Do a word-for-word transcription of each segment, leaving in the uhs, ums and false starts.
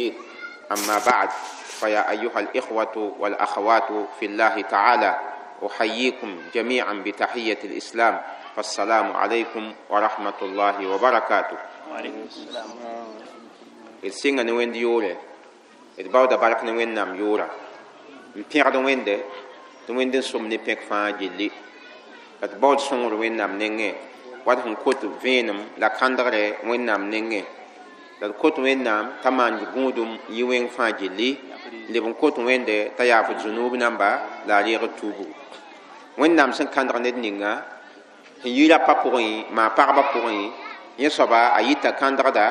مجيد. أما بعد، فيا أيها الإخوة والأخوات في الله تعالى، أحييكم جميعا بتحية الإسلام، فالسلام عليكم ورحمة الله وبركاته. وعليكم السلام. D sɩnga ne Wẽnd yoore, d baooda bark ne Wẽnnaam yoora, n pẽgd Wẽnde tɩ Wẽnd n sʋm ne pẽk fãa gilli, la d baood sõngr Wẽnnaam nengẽ wat sẽn kot vẽenem la kãndgre Wẽnnaam nengẽ, la d kot Wẽnnaam t'a maan gũudum yɩ wẽng fãa gilli, n leb n kot Wẽnde t'a yaaf d zũnuub namba la a reeg d tuubgu. Wẽnnaam sẽn kãndg ned ninga sẽn yi rapa pʋgẽ, maa pagba pʋgẽ, yẽ soaba a yita kãndgda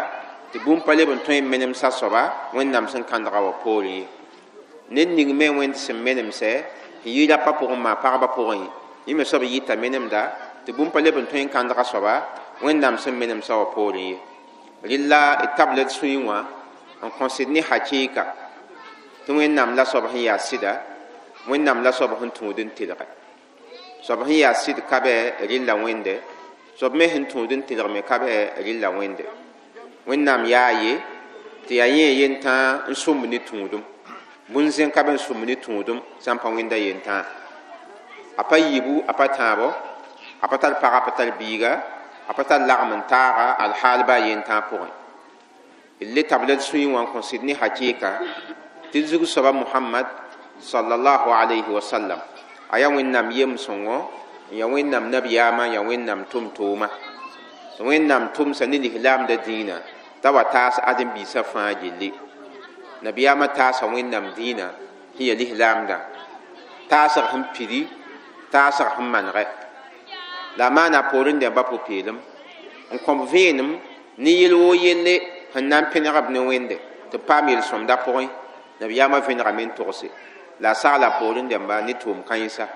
tɩ bũmb pa leb n tõe n menemsa soaba Wẽnnaam sẽn kãndga wã poorẽ ye. Ned ning me Wẽnd sẽn menemsɛ sẽn yi rapa pʋgẽ, maa pagba pʋgẽ, yẽ me soab yita menemda tɩ bũmb pa leb n tõe n kãndga soaba Wẽnnaam sẽn menemsa wã poorẽ ye. Rɩla d tabla d sũyẽ wã n kõsd ne hakɩɩka tɩ Wẽnnaam la soab sẽn yaa sɩda, Wẽnnaam la soab sẽn tũud n tɩlgɛ. Soab sẽn yaa sɩd ka bɛ rɩlla Wẽnde, soab me sẽn tũud n tɩlg me ka bɛ rɩlla Wẽnde. Wẽnnaam yaa ye tɩ yaa yẽ yentãa n sũmb ne tũudum, bũn-zẽn ka be n sũmb ne tũudum sã n pa Wẽnda yentãa. A pa yiibu, a pa tãabo, a pa tar pag, a pa tar biiga, a pa tar lagm n taaga alhaal baa yentãa pʋgẽ. D le tabla d sũyẽ wã n kõ sɩd ne hakɩɩka tɩ d zug soaba Mohamad sallallahu alayhi wa sallam a yaa Wẽnnaam yem-sõngo, n yaa Wẽnnaam nabiyaamã, n yaa Wẽnnaam tʋm-tooma tɩ Wẽnnaam tʋmsa ne lislaamda dĩinã t'a wa taas ãdem-biisã fãa gilli. Nabiyaamã taasa Wẽnnaam dĩinã sẽn ya lislaamdã, taasg sẽn pidi, taasg sẽn manegɛ, la a maana poorẽ dẽmba pʋ-peelem n kõb vẽenem ne yel woo yelle sẽn na n pẽneg b ne Wẽnde tɩ b paam yel-sõmda pʋgẽ. Nabiyaamã vẽnegame n togse la a sagla poorẽ dẽmba ne tʋʋm kãensa.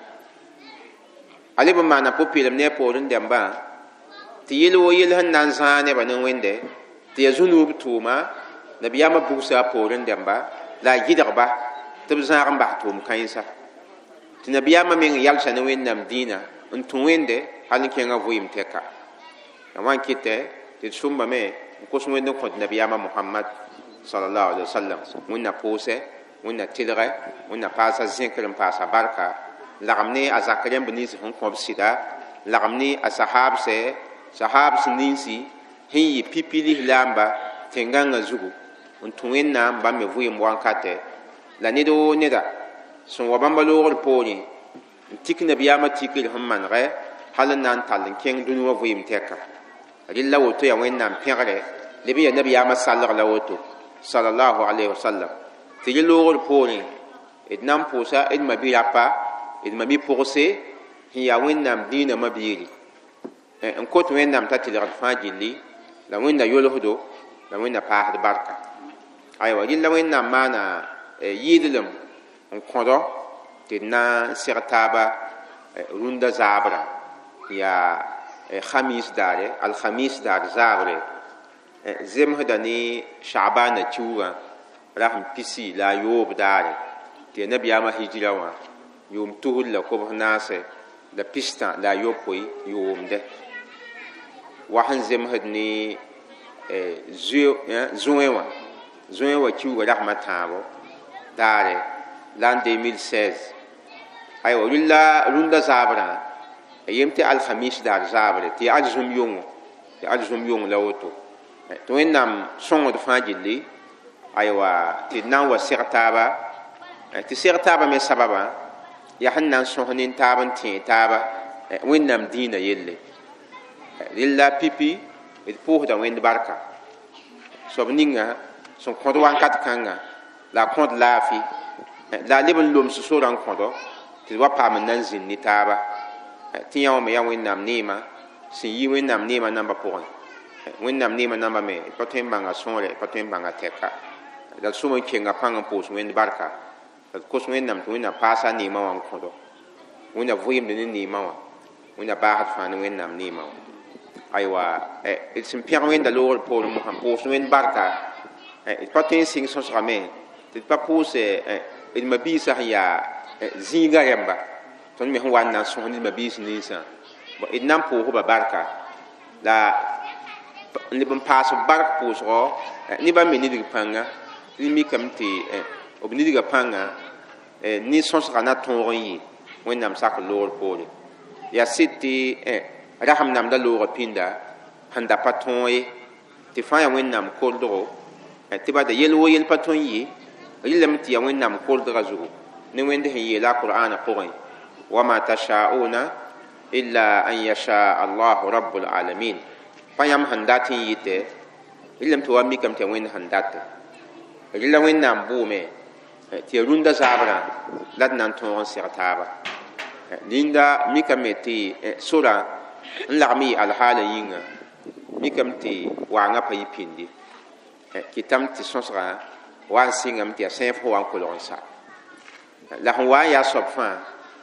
A leb n maana pʋ-peelem ne a poorẽ dẽmbã tɩ yel woo yell sẽn na n zãag nebã ne Wẽnde tɩ yaa zũnuub tʋʋma, nabiyaamã bugsa a poorẽ dẽmba la a gɩdgba tɩ b zãag n bas tʋʋm kãensa, tɩ nabiyaamã meng yalsa ne Wẽnnaam dĩinã n tũ Wẽnde hal n kẽngã vɩɩm tɛka. La wã n kɩtɛ tɩ d sʋmbame n kos Wẽnd n kõt nabiyaamã Mohamad sallallahu alaihi wasallam Wẽnna pʋʋsɛ, Wẽnna tɩlgɛ, Wẽnna paasa zẽkr n paasa barka, lagm ne a zak rẽmb nins sẽn kõb sɩda, lagm ne a sahaabsɛ, sahaabs ninsi sẽn yɩ pipi lislaamba tẽn-gãngã zugu n tũ Wẽnnaam bãmb me vɩɩm wankatɛ, la ned woo neda sẽn wa bãmba loogr poorẽ n tik nabiyaamã tikr sẽn manegɛ hal n na n tall n kẽng dũni wã vɩɩm tɛka. Rɩla woto yaa Wẽnnaam pẽgre leb n yaa nabiyaamã salg la woto sallallahu alayhi wa sallam, tɩ rẽ loogr poorẽ d na n pʋʋsa d ma-bi-rapa, d ma-bi-pʋgse sẽn yaa Wẽnnaam dĩinã ma-biiri, n kot Wẽnnaam t'a tɩlgd fãa gilli, la Wẽnda yolsdo, la Wẽnda paasd barka. Aywa, rɩla Wẽnnaam maana yɩɩdlem n kõdo tɩ d na n seg taaba rũndã zaabrã, yaa khamis daare, alhamis daar zaabre, zemsda ne shaabana kiuugã rasem pisi la a yoob daare, tɩ yaa nabiyaamã hijira wã yʋʋm tusr la kobs naase la pistã la a yopoe yʋʋmdɛ, wa sẽn zemsd ne zõe wã, zõe wã kiuugã rasmã tãabo daare l'an deux mille seize. Aywa, rʋlla rũndã zaabrã a yem tɩ alhamis daar zaabre, tɩ yaa arzũm yʋngo, tɩ arzũm yʋng la woto, tɩ Wẽnnaam sõngd fãa gilli. Aywa, tɩ d na n wa seg taaba, tɩ seg taaba me sababã yaa sẽn na n sõs nin-taab n tẽe taaba Wẽnnaam dĩinã yelle. Rɩla pipi d pʋʋsda Wẽnd barka soab ninga sẽn kõd wankat kãnga la a kõd laafɩ, la a leb n loms sorã n kõdo tɩ d wa paam n na n zĩnd ne taaba, tɩ yã wã me yaa Wẽnnaam neema sẽn yi Wẽnnaam neema nambã pʋgẽ. Wẽnnaam neema nambã me d pa tõe n bãnga sõore, d pa tõe n bãnga tɛka. La d sʋm n kenga pãng n pʋʋs Wẽnd barka, la d kos Wẽnnaam tɩ Wẽnnaam paasa neemã wã n kõdo, Wẽnna vɩɩmd ne neemã wã, Wẽnna baasd fãa ne Wẽnnaam neemã wã. Aywa, d sẽn pẽg Wẽnda loogr poorẽ mosã pʋʋs Wẽnd barka, d pa tõe n sɩng sõsgame tɩ d pa pʋʋs d ma-biisã sẽn yaa zĩigã rẽmba, tõnd me sẽn wa n na n sõs ne d ma-biis ninsã, d na n pʋʋsba barka la n leb n paas b bark pʋʋsgɔ ne bãmb me nidg pãnga. Tɩ mikame tɩ b nidgã pãnga ne sõsga na tõog n yɩ Wẽnnaam sak loogr poore. Yaa sɩd tɩ rasem namda loogã pĩnda sẽn da pa tõog ye tɩ fãa yaa Wẽnnaam koldgo tɩ bada yel wo yel pa tõe n yɩ rɩlame tɩ yaa Wẽnnaam koldgã zugu ne Wẽnd sẽn yeela a Qur'aana pʋgẽ wama tashauna illa an yasha Allahu rabbul alamin. Pa yãmb sẽn dat n yɩtɛ rɩlame tɩ wa mikame tɩ yaa Wẽnd sẽn date rɩla Wẽnnaam bʋʋme tɩ yaa rũndã zaabrã la d na n tõog n seg taaba. Linda mikame tɩ sora n lagm yɩ alhaala yĩnga mikame tɩ waangã pa yɩ pĩndi kɩtame tɩ sõsgã wa n sɩngame tɩ yaa sẽef sẽn wa n kolg n sa la sẽn wa n yaa soab fãa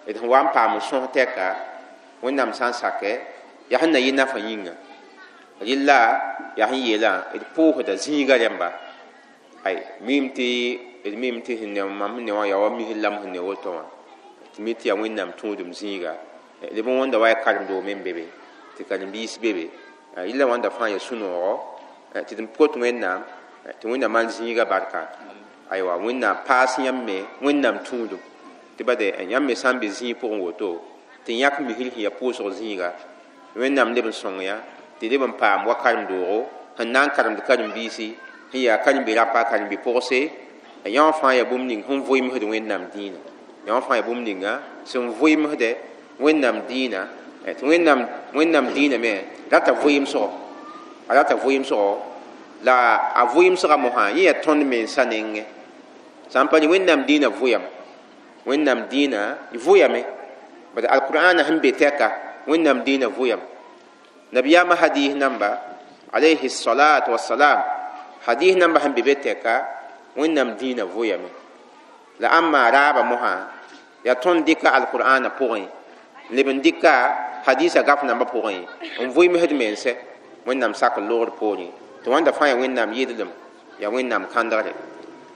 d sẽn wa n paam n sõs tɛka Wẽnnaam sã n sakɛ yaa sẽn na yɩ nafã yĩnga rɩlla yaa sẽn yeelã d pʋʋsda zĩiga rẽmba ay mim tɩ d mim tɩ sẽn ne mam sẽn ne wã yaa wa misl la m sẽn ne woto wã tɩ mi tɩ yaa Wẽnnaam tũudum zĩiga leb n wõnda wa yaa karen-doom n be be tɩ karen-biis be be rɩla wãnda fãa yaa sũ-noogo tɩ d pot Wẽnnaam tɩ Wẽnnaam maan zĩiga barka aywa Wẽnnaam paas yãmb me Wẽnnaam tũudum tɩ bade yãmb me sã n be zĩig pʋgẽ woto tɩ yãk misl sẽn yaa pʋʋsg zĩiga Wẽnnaam leb n sõng yã tɩ leb n paam wa karen-doogo sẽn na n karemd karen-biisi sẽn yaa karen-bi-rapa karen-bi-pʋgse yã wã fãa yaa bũmb ning sẽn vʋɩmsd Wẽnnaam dĩinã yã wã fãa yaa bũmb ninga sẽn vʋɩmsdɛ Wẽnnaam dĩinã tɩ Wẽnnaam Wẽnnaam dĩinã me rata vʋɩmsgo a rata vʋɩmsgo la a vʋɩmsgã mosã yẽ yaa tõnd mensã nengẽ sã n pa rẽ Wẽnnaam dĩinã vʋyame Wẽnnaam dĩinã vʋyame bad alqur'ana sẽn be tɛka Wẽnnaam dĩinã vʋyame nabiyaamã hadis namba alayhi salatu wassalam hadis namba sẽn be be tɛka Wẽnnaam dĩinã vʋyame la ãmma raaba mosã yaa tõnd dɩka alqur'ana pʋgẽ leb n dɩka hadisa gaf nambã pʋgẽ n vʋɩmsd mense Wẽnnaam sak loogr poorẽ tɩ wãnda fãa yaa Wẽnnaam yɩdlem yaa Wẽnnaam kãndgre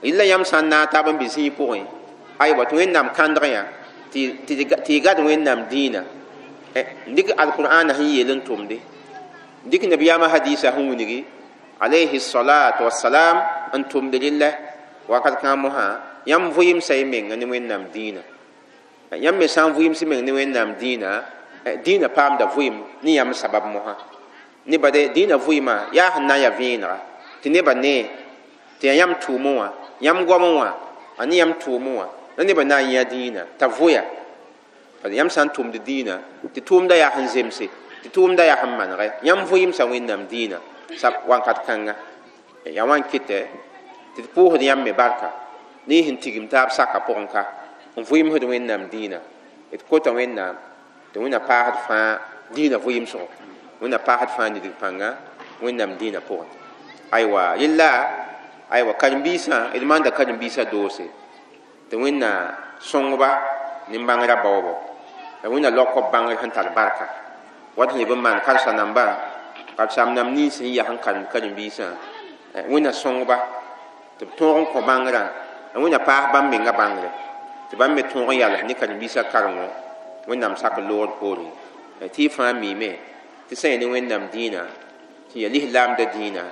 rɩla yãmb sã n naag taab n be zĩig pʋgẽ aywa tɩ Wẽnnaam kãndg yã tɩ y gad Wẽnnaam dĩinã dɩk alqur'ana sẽn yeel n tʋmde dɩk nabiyaamã hadisa sẽn wilgi alayhi salatu wassalam n tʋmd rɩlla wakat kãng mosã yãmb vʋɩmsa y menga ne Wẽnnaam dĩinã yãmb me sã n vʋɩms meng ne Wẽnnaam dĩinã dĩinã paamda vʋɩm ne yãmb sabab mosã ne bade dĩinã vʋɩmã yaa sẽn na n yaa vẽenega tɩ nebã nee tɩ yaa yãmb tʋʋmẽ wã yãmb goamẽ wã a ne yãmb tʋʋmẽ wã la nebã na n yã dĩinã t'a vʋya yãmb sã n tʋmd dĩinã tɩ tʋʋmda yaa sẽn zemse tɩ tʋʋmda yaa sẽn manegɛ yãmb vʋɩmsa Wẽnnaam dĩinã sab wãnkat kãnga yaa wã n kɩtɛ tɩ d pʋʋsd yãmb me barka ne y sẽn tigim taab saka pʋgẽ ka n vʋɩmsd Wẽnnaam dĩinã d kota Wẽnnaam tɩ Wẽnna paasd fãa dĩinã vʋɩmsgo Wẽnna paasd fãa nidg pãnga Wẽnnaam dĩinã pʋgẽ aywa rella aywa karen-biisã d maanda karen-biisã doose tɩ Wẽnna sõngba nin-bãngrã baoobo la Wẽnna laok b bãngr sẽn tar barka wat sẽn leb n maan karsa nambã karsaam nam nins sẽn yaa sẽn karem karen-biisã Wẽnna sõngba tɩ b tõog n kõ bãngrã la Wẽnna paas bãmb menga bãngre tɩ bãmb me tõog n yals ne karen-biisã karengo Wẽnnaam sak loogr poorẽ tɩ y fãa miime tɩ sã yaa ne Wẽnnaam dĩinã tɩ yaa lislaamda dĩinã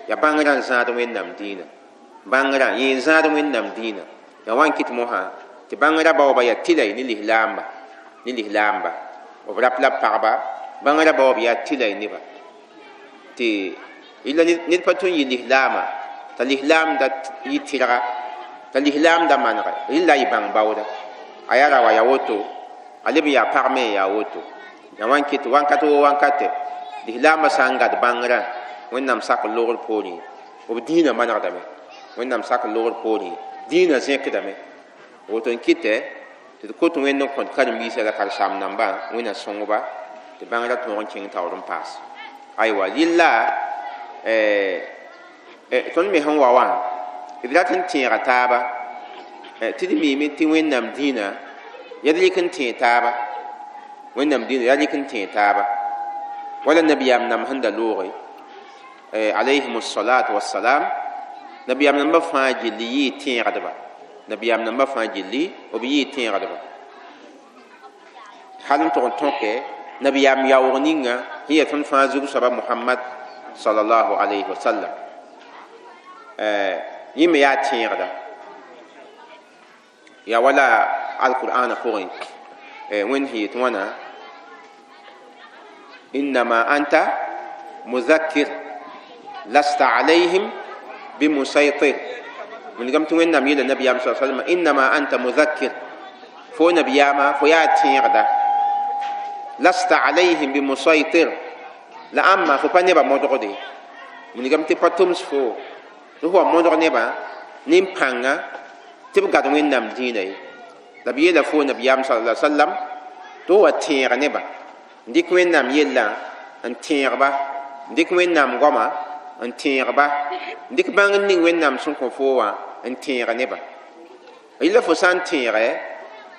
yaa bãngrã n zãad Wẽnnaam dĩinã bãngrã yẽ n zãad Wẽnnaam dĩinã yaa wa n kɩt mosã tɩ bãngrã baooba yaa tɩlay ne lislaamba ne lislaamba b rap la b pagba bãngrã baoob yaa tɩlay neba tɩ ila ned pa tõe n yɩ lislaama t'a lislaamda yɩ tɩrga t'a lislaamda manegɛ rɩla y bãng baooda a yaa ra wa yaa woto a leb n yaa pag me n yaa woto yaa wa n kɩt wãnkat wo wãnkate lislaambã sã n gad bãngrã Wẽnnaam sak loogr poorẽ b dĩinã manegdame Wẽnnaam sak loogr poorẽ dĩinã zẽkdame woto n kɩtɛ tɩ d kot Wẽnd n kõt karen-biisã la karen-saam nambã Wẽnna sõngba tɩ bãngrã tõog n kẽng taoor n paas aywa rɩlla tõnd me sẽn wa wã d rat n tẽega taaba tɩ d miime tɩ Wẽnnaam dĩinã yaa d rɩk n tẽeg taaba Wẽnnaam dĩinã yaa rɩk n tẽeg taaba wala nabiyaam nam sẽn da looge alayhim salatu wassalam nabiyaam nambã fãa gilli yɩɩ tẽegdba nabiyaam nambã fãa gilli b yɩɩ tẽegdba hal n tʋg n tõke nabiyaam yaoog ninga sẽn yaa tõnd fãa zug soaba Muhammad sallallahu alayhi wa sallam. Yẽ me yaa tẽegda yaa wala alqur'ana pʋgẽ Wẽnd sẽn yet wãna innama anta muzakkir lasta alayhim bimusaytir. Wilgame tɩ Wẽnnaam yeela nabiyaam sa salma innama anta muzakkir fo nabiyaamã fo yaa tẽegda lasta alayhim bimusaytir la ãmba fo pa nebã modgde. Wilgame tɩ pa tʋms fo tɩ fo wa modg nebã nin-pãnga tɩ b gad Wẽnnaam dĩinã ye. La b yeela fo nabiyaam sala sallam tɩ fo wa tẽeg nebã n dɩk Wẽnnaam yellã n tẽegba n dɩk Wẽnnaam goama n tẽegba n dɩk bãng n ning Wẽnnaam sẽn kõ fo wã n tẽeg nebã. Yella fo sã n tẽege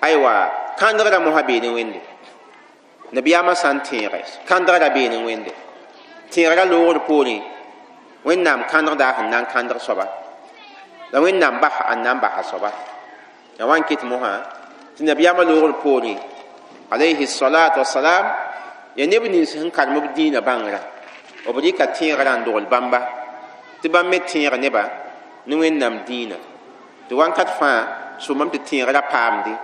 aywa kãndgrã mosã bee ne Wẽnde. Nabiyaamã sã n tẽege kãndgrã bee ne Wẽnde tẽegrã loogr poorẽ Wẽnnaam kãndgda sẽn na n kãndg soaba la Wẽnnaam basa n na n basa soaba. Ya wa n ket mosã tɩ nabiyaamã loogr poorẽ alayhi salatu wasalam ya neb nins sẽn karem b dĩinã bãngrã b rɩka tẽegrã n dogl bãmba tɩ bãmb me tẽeg nebã ne Wẽnnaam dĩinã tɩ wãnkat fãa sõmame tɩ tẽegrã paamde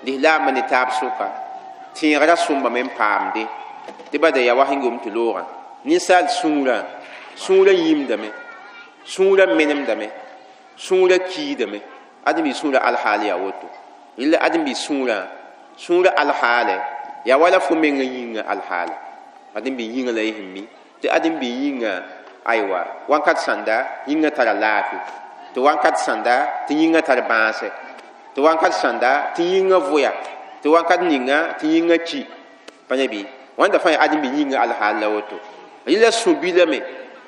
lislaambã ne taab sʋka tẽegrã sõmbame n paamde tɩ bada yaa wa sẽn gom tɩ loogã ninsaal sũurã sũurã yĩmdame sũurã menemdame sũurã kiidame ãdem-bi sũurã alhaal yaa woto. Rɩla ãdem-bi sũurã sũurã alhaale yaa wala fo menga yĩnga alhaala ãdem-bi yĩnga la y sẽn mi tɩ ãdem-bi yĩnga aywa wãnkat sãnda yĩnga tara laafɩ tɩ wãnkat sãnda tɩ yĩnga tar bãase tɩ wãnkat sãnda tɩ yĩnga vʋya tɩ wãnkat ninga tɩ yĩnga ki pa ne bɩ wãnda fãa yaa ãdem-bi yĩnga alhaal la woto. Rɩla sũ-bilame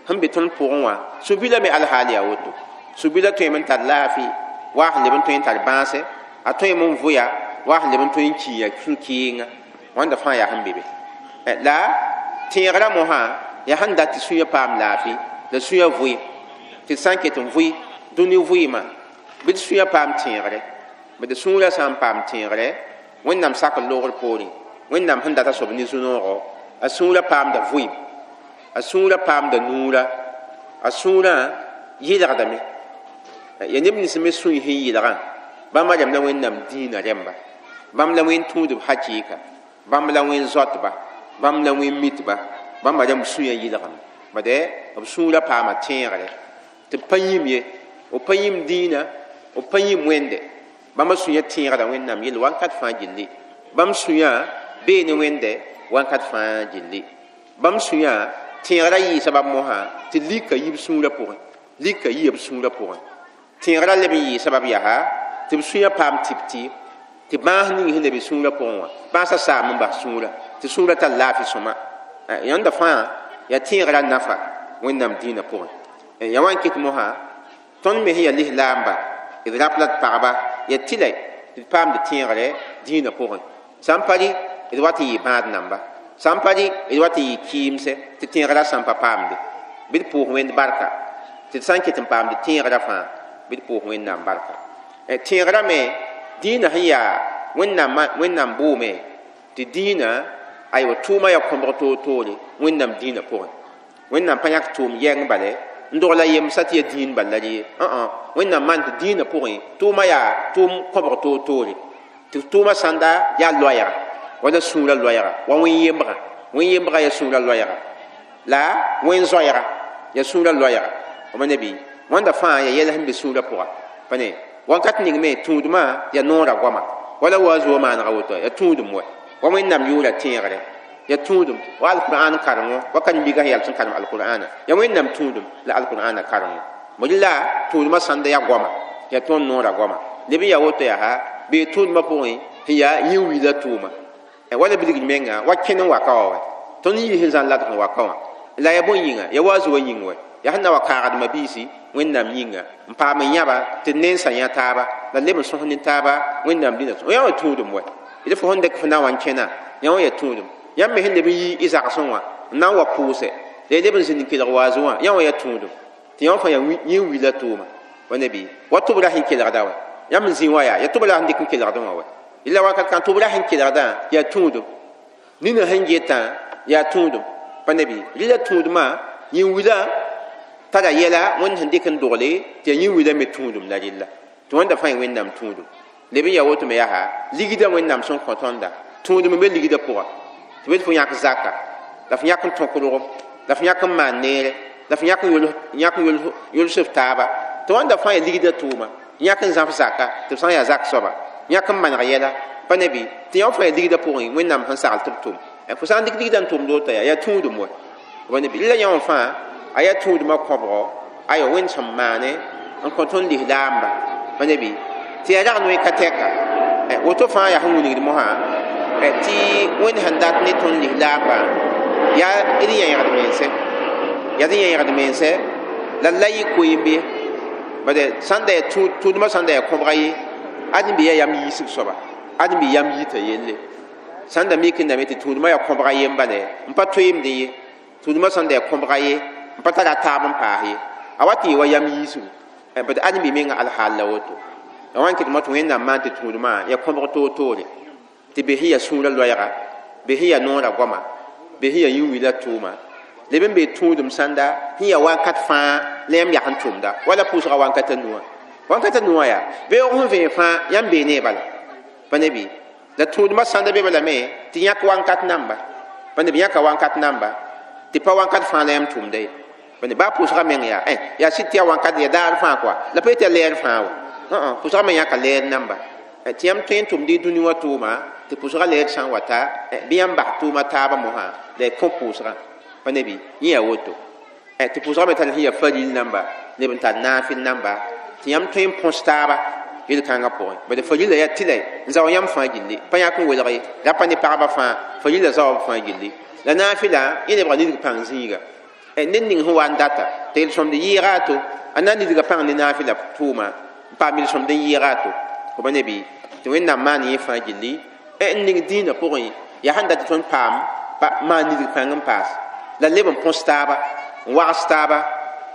sẽn be tõnd pʋgẽ wã sũ-bilame alhaal yaa woto. Sũ-bila tõeme n tar laafɩ waa sẽn leb n tõe n tar bãase a tõeme n vʋya waa sẽn leb n tõe n kiya sũ-kɩɩnga wãnda fãa yaa sẽn be be. La tẽegrã mosã yaa sẽn dat tɩ sũyã paam laafɩ la sũyã vʋɩ tɩ d sã n ket n vʋɩ dũni vʋɩɩmã bɩ d sũyã paam tẽegre bɩ d sũurã sã n paam tẽegre Wẽnnaam sakr loogr poorẽ Wẽnnaam sẽn data soab ne zu-noogo a sũurã paamda vʋɩɩm a sũurã paamda nuura a sũurã yɩlgdame ya neb nins me sũy sẽn yɩlgã bãmba rẽmb la Wẽnnaam dĩinã rẽmba bãmb la wẽn tũudb hakɩɩka bãmb la wẽn zoatba bãmb la wẽn mitba bãmba rẽmb sũyã yɩlgame bade b sũurã paama tẽegre tɩ b pa yĩm ye b pa yĩm dĩinã b pa yĩm Wẽnde bãmba sũyã tẽegda Wẽnnaam yell wãnkat fãa gilli bãmb sũyã bee ne Wẽnde wãnkat fãa gilli bãmb sũyã tẽegrã yɩɩ sabab mosã tɩ lika yi b sũurã pʋgẽ lika yia b sũurã pʋgẽ tẽegrã leb n yɩɩ sabab yaa tɩ b sũyã paam tɩp-tɩ tɩ bãas ning sẽn leb sũurã pʋgẽ wã bãasã saam n bas sũurã tɩ sũurã tar laafɩ sõma yãnda fãa yaa tẽegrã nafa Wẽnnaam dĩinã pʋgẽ. Ya wa n ket mosã tõnd me sẽn yaa lislaamba d rap la d pagba yaa tɩlɛ tɩ d paamd tẽegre dĩinã pʋgẽ sã n pa rɩ d wat n yɩ bãad namba sã n pa rɩ d wat n yɩ kɩɩmse tɩ tẽegrã sã n pa paamde bɩ d pʋʋs Wẽnd barka tɩ d sã n ket n paamd tẽegrã fãa bɩ d pʋʋs Wẽnnaam barka. Tẽegrã me dĩinã sẽn yaa Wẽnnaam Wẽnnaam bʋʋme tɩ dĩinã aywa tʋʋma yaa kõbg toor-toore Wẽnnaam dĩinã pʋgẽ. Wẽnnaam pa yãk tʋʋm yɛng bale n dogla yemsa tɩ yaa dĩin bal la rɩ ye Wẽnnaam maan tɩ dĩinã pʋgẽ tʋʋma yaa tʋʋm kõbg toor-toore tɩ tʋʋma sãnda yaa loɛɛga wala sũurã loɛɛga wa wẽn-yembgã wẽn-yembgã yaa sũurã loɛɛga la wẽn-zoɛɛga yaa sũurã loɛɛga b nabi wãnda fãa yaa yɛl sẽn be sũurã pʋga pa ne wãnkat ning me tũudmã yaa noorã goama wala wa zoa maanega woto yaa tũudum wa wa Wẽnnaam yʋʋra tẽegre yaa tũudum wa alqur'an karengo wa karen-biigã sẽn yal sẽn karem alqur'ana yaa Wẽnnaam tũudum la alqur'ana karengo la tũudmã sãnda yaa goama yaa tõnd noorã goama leb n yaa woto yaa bee tũudmã pʋgẽ sẽn yaa yĩn-wila tʋʋma wala bilgd menga wa kẽn n waka wa wa tõnd yɩ sẽn zãn ladg n waka wã la yaa bõe yĩnga yaa wa zoa yĩng wa yaa sẽn na wa kaagdmã biisi Wẽnnaam yĩnga n paam n yãba tɩ nensã yã taaba la leb n sõs ne taaba Wẽnnaam dĩnã yã wã tũudum wa d fo sẽn dɩk fo na wa n kẽna yã wã yaa tũudum yãmb me sẽn leb n yi y zagsẽ wã n na n wa pʋʋsɛ la y leb n zĩnd n kelg waazẽ wã yã wã yaa tũudum tɩ yã wã fãa yaa yĩn-wila tʋʋma wa nabi wa tʋbrã sẽn kelgda wa yãmb n zĩ wã yaa yaa tʋbrã sẽn dɩk n kelgdẽ wã wa la wakat kã tʋbrã sẽn kelgdã yaa tũudum nina sẽn getã yaa tũudum pa nabi rɩla tũudmã yĩn-wila Tara yɛla wẽnd sẽn dɩk n dogle tɩ yaa yĩn-wila me tũudum la rella tɩ wẽnda fãa wẽnnaam tũudum leb n yaa woto me yaa ligda wẽnnaam sẽn kõ tõnda tũudum n be ligda pʋga tɩ bed fo yãk zaka la f yãk n tõk rogem la f yãk n maan neere la f yãk n yols f taaba tɩ wãnda fãa yaa ligda tʋʋma yãk n zãf zaka tɩ b sã n yaa zak soaba yãk n maneg yɛla pa ne bɩ tɩ yã fãa yaa ligda pʋgẽ wẽnnaam sẽn sagl tɩ b tʋm fo sã n dɩk ligda n tʋmd woto yaa yaa tũudum wa pa ne bɩ la yã wã fãa a yaa tũudmã kõbgo ayo wẽnd sẽn maane n kõ tõnd lislaamba pa ne bɩ tɩ yaa rag noe ka tɛka woto fãa yaa sẽn wilgd mosã tɩ wẽnd sẽn dat ne tõnd lislaambã yaa d yẽegd mense yaa d yẽegd mense la la yɩ koeembe bade sãn da yaa tũudmã sãn da yaa kõbga ye ad n be yaa yam yiisg soaba ad n be yam yita yelle sãn da mik n dame tɩ tũudmã yaa kõbga yem bale n pa toeemdẽ ye tũudmã sãn da yaa kõbga ye n pa tara taab n paas ye a wa tɩ yɩ wa yam yiisgu bad ad n be menga alhaal la woto la wã n kɩtmã tɩ wẽnnaam maan tɩ tũudmã yaa kõbg toor-toore tɩ be sẽn yaa sũurã loɛɛga be sẽn yaa noorã goama be sẽn yaa yĩn-wila tʋʋma leb n bee tũudum sãnda sẽn yaa wakat fãa la yãmb yak n tʋmda wala pʋʋsga wankata nuwã wankata nuwã yaa beoog sẽn vẽeg fãa yãmb bee ne bala pa ne bɩ la tũudmã sãnda be balame tɩ yãk wankat namba pa ne bɩ yãka wankat namba tɩ pa wankat fãa la yãmb tʋmda ye pa ne baa pʋʋsga meng yaa yaa sɩd tɩ yaa wankat ya daar fãa kɔa la pa yetɩ yaa lɛɛr fãa wa pʋʋsga me yãka lɛɛr namba tɩ yãmb tõe n tʋmd y dũni wã tʋʋma tɩ pʋʋsga lɛɛr sã n wa ta bɩ yãmb bas tʋʋma taabã mosã la y kõ pʋʋsgã pa ne bɩ yẽ yaa woto tɩ pʋʋsga me tar sẽn yaa faril namba neb n tar naafɩl namba tɩ yãmb tõe n põs taaba yel-kãngã pʋgẽ bad farila yaa tɩ la n zao yãmb fãa gilli pa yãk n welg ye ra pa ne pagba fãa farila zaoa b fãa gilli la naafɩla yẽ lebga nidg pãng zĩiga ned ning sẽn wa n data tɩ yel-sõmd yɩɩga a to a na n nidga pãng ne naafɩla tʋʋma n paam yel-sõmd n yɩɩga a to fo pa ne bɩ tɩ wẽnnaam maan yẽ fãa gilli n ning dĩinã pʋgẽ yaa sẽn dat tɩ tõnd paam maan nidg pãng n paas la leb n põs taaba n wags taaba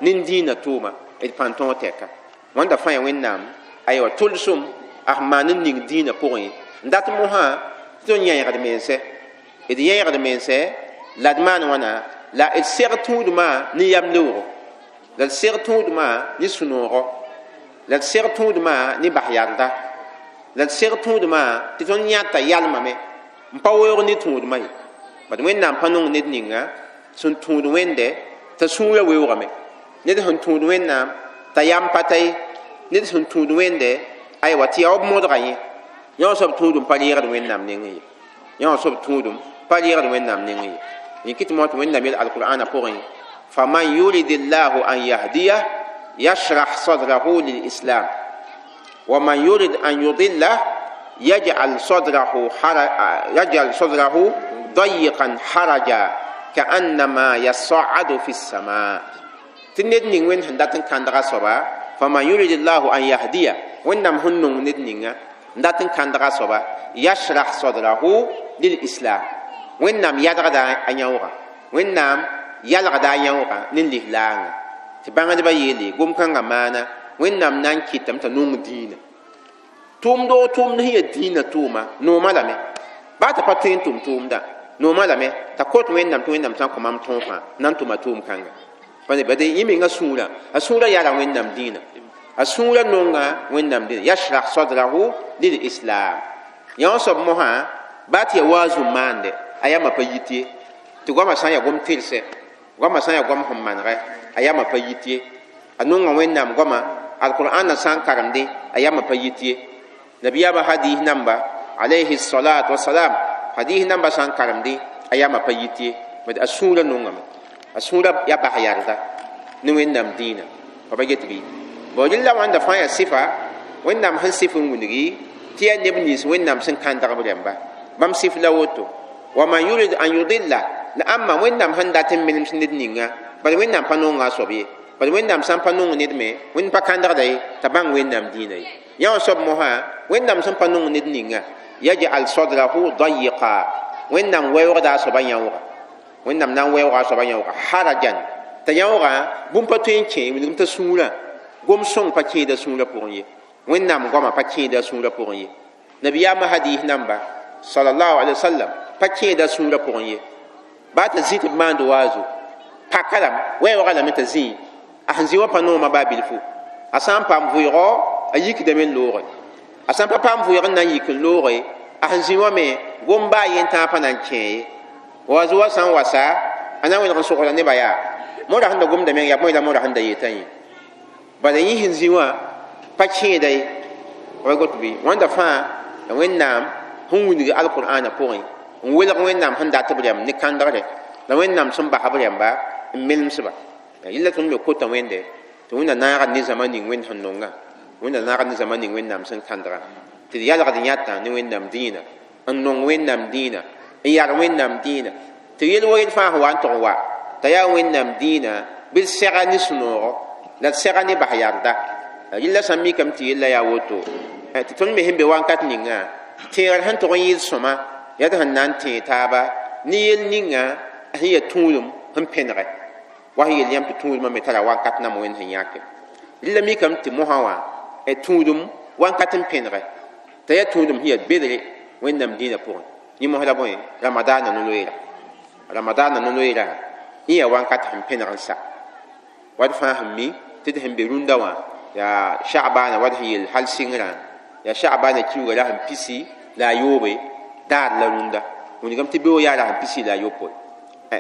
nin dĩinã tʋʋma d pãn tõog tɛka wãnda fãa yaa wẽnnaam aywa tʋlsem a sẽn maan n ning dĩinã pʋgẽ n dat mosã tɩ tõnd yẽegd mense d yẽegd mense la d maan wãna la d seg tũudmã ne yam leoogo la d seg tũudmã ne sũ-noogo la d seg tũudmã ne bas yarda la d seg tũudmã tɩ tõnd yãta yalmame n pa weoog ne tũudmã ye bad wẽnnaam pa nong ned ninga sẽn tũud wẽnde t'a sũurã weoogame ned sẽn tũud wẽnnaam t'a yam pa ta ye ned sẽn tũud wẽnde aywa tɩ yaa b modga yẽ yã wã soab tũudum pa reegd wẽnnaam nengẽ ye yã wã soab tũudum pa reegd wẽnnaam nengẽ ye yẽ kɩt mo tɩ wẽnnaam yel alqur'ana pʋgẽ faman yurid llahu an yahdiyah yashrah sadrahu lilislam wa man yurid an yudillah yaj'al sadrahu yaj'al sadrahu dayiqan haraja ka'annama yas'adu fi as-sama tɩ ned ning wẽnd sẽn dat n kãndga soaba faman yurid llahu an yahdiya wẽnnaam sẽn nong ned ninga n dat n kãndga soaba yashrah sadrahu lilislam wẽnnaam yadgda a yãoogã wẽnnaam yalgda a yãoogã ne lislaangã tɩ bãngdbã yeele gom-kãngã maana wẽnnaam na n kɩtame t'a nong dĩinã tʋʋmdo tʋʋmd sẽn yaa dĩinã tʋʋma noomã lame baa t'a pa tõe n tʋm tʋʋmdã noomã lame t'a kot wẽnnaam tɩ wẽnnaam sã n kõ mam tõog fãa na n tʋma tʋʋm-kãnga pa ne bad yẽ menga sũurã a sũurã yara wẽnnaam dĩinã a sũurã nonga wẽnnaam dĩinã yashrah sadrahu lilislam yã wã soab mosã baa tɩ yaa waazum maande a yamã pa yit ye tɩ goamã sã n yaa gom tɩrse goamã sã n yaa goam sẽn manegɛ a yamã pa yit ye a nonga wẽnnaam goama alqur'an sã n karemdẽ a yamã pa yit ye nabiyaamã hadis namba alayhi salatu wasalam hadis namba sã n karemdẽ a yamã pa yit ye bad a sũurã nongame a sũurã yaa bas yarda ne wẽnnaam dĩinã pa pa get bɩ bon rẽla wãnda fãa yaa sɩfa wẽnnaam sẽn sɩf n wilgi tɩ yaa neb nins wẽnnaam sẽn kãndg b rãmba bãmb sɩf la woto wa man yurid an yudilla la ãmba wẽnnaam sẽn dat n menems ned ninga bad wẽnnaam pa nonga a soab ye bad wẽnnaam sã n pa nong ned me wẽnd pa kãndgda ye t'a bãng wẽnnaam dĩinã ye yã wã soab mosã wẽnnaam sẽn pa nong ned ninga yaj'al sadrahu dayiqa wẽnnaam weoogda a soaba yãooga wẽnnaam na n weooga a soaba yãooga harajan t'a yãoogã bũmb pa tõe n kẽ wilgm t'a sũurã gom sõng pa kẽeda sũurã pʋgẽ ye wẽnnaam goamã pa kẽeda sũurã pʋgẽ ye nabiyaamã hadis namba sallallahu alaihi wasallam pa kẽeda sũurã pʋgẽ ye baa t'a zĩ tɩ b maand waazo paka lame weoogã lame t'a zĩ A sẽn zĩ wã pa noomã baa bilfu a sã n paam vʋɩgɔ a yikdame n looge a sã n pa paam vʋɩg n na n yik n looge a sẽn zĩ wã me gom baa yen tãag pa na n kẽ ye wa zoa sã n wasa a na n wẽneg n sogda nebã yaa moora sẽn da gomda meng yaa bõe la moora sẽn da yetã yẽ bala yẽ sẽn zĩ wã pa kẽeda ye wa got bɩ wãnda fãa la wẽnnaam sẽn wilg alqur'ana pʋgẽ n welg wẽnnaam sẽn dat b rɛm ne kãndgre la wẽnnaam sẽn bas b rɛmba n melemsba yella tõnd me kota wẽnde tɩ wẽnna naaga ne zãma ning wẽnd sẽn nonga wẽnna naaga ne zãma ning wẽnnaam sẽn kãndga tɩ d yalgd yãtã ne wẽnnaam dĩinã n nong wẽnnaam dĩinã n yar wẽnnaam dĩinã tɩ yel wa yel fãa sẽn wa n tʋg n wa t'a yaa wẽnnaam dĩinã bɩ d sɛga ne sũ-noogo la d sɛga ne bas yarda yella sã n mikame tɩ yella yaa woto tɩ tõnd me sẽn be wakat ninga tẽegr sẽn tʋg n yɩɩd sõma yaa tɩ sẽn na n tẽeg taaba ne yel ninga sẽn yaa tũudum sẽn pẽnegɛ wa sẽn yel yãmb tɩ tũudmã me tara wakat nam wẽnd sẽn yãke rɩla mikame tɩ mosã wã tũudum wakat n pẽnegɛ t'a yaa tũudum sẽn yaa bedre wẽnnaam dĩinã pʋgẽ yẽ mos la bõe ramadaana no-loeera ramadaana no-loeera yẽ yaa wakat sẽn pẽneg n sa wat fãa sẽn mi tɩ d sẽn be rũndã wã yaa sha'bana wat sẽn yel hal sɩngrã yaa sha'bana kiuga la sẽn pisi la a yoobe daar la rũndã wilgame tɩ beoog yaa la sẽn pisi la a yopoe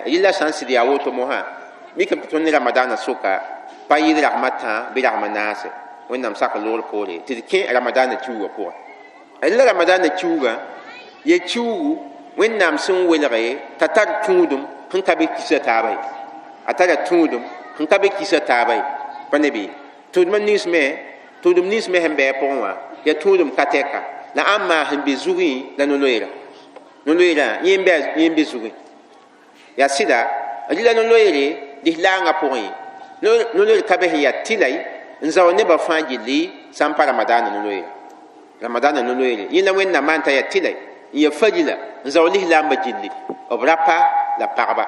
yella sã n sɩd yaa woto mosã mikame tɩ tõnd ne ramadaana soka pa yɩɩd ragma tã bɩ ragma naase wẽnnaam sak loogr poore tɩ d kẽ ramadaana kiuga pʋgẽ la ramadaana kiuga ya kiugu wẽnnaam sẽn welge t'a tar tũudum sẽn ka be kisa taaba ye a tara tũudum sẽn ka be kisa taaba ye pa ne bɩ tũudmã nins me tũudum nins me sẽn bɩ a pʋgẽ wã yaa tũudum ka tɛka la ãmba sẽn be zugẽ la no-loeera no-loeerã yẽ n be zugẽ yaa sɩda rɩla no-loeere lislaangã pʋgẽ no-loeer ka be sẽn yaa tɩlay n zao nebã fãa gilli sã n pa ramadaana no-loeera ramadaana no-loeere yẽ la wẽnnaam maan t'a yaa tɩlay n yaa farila n zao lislaambã gilli b rapa la pagba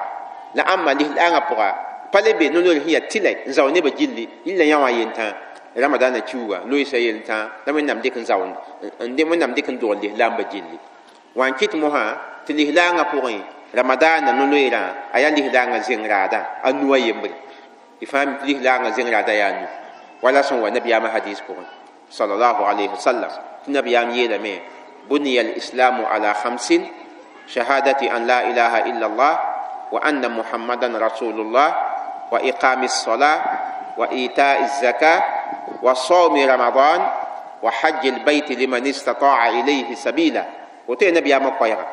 la ãmba lislaangã pʋga pa le be no-loeer sẽn yaa tɩlay n zao nebã gilli yilla yã wã yentã ramadaana kiuga loeesa yeltã la wẽnnaam dɩk n zao n wẽnnaam dɩk n dogl lislaambã gilli wã n kɩt mosã tɩ lislaangã pʋgẽ ramadaana no-loeerã a yaa lislaangã zeng raadã a nu a yembre y fãa mi tɩ lislaangã zeng raadã yaa nu wala sẽn wa nabiyaamã hadis pʋgẽ sallallahu alayhi wa sallam tɩ nabiyaam yeelame بني الإسلام على خمس شهادة أن لا إله إلا الله وأن محمدا رسول الله وإقام الصلاة وإيتاء الزكاة وصوم رمضان وحج البيت لمن استطاع إليه سبيلا وتي نبي أما قيرا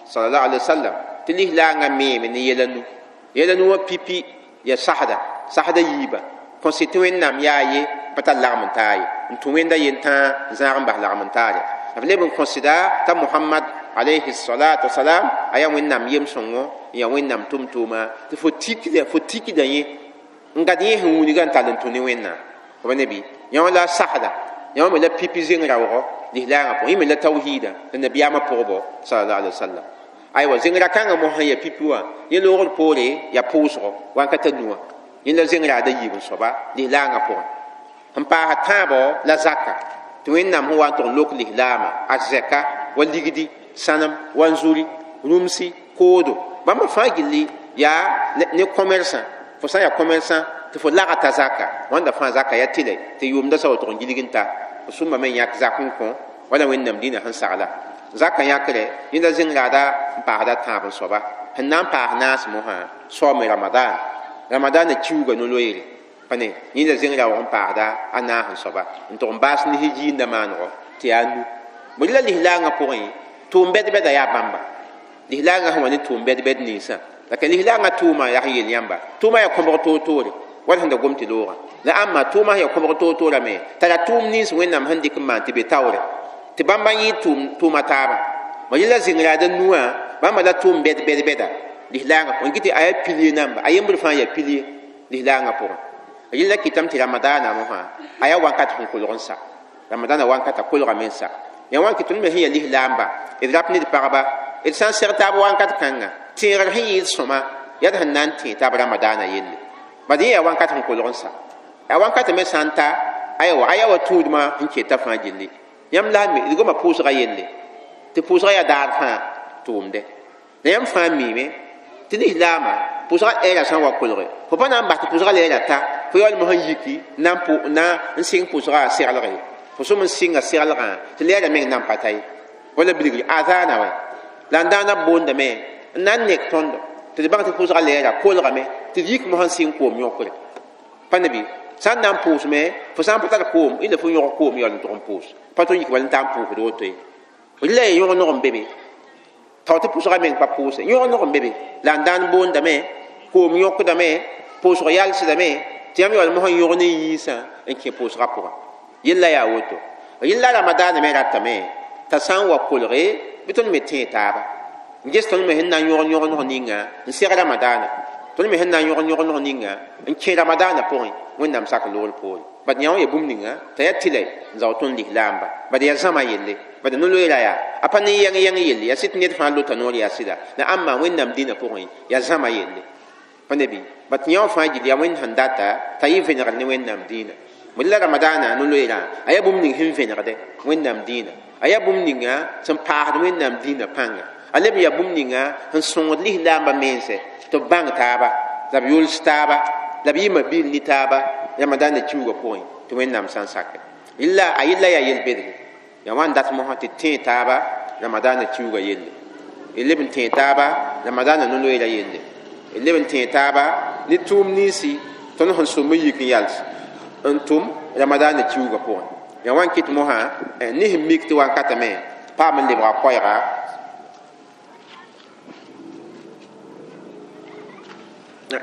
صلى الله عليه وسلم تليه لا نمي من يلنو يلنو بيبي يا سحدا سحدا يبا كونسيتوين نام ياي بتا لغم تاي نتوين دا ينتا زارم bah lagm taare b leb n kõsda t'a mohamad alayhi salatu wasalam a yaa wẽnnaam yem-sõngo n yaa wẽnnaam tʋm-tʋʋma tɩ fo tikda fo tikda yẽ n gad yẽ sẽn wilga n tall n tũ ne wẽnnaam b ne bɩ yã wã la sasda yã wã me la pipi zeng raoogɔ lislaangã pʋgẽ yẽ me la tawhiida la nabiyaamã pʋgbo sallallahu alaihi wasallam aywa zẽngra kãngã mos sẽn yaa pipi wã yẽ loogr poore yaa pʋʋsgo wãnkata nuwã yẽ la zeng raada yiib n soaba lislaangã pʋgẽ sẽn paasa tãabo la zaka tɩ wẽnnaam sẽn wa n tʋg n lok lislaamã a zɛka wa ligdi sãnem wa n zuri rũmsi koodo bãmb fãa gilli yaa ne commerçant fo sã n yaa commerçant tɩ fo lagta zaka wãnda fãa zaka yaa tɩlɛ tɩ yʋʋmda sa wa tʋg n gilg n ta f sũmbame n yãk zak n kõ wala wẽnnaam dĩnã sẽn sagla zaka yãkre yẽnda zeng raada n paasda tãab n soaba sẽn na n paas naas mosã saoome ramadan ramadaanã kiuga no-loeere pa ne yẽnda zeng raoog n paasda a naas n soaba n tʋg n baas ne jiinda maanego tɩ yaa nu bõe la lislaangã pʋgẽ tʋʋm bɛd-bɛda yaa bãmba lislaangã sẽn wa ne tʋʋm bɛd-bɛd ninsã la ka lislaangã tʋʋma yaa sẽn yel yãmba tʋʋma yaa kõbg toor-toore wala sẽn da gom tɩ loogã la ãmba tʋʋma sẽn yaa kõbg toor-toorame tara tʋʋm nins wẽnnaam sẽn dɩk n maan tɩ be taoore tɩ bãmba n yɩɩd tʋʋma taabã ma yella zeng raada nuwã bãmba la tʋʋm bɛd bɛd bɛda lislaangã pʋgẽ kɩ tɩ a yaa pilie namba a yembr fãa yaa pilie lislaangã pʋgẽ yella kɩtame tɩ ramadaana mosã a yaa wakat sẽn kolg n sa ramadaana wankata kolgame n sa yaa wãn kɩ tõnd me sẽn yaa lislaamba d rap ne d pagba d sã n seg taab wakat kãnga tẽegr sẽn yɩɩd sõma yaa d sẽn na n tẽ taab ramadaana yelle bad yẽ yaa wakat sẽn kolg n sa a wakat me sã n ta aywa a yaa wa tũudmã sẽn keta fãa gilli yãmb la me d goma pʋʋsga yelle tɩ pʋʋsga yaa daar fãa tʋʋmde la yãmb fãa miime tɩ lislaamã pʋʋsga ɛɛra sã n wa kolge fo pa na n bas tɩ pʋʋsga leera ta fo yaool mosã n yiki na n pʋ na n sɩng pʋsgã a seglge fo sʋm n sɩnga seglgã tɩ lɛɛrã meng nan pa ta ye wala bilgri azaana wɛ la n daana boondame n na n nek tõndo tɩ d bãng tɩ pʋsgã lɛɛra kolgame tɩ d yik mosã n sɩng koom yõkre pa ne bɩ sã n na n pʋʋsme fo sã n pa tar koom ila fo yõg koom yaool n tʋg n pʋʋs pa tõe n yik bala n taa n pʋʋsd woto ye rɩla ya yõg nog n be be tao tɩ pʋsgã meng pa pʋʋse yõg nog n be be la n daan boondame koom yõkdame pʋʋsg yalsdame tɩ yãmb yaool mosã n yõg ne yĩnsã n kẽ pʋʋsgã pʋgã yella yaa woto yella ramadaana me ratame t'a sã n wa kolge bɩ tõnd me tẽe taaba n ges tõnd me sẽn na n yõg yõg nog ninga n seg ramadaana tõnd me sẽn na n yõg yõg nog ninga n kẽ ramadaana pʋgẽ wẽnnaam sak loogr poore bad yã wã ya bũmb ninga t'a yaa tɩla n zao tõnd lislaamba bad yaa zãma yelle bad no-loeera yaa a pa ne yɛng yɛng yelle yaa sɩd ned fãa lota noor yaa sɩda la ãmba wẽnnaam dĩnã pʋgẽ yaa zãma yelle pa ne bɩ bat yã wã fãa gil yaa wẽnd sẽn data t'a yɩ vẽnegr ne wẽnnaam dĩinã la ramadaana no-loeerã a yaa bũmb ning sẽn vẽnegdɛ wẽnnaam dĩinã a yaa bũmb ninga sẽn paasd wẽnnaam dĩinã pãnga a leb yaa bũmb ninga sẽn sõngd lislaambã mense tɩ b bãng taaba la b yols taaba la b yɩma bil ne taaba ramadaana kiuugã pʋgẽ tɩ wẽnnaam sã n sake yella a yella yaa yel-bedre yaa wã n dat mosã tɩ tẽe taaba ramadaana kiuugã yelle d leb n tẽe taaba ramadaana no-loeera yelle d leb n tẽe taaba ne tʋʋm ninsi tõnd sẽn sõm n yik n yals n tʋm ramadaana kiuugã pʋgẽ yaa wã n kɩt mosã ne sẽn mik tɩ wankatame paam n lebga koɛɛga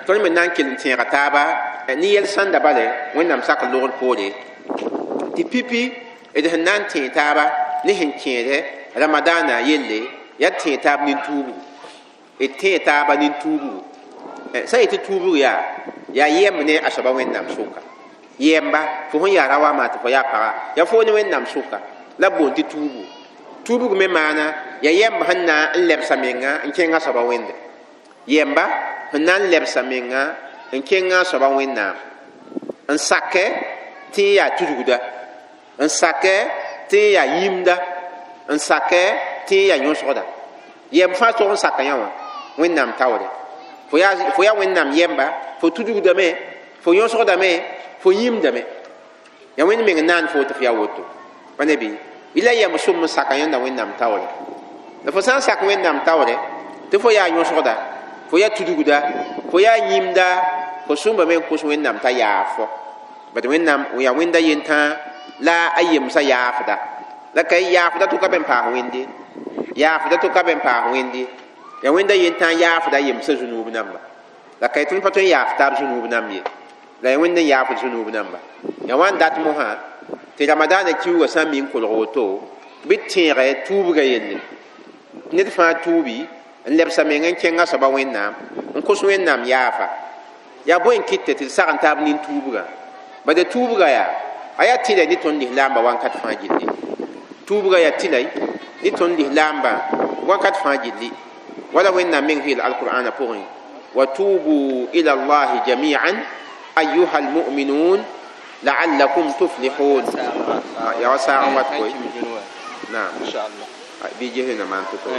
tõnd me na n kell n tẽega taaba ne yɛl sãnda bale wẽnnaam sak logr poore tɩ pipi d sẽn na n tẽe taaba ne sẽn kẽede ramadaana yelle yaa tẽe taab nin-tuubgu d tẽe taaba nin-tuubgu sã n yetɩ tuubg yaa yaa yɛmb ne a soaba wẽnnaam sʋka yɛmba fo sẽn yaa ra wa maa tɩ fo yaa paga yaa fo ne wẽnnaam sʋka la b boond tɩ tuubgu tuubg me maana yaa yɛmb sẽn na n lebsa menga n kẽng a soaba wẽnde yɛmba sẽn na n lebsa menga n kẽng a soaba wẽnnaam n sakɛ tɩ n yaa tudgda n sakɛ tɩ n yaa yĩmda n sakɛ tɩ n yaa yõsgda yɛmb fãa tog n saka yã wã wẽnnaam taoore fo yaa wẽnnaam yɛmba fo tudgdame fo yõsgdame fo yĩmdame yaa wẽnd meng naan fo tɩ fo yaa woto pa ne bɩ yɩla yɛmb sʋm n saka yẽnda wẽnnaam taoore la fo sã n sak wẽnnaam taoore tɩ fo yaa yõsgda fo yaa tudgda fo yaa yĩmda fo sũmbame n kos wẽnnaam t'a yaaf fo bad wẽnnaam yaa wẽnda yentãa la a yemsã yaafda la ka yaafda tʋka be n paas wẽnde yaafda tʋka be n paas wẽnde yaa wẽnda yentãa yaafda yemsã zũnuub namba la ka tõnd pa tõe n yaaf taab zũnuub namb ye la yaa wẽnd n yaafd zũnuub namba yaa wã n dat mosã tɩ ramadaana kiuugã sã n mi n kolg woto bɩ tẽegɛ tuubgã yelle ned fãa tuubi n lebsa meng n kẽng a soaba wẽnnaam n kos wẽnnaam yaafa yaa bõe n kɩtɛ tɩ d sag n taab nin-tuubgã bad tuubgã yaa a yaa tɩla ne tõnd lislaambã wãnkat fãa gilli tuubgã yaa tɩla ne tõnd lislaambã wãnkat fãa gilli wala wẽnnaam meng yeel alqur'ana pʋgẽ wa tubu ila allahi jamian ayuha almuminun laallakum tuflihun yaa wa saag n wat koe naam bɩ gesna maan tʋ-to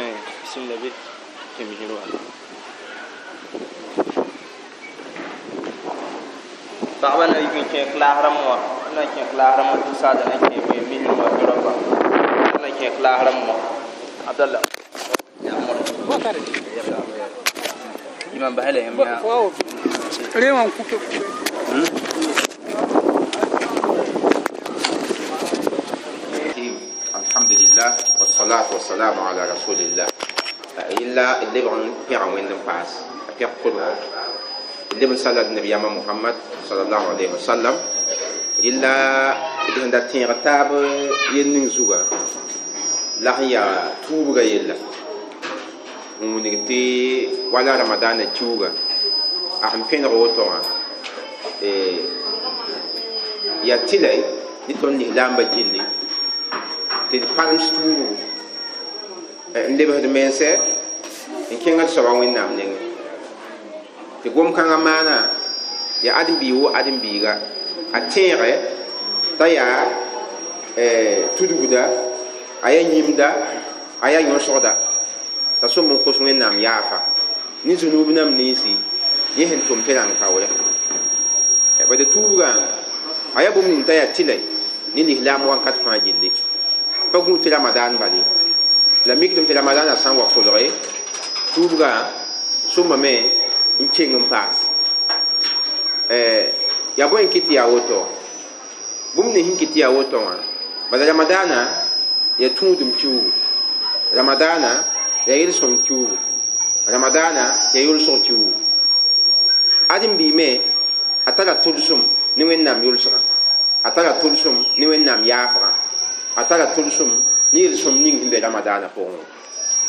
paɣaba na yi kẽ kilaasrãmb wã na kẽ kilaasrãmb tɩ saada na kẽ me misr wã tɩ na kẽ kilaasrãmb wã abdallah imam bahale yam ya rewan kupe alhamdulillah wassalatu wassalamu ala rasulillah illa leb n pẽga wẽnd n paas a pẽg kolgo leb n sala nabiyama muhammad sallallahu alaihi wasallam illa d sẽn da tẽeg taab yel ning zuga la sẽn yaa tuubga yella n wilg tɩ wala ramadaana kiuuga a sẽn pẽneg woto wã yaa tɩla ne tõnd lislaambã gilli tɩ d palems tuubgu n lebsd mense n kẽng d soaba wẽnnaam nengẽ tɩ gom-kãngã maana yaa ãdem-biig wo ãdem-biiga a tẽegɛ t'a yaa tudgda a yaa yĩmda a yaa yõsgda t'a sõm n kos wẽnnaam yaafa ne zũnuub nam ninsi yẽ sẽn tʋm tɩ rãng kaoore bad tuubgã A yaa bũmb ning t'a yaa tɩlɛ ne lislaam wãnkat fãa gilli pa gũ tɩ ramadaan bale la mikdame tɩ ramadaanã sã n wa kolge tuubgã sõmbame n keng n paas yaa bõe n kɩt tɩ yaa woto bũmb ning sẽn kɩt tɩ yaa woto wã bala ramadaanã yaa tũudem kiuugu ramadaanã yaa yel-sõng kiuugu ramadaanã yaa yolsg kiuugu ãdem-biime a tara tʋlsem ne wẽnnaam yolsgã a tara tʋlsem ne wẽnnaam yaafgã a tara tʋlsem ne yel-sõm ning sẽn be ramadaanã pʋgẽ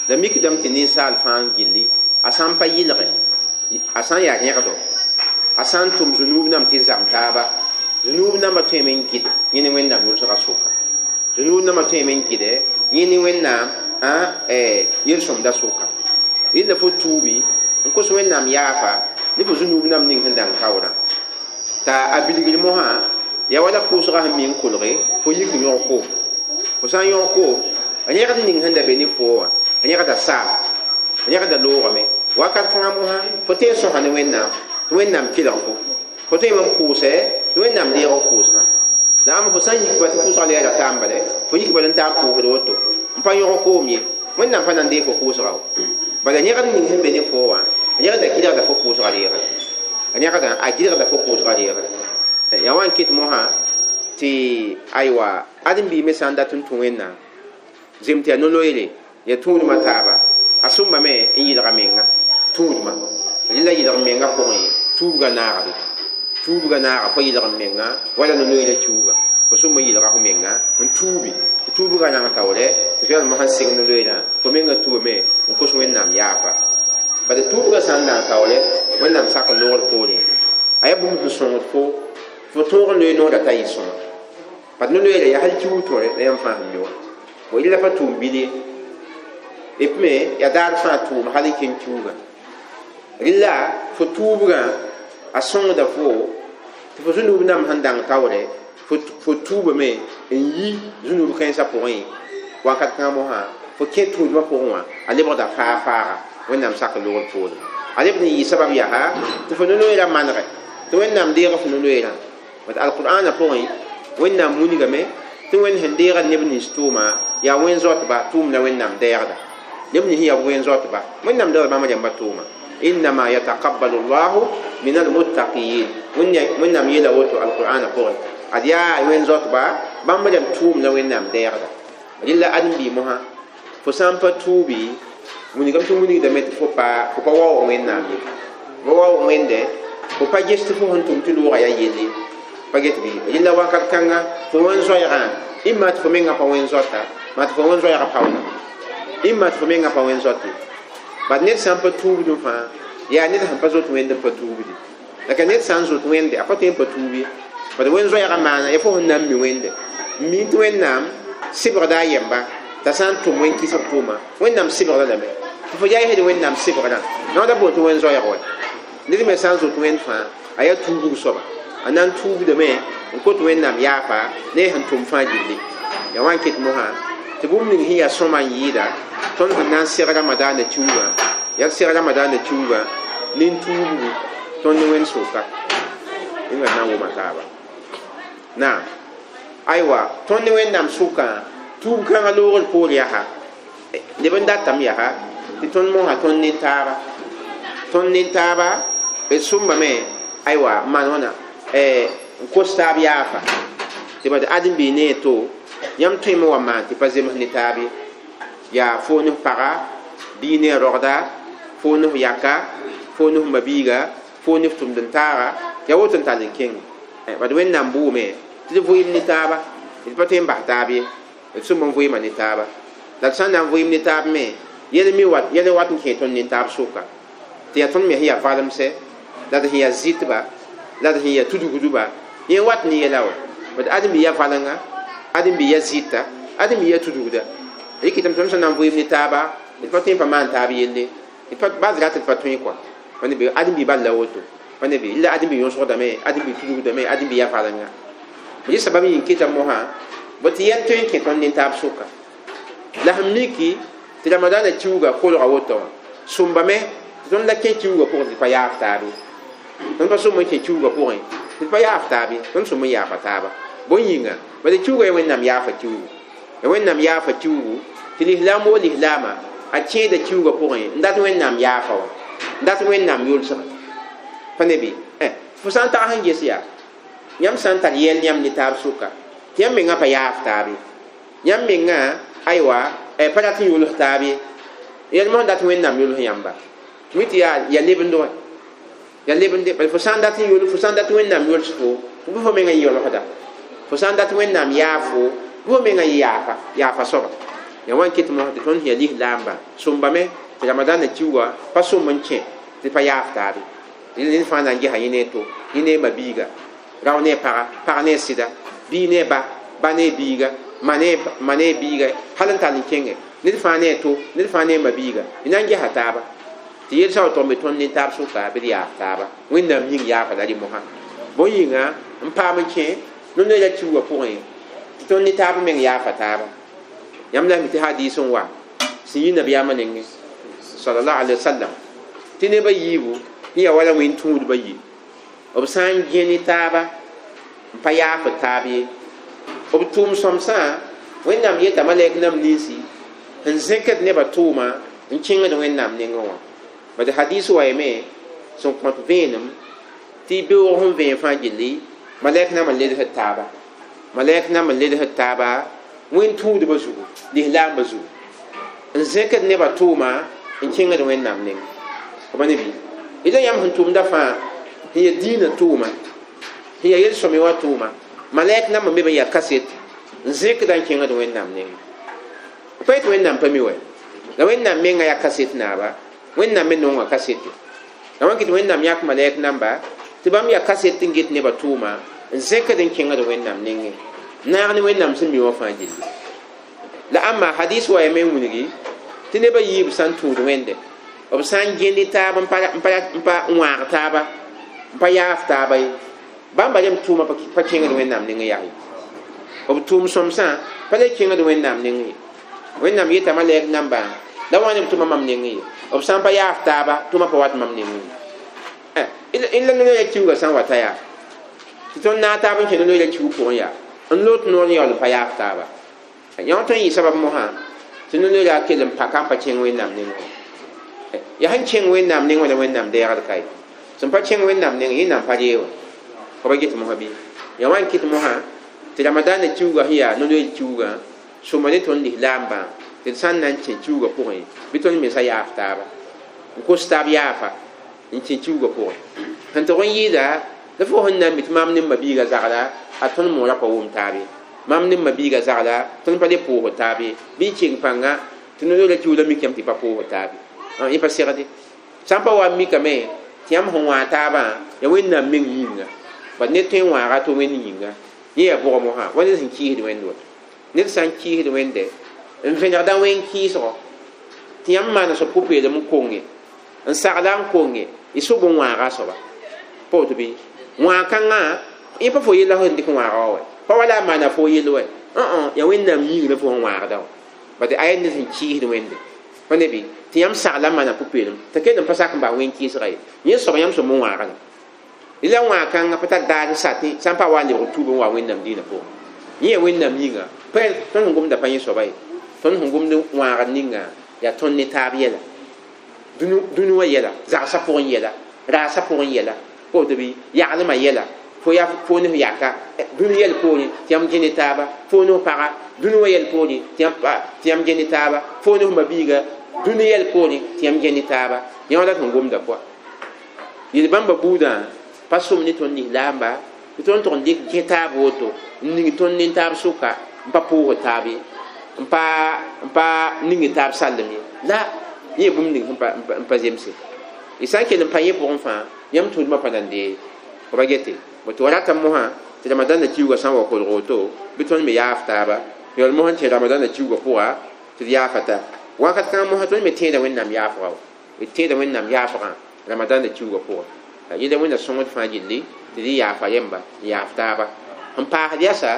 la mikdame tɩ ninsaal fãa n gilli a sã n pa yɩlge a sã n yaa rẽgdo a sã n tʋm zũnuub nam tɩ zam taaba zũnuub nambã tõeme n gɩd yẽ ne wẽnnaam yolsgã sʋka zũnuub nambã tõeme n gɩdɛ yẽ ne wẽnnaam yel-sõmda sʋka rɩla fo tuubi n kos wẽnnaam yaafa ne fo zũnuub nam ning sẽn dãng kaoorã t'a a bilgr mosã yaa wala pʋʋsgã sẽn mi n kolge fo yik n yõg koom fo sã n yõg koom rẽgd ning sẽn da be ne foo wã rẽgda saam rẽgda loogame wakat kãngã mosã fo tõe n sõsa ne wẽnnaam tɩ wẽnnaam kelg fo fo tõeme n pʋʋsɛ tɩ wẽnnaam deeg f pʋʋsgã la ãmb fo sã n yik ba tɩ pʋʋsgã leera taam bale fo yik bala n taa n pʋʋsd woto n pa yõg koom ye wẽnnaam pa na n deeg fo pʋʋsga wo bala rẽgd ning sẽn be ne foo wã rẽgda gɩlgda fo pʋʋsgã reegre rẽgdã a gɩlgda fo pʋʋsgã reegre yaa wa n ket mosã tɩ aywa ãdem-biime sã n dat n tũ wẽnnaam zem tɩ yaa no-loeere yaa tũudmã taaba a sõmbame n yɩlga menga tũudmã rɩla yɩlg menga pʋgẽ tuubgã naagbe tuubgã naaga fo yɩlg menga wala no-loeerã kiuuga fo sõm n yɩlga fo menga n tuubi tɩ tuubgã rãng taoorɛ tɩ fo yaa mosã n seg no-loeerã fo menga tuubame n kos wẽnnaam yaafa bala tuubgã sã n dãng taoorɛ wẽnnaam sak n loogd poorẽ a yaa bũmb sẽn sõngd fo fo tõog n loe noorã t'a yɩ sõma bat no-loeerã yaa hal kiuug tõre la yãmb fãa sẽn mi wã bo rɩla pa tʋʋm bil ye d me yaa daar fãa tʋʋm hal n kẽng kiuugã rɩla fo tuubgã a sõngda fo tɩ fo zũnuub nam sẽn dãng taoorɛ fo tuubame n yi zũnuub kãensã pʋgẽ wakat kãngã mosã fo kẽ tũudmã pʋgẽ wã a lebgda faa faaga wẽnnaam sak n loogd poorẽ a lebd n yɩ sabab yaa tɩ fo no-loeerã manegɛ tɩ wẽnnaam deeg fo no-loeerã bat alqur'ana pʋgẽ wẽnnaam wilgame tɩ wẽnd sẽn deega neb nins tʋʋma yaa wẽn-zoatba tʋʋm la wẽnnaam deegda neb nins yaa wẽn-zoatba wẽnnaam deegda bãmb rãmba tʋʋma innama yataqabbalu llahu min almuttaqin wẽnnaam yeela woto alqur'ana pʋgẽ ad yaa wẽn-zoatba bãmb rãmb tʋʋm la wẽnnaam deegda rɩla ãdem-bii mosã fo sã n pa tuubi wilgame tɩ wilgdame tɩ fo pa fo pa waoog wẽnnaam ye fo waoog wẽnde fo pa ges tɩ fo sẽn tʋm tɩ loogã yaa yelle pa get bɩ rɩla wakat kãnga fo wẽn-zoɛɛgã ĩmma tɩ fo mengã pa wẽn-zoata maa tɩ fo wẽn-zoɛɛgã paoona ĩmma tɩ fo mengã pa wẽn-zoate bad ned sã n pa tuubdẽ fãa yaa ned sẽn pa zoet wẽnd n pa tuubdi la ka ned sã n zoet wẽnde a pa tõe n pa tuub ye bad wẽn-zoɛɛgã maana ya fo sẽn na n mi wẽnde n mi tɩ wẽnnaam sɩbgda a yemba t'a sã n tʋm wẽn-kɩsg tʋʋma wẽnnaam sɩbgda lame tɩ fo yaa yesd wẽnnaam sɩbgrã noada boon tɩ wẽn-zoɛɛg wa ned me sã n zoet wẽnd fãa a yaa tuubg soaba a na n tuubdame n kot wẽnnaam yaafa ne sẽn tʋm fãa gilli yaa wa n ket mosã tɩ bũmb ning sẽn yaa sõma n yɩɩda tõnd sẽn na n seg ramadaana kiuugã yaa seg ramadaana kiuugã nin-tuubgu tõnd ne wẽnd sʋka yẽnga na n wʋma taaba naam aywa tõnd ne wẽnnaam sʋkã tuub kãngã loogr poor yaa neb n datame yaa tɩ tõnd mosã tõnd ne taaba tõnd ne taaba d sõmbame aywa n maan wãna n kos taab yaafa tɩ bad ãdem-bii ne to yãmb tõeme wa maan tɩ pa zems ne taab ye yaa fo ne f paga bii ne a rogda fo ne f yaka fo ne f mabiiga fo ne f tʋmd n taaga yaa woto n tall n kẽng bad wẽnnaam bʋʋme tɩ d vʋɩɩm ne taaba d pa tõe n bas taab ye d sõm n vʋɩɩma ne taaba la d sã n na n vʋɩɩm ne taab me yɛl mi wat yɛl wat n kẽ tõnd ne taab sʋka tɩ yaa tõnd me sẽn yaa valemsɛ la d sẽn yaa zɩtba la d sẽn yaa tudgdba yẽ wat ne yɛla wa bad ãdem-bi yaa valenga ãdem-bi yaa zɩta ãdem-bi yaa tudgda rɩkɩtame tõnd sẽn na n vʋɩɩm ne taaba d pa tõe n pa maan taab yelle d pa bas rat d pa tõe kɔa ãdem-bi bal la woto pa ne bɩ la ãdem-bi yõsgdame ãdem-bi tudgdame ãdem-bi yaa valenga rɩ sabab yĩng keta mosã bõ tɩ yɛl tõe n kẽ tõnd nin-taab sʋka la sẽn miki tɩ ramadaana kiuugã kolga woto wã sõmbame tɩ tõnd la kẽ kiuugã pʋgẽ tɩ pa yaaf taab ye tõnd pa sõm n kẽ kiuugã pʋgẽ tɩ pa yaaf taab ye tõnd sõm n yaafa taaba bõe yĩnga bala kiuga ya wẽnnaam yaafa kiugu ya wẽnnaam yaafa kiugu tɩ lislaam woo lislaama a kẽeda kiuga pʋgẽ n dat wẽnnaam yaafa wã n dat wẽnnaam yʋlsga pa ne bɩ fo sã n tag sẽn ges yaa yãmb sã n tar yɛl yãmb ne taab sʋka tɩ yãmb mengã pa yaaf taab ye yãmb mengã aywa pa rat n yʋls taab ye yɛl mosã dat wẽnnaam yʋls yãmba mi tɩ yaa ya lebendo wã ya lebende bala fo sã n dat n yʋl fo sã n dat wẽnnaam yʋls fo bɩ fo mengã yɔlsda fo sã n dat wẽnnaam yaaf fo bɩ fo mengã yɩ yaafa yaafa soaba ya wan ket mosã tɩ tõnd sẽn ya lislaamba sõmbame tɩ ramadaanã kiuga pa sõm n kẽ tɩ pa yaaf taabe ned fãa na n gesa yẽ ne to yẽ ne ma biiga rao ne paga pag ne sɩda bii ne ba ba ne biiga ma ne ma ne biiga hal n tall n kẽngɛ ned fãa ne to ned fãa ne ma biiga y na n gesa taaba tɩ yel-sã wa tog me tõnd ne taab sʋka bɩ d yaaf taaba wẽnnaam yĩng yaafa la rɩ mosã bõe yĩnga n paam n kẽ no-noeera kiuga pʋgẽ tɩ tõnd ne taab meng yaafa taaba yãmb la mi tɩ hadiis n wa sẽn yi nabiyaamã nengẽ sallallahu alaihi wasallam tɩ nebã yiibu sẽn yaa wala wẽn tũudbã yi b sã n gẽ ne taaba n pa yaafd taab ye b tʋʋm sõmsã wẽnnaam yeta malɛk nam ninsi n zẽkd nebã tʋʋma n kẽngd wẽnnaam nengẽ wã bad hadis wa yame sẽn kõt vẽenem tɩ beoog sẽn vẽen fãa gilli malɛk nam n ledsd taaba malɛk nam n ledsd taaba wẽn tũudbã zugu lislaambã zugu n zẽkd nebã tʋʋma n kẽngd wẽnnaam nengẽ b ne bɩ ila yãmb sẽn tʋmda fãa sẽn ya diinã tʋʋma sẽn ya yel-sõme wã tʋʋma malɛk nam n be b n yaa kaset n zẽkda n kẽngd wẽnnaam nengẽ pa yetɩ wẽnnaam pa mi wɛ la wẽnnaam menga yaa kaset naaba wẽnnaam me nonga kasete la wã kɩ tɩ wẽnnaam yãk malɛk namba tɩ bãmb yaa kaset n get nebã tʋʋma n zẽkd n kẽngd wẽnnaam nengẽ naag ne wẽnnaam sẽn mi wã fãa gilli la ãmba hadis wa yame n wilgi tɩ nebã yiib sã n tũud wẽnde b sã n gẽnd taab n pa n wãag taaba n pa yaaf taaba ye bãmba rem tʋʋma pa kẽngd wẽnnaam nengẽ yaa ye b tʋʋm sõmsã pa le kẽngd wẽnnaam nengẽ ye wẽnnaam yeta malɛk nambã la wã ne b tʋma mam nengẽ ye b sã n pa yaaf taaba tʋma pa wat mam nengẽ ye la noya kiuga sã n wata yaa tɩ tõnd naag taab n kẽ noya kiug pʋgẽ yaa n lot noor n yaool n pa yaaf taaba yã tõe n yɩ sabab mosã tɩ no-noera kell n paka n pa kẽng wẽnnaam nengẽ yaa sẽn kẽng wẽnnaam nengẽ la wẽnnaam deegd ka ye sẽn pa kẽng wẽnnaam nengẽ yẽnnaam pa reewa fa ba get mosã bɩ ya wa n kɩt mosã tɩ ramadaanã kiuga sẽn yaa no-noer kiugã sõma ne tõnd lislaambã tɩ d sã n na n kẽ kiugã pʋgẽ bɩ tõnd mensã yaaf taaba n kos taab yaafa n kẽ kiugã pʋgẽ sẽn tog n yɩɩda la fo sẽn na n mi tɩ maam ne m ma-biigã zagla a tõnd moorã pa wʋm taab ye maam ne m ma-biigã zagla tõnd pa le pʋʋsd taab ye bɩ y keng pãnga tɩ no-noerã kiuglã mikame tɩ pa pʋʋsd taab ye yẽ pa segde sã n pa wa n mikame tɩ yãmb sẽn wãag taabã ya wẽnnaam meng yĩnga bad ned tõe n wãaga to wẽnd yĩnga yẽ yaa bʋgã mosã wa ned sẽn kɩɩsd wẽnd woto ned sã n kɩɩsd wẽnde n vẽnegda wẽn kɩɩsgɔ tɩ yãmb maana soab pʋ-peelem n konge n sagla n konge y sob n wãaga a soaba pa woto bɩ wãag-kãngã yẽ pa fo yella sẽn dɩk wãaga wa wɛ pa wala a maana fo yell wɛ õ yaa wẽnnaam yĩng la fo sẽn wãagda wã bad aya ned sẽn kɩɩsd wẽnde pa ne bɩ tɩ yãmb sagla n maana pʋ-peelem t'a kell n pa sak n bas wẽn kɩɩsga ye yẽ soaba yãmb sõm n wãagda la wãag-kãngã pa tar daar n sa tɩ sã n pa wa n lebg tuub n wa wẽnnaam dĩinã pʋgẽ yẽ yaa wẽnnaam yĩnga pa tõnd sẽn gomda pa yẽ soaba ye tõnd sẽn gomd wãagd ninga yaa tõnd ne taab yɛla dũni wã yɛla zagsã pʋgẽ yɛla raasã pʋgẽ yɛla pa woto bɩ yaglmã yɛla fo yaa fo ne f yaka dũni yɛl poorẽ tɩ yãmb gẽ ne taaba fo ne f paga dũni wã yɛl poorẽ tɩ yãmb gẽ ne taaba fo ne f ma-biiga dũni yɛl poorẽ tɩ yãmb gẽ ne taaba yã wã la sẽn gomda pʋa yel bãmba buudã pa sõm ne tõnd lislaamba tɩ tõnd tʋg n dɩk gẽ taab woto n ning tõnd ne taab sʋka n pa pʋʋsd taab ye n pa n pa ning taab sallem ye la yẽ bũmb ning n pa zemse y sã n kell n pa yẽ pʋgẽ fãa yãmb tũudmã pa nan dee ba gete tɩ wa ratame mosã tɩ ramadaanã kiuga sã n wa kolg woto bɩ tõnd me yaaf taaba yaool mosã n kẽ ramadaanã kiuga pʋga tɩ d yaafa ta wakat kãngã mosã tõnd me tẽeda wẽnnaam yaafga wa d tẽeda wẽnnaam yaafgã ramadaanã kiuga pʋga yẽla wẽnna sõngd fãa gilli tɩ d yaafa yemba n yaaf taaba n paasd yasa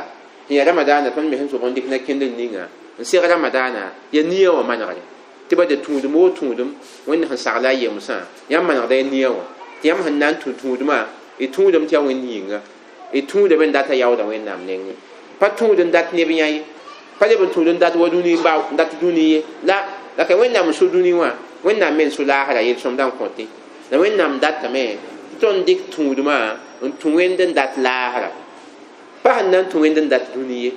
sẽn yaa ramadaanã tõnd me sẽn sob n dɩk na kẽndr ninga n seg ramadaanã yaa nia wã manegre tɩ ba de tũudem woo tũudem wẽnd sẽn sagla a yemsã yãmb manegda ya nia wã tɩ yãmb sẽn na n tũ tũudmã y tũudame tɩ yaa wẽnd yĩnga y tũudame n dat a yaooda wẽnnaam nengẽ pa tũud n dat neb yã ye pa leb n tũud n dat wa dũni n dat dũni ye la la ka wẽnnaam n so dũni wã wẽnnaam me n so laasra yel-sõmda n kõte la wẽnnaam datame tɩ tõnd dɩk tũudmã n tũ wẽnd n dat laasra pa sẽn na n tũ wẽnd n dat dũni ye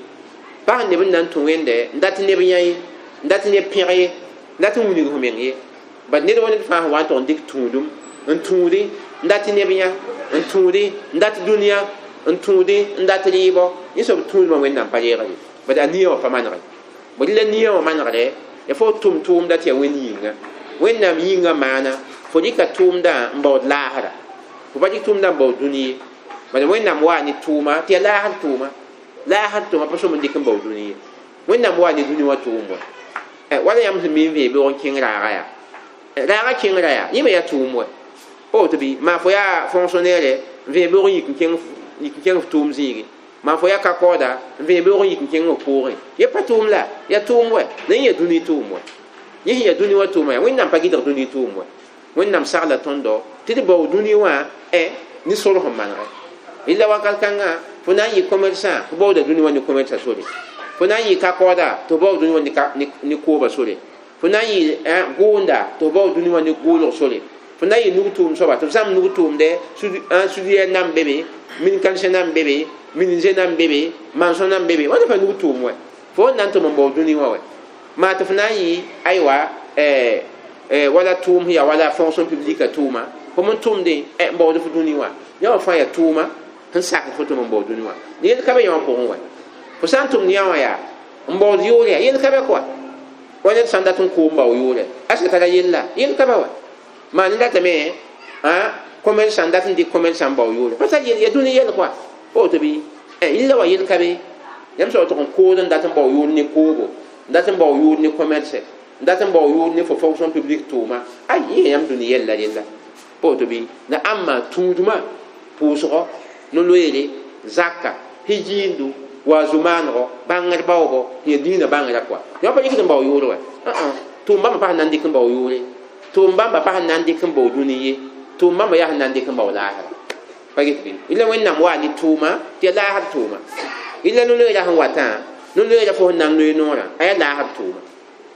pa sẽn leb n na n tũ wẽnde n dat neb yã ye n dat neb pẽg ye n dat n wilg f meng ye bad ned wa ned fãa sẽn wa n tʋg n dɩk tũudum n tũudi n dat neb yã n tũudi n dat dũniyã n tũudi n dat rɩɩbɔ yẽ soab tũudmã wẽnnaam pa reegre bad a nia wã pa manege bad la nia wã manegre ya fo tʋm tʋʋmda tɩ yaa wẽnd yĩnga wẽnnaam yĩngã maana fo dɩka tʋʋmdã n baood laasra fo pa dɩk tʋʋmdã n baood dũni ye bad wẽnnaam waa ne tʋʋma tɩ yaa laasr tʋʋma laasr tʋʋma pa sõm n dɩk n baood dũni ye wẽnnaam waa ne dũni wã tʋʋm wa wala yãmb sẽn mi n vẽe beoog n kẽng raaga yaa raaga kẽngra yaa yẽ me yaa tʋʋm wa pa woto bɩ maa fo yaa fonctionnaire n vẽe beoog n yik n kẽng yik n kẽng f tʋʋm zĩigi maa fo yaa ka-kaooda n vẽe beoog n yik n kẽng f pʋʋgẽ ye pa tʋʋm la yaa tʋʋm wa la yẽ yaa dũni tʋʋm wa yẽ sẽn yaa dũni wã tʋʋma yaa wẽnnaam pa gɩdg dũni tʋʋm wa wẽnnaam sagla tõndo tɩ d bao dũni wã ne sor sẽn manegɛ rɩla wakat kãngã fo na n yɩ commerçant fo baooda dũni wã ne commerça sore fo na n yɩ ka-kaooda tɩ f baood dũni wã ne kooba sore fo na n yɩ gʋʋnda tɩ f baood dũni wã ne gʋʋlg sore fo na n yɩ nug-tʋʋm soaba tɩ f zãmb nug-tʋʋmdɛ sudiyɛr nan be be min-kãnsẽ nan be be menuisier nan be be maçon nan be be wãnda fa nug-tʋʋm wɛ fo n na n tʋm n baood dũni wã wɛ maa tɩ f na n yɩ aywa wala tʋʋm sẽn yaa wala fonction publique tʋʋma fo n tʋmdẽ n baood f dũni wã yã wã fãa yaa tʋʋma sẽn sak fo tʋm n baood dũni wã yel ka be yã wã pʋgẽ wɛ fo sã n tʋmd yã wã yaa n baood yʋʋr yaa yel ka be koa wa ned sã n dat n koom bao yʋʋrɛ asa tara yella yel ka ba wa maa ne datame commerçant dat n dɩk commerçant n bao yʋʋrɛ pa tar ya dũni yɛl koa pa woto bɩ yella wa yel ka be yãmb soab tʋg n kood n dat n bao yʋʋr ne koogo n dat n bao yʋʋr ne commerce n dat n bao yʋʋr ne fo fonction publique tʋʋma ay yẽ yãmb dũni yɛlla rella pa woto bɩ la ãmba tũudmã pʋʋsgɔ no-loeere zaka hijiindu waazu maanego bãngr baoobo tɩ yaa dĩinã bãngrã koa yã pa yikd n bao yʋʋr wɛ tʋʋm bãmba pa sẽn na n dɩk n bao yʋʋre tʋʋm bãmba pa sẽn na n dɩk n bao dũni ye tʋʋm bãmba yaa sẽn na n dɩk n bao laasra pa get bɩ rɩla wẽnnaam waa ne tʋʋma tɩ yaa laasr tʋʋma rɩla no-loeera sẽn watã no-loeera fo sẽn na n loe noorã a yaa laasr tʋʋma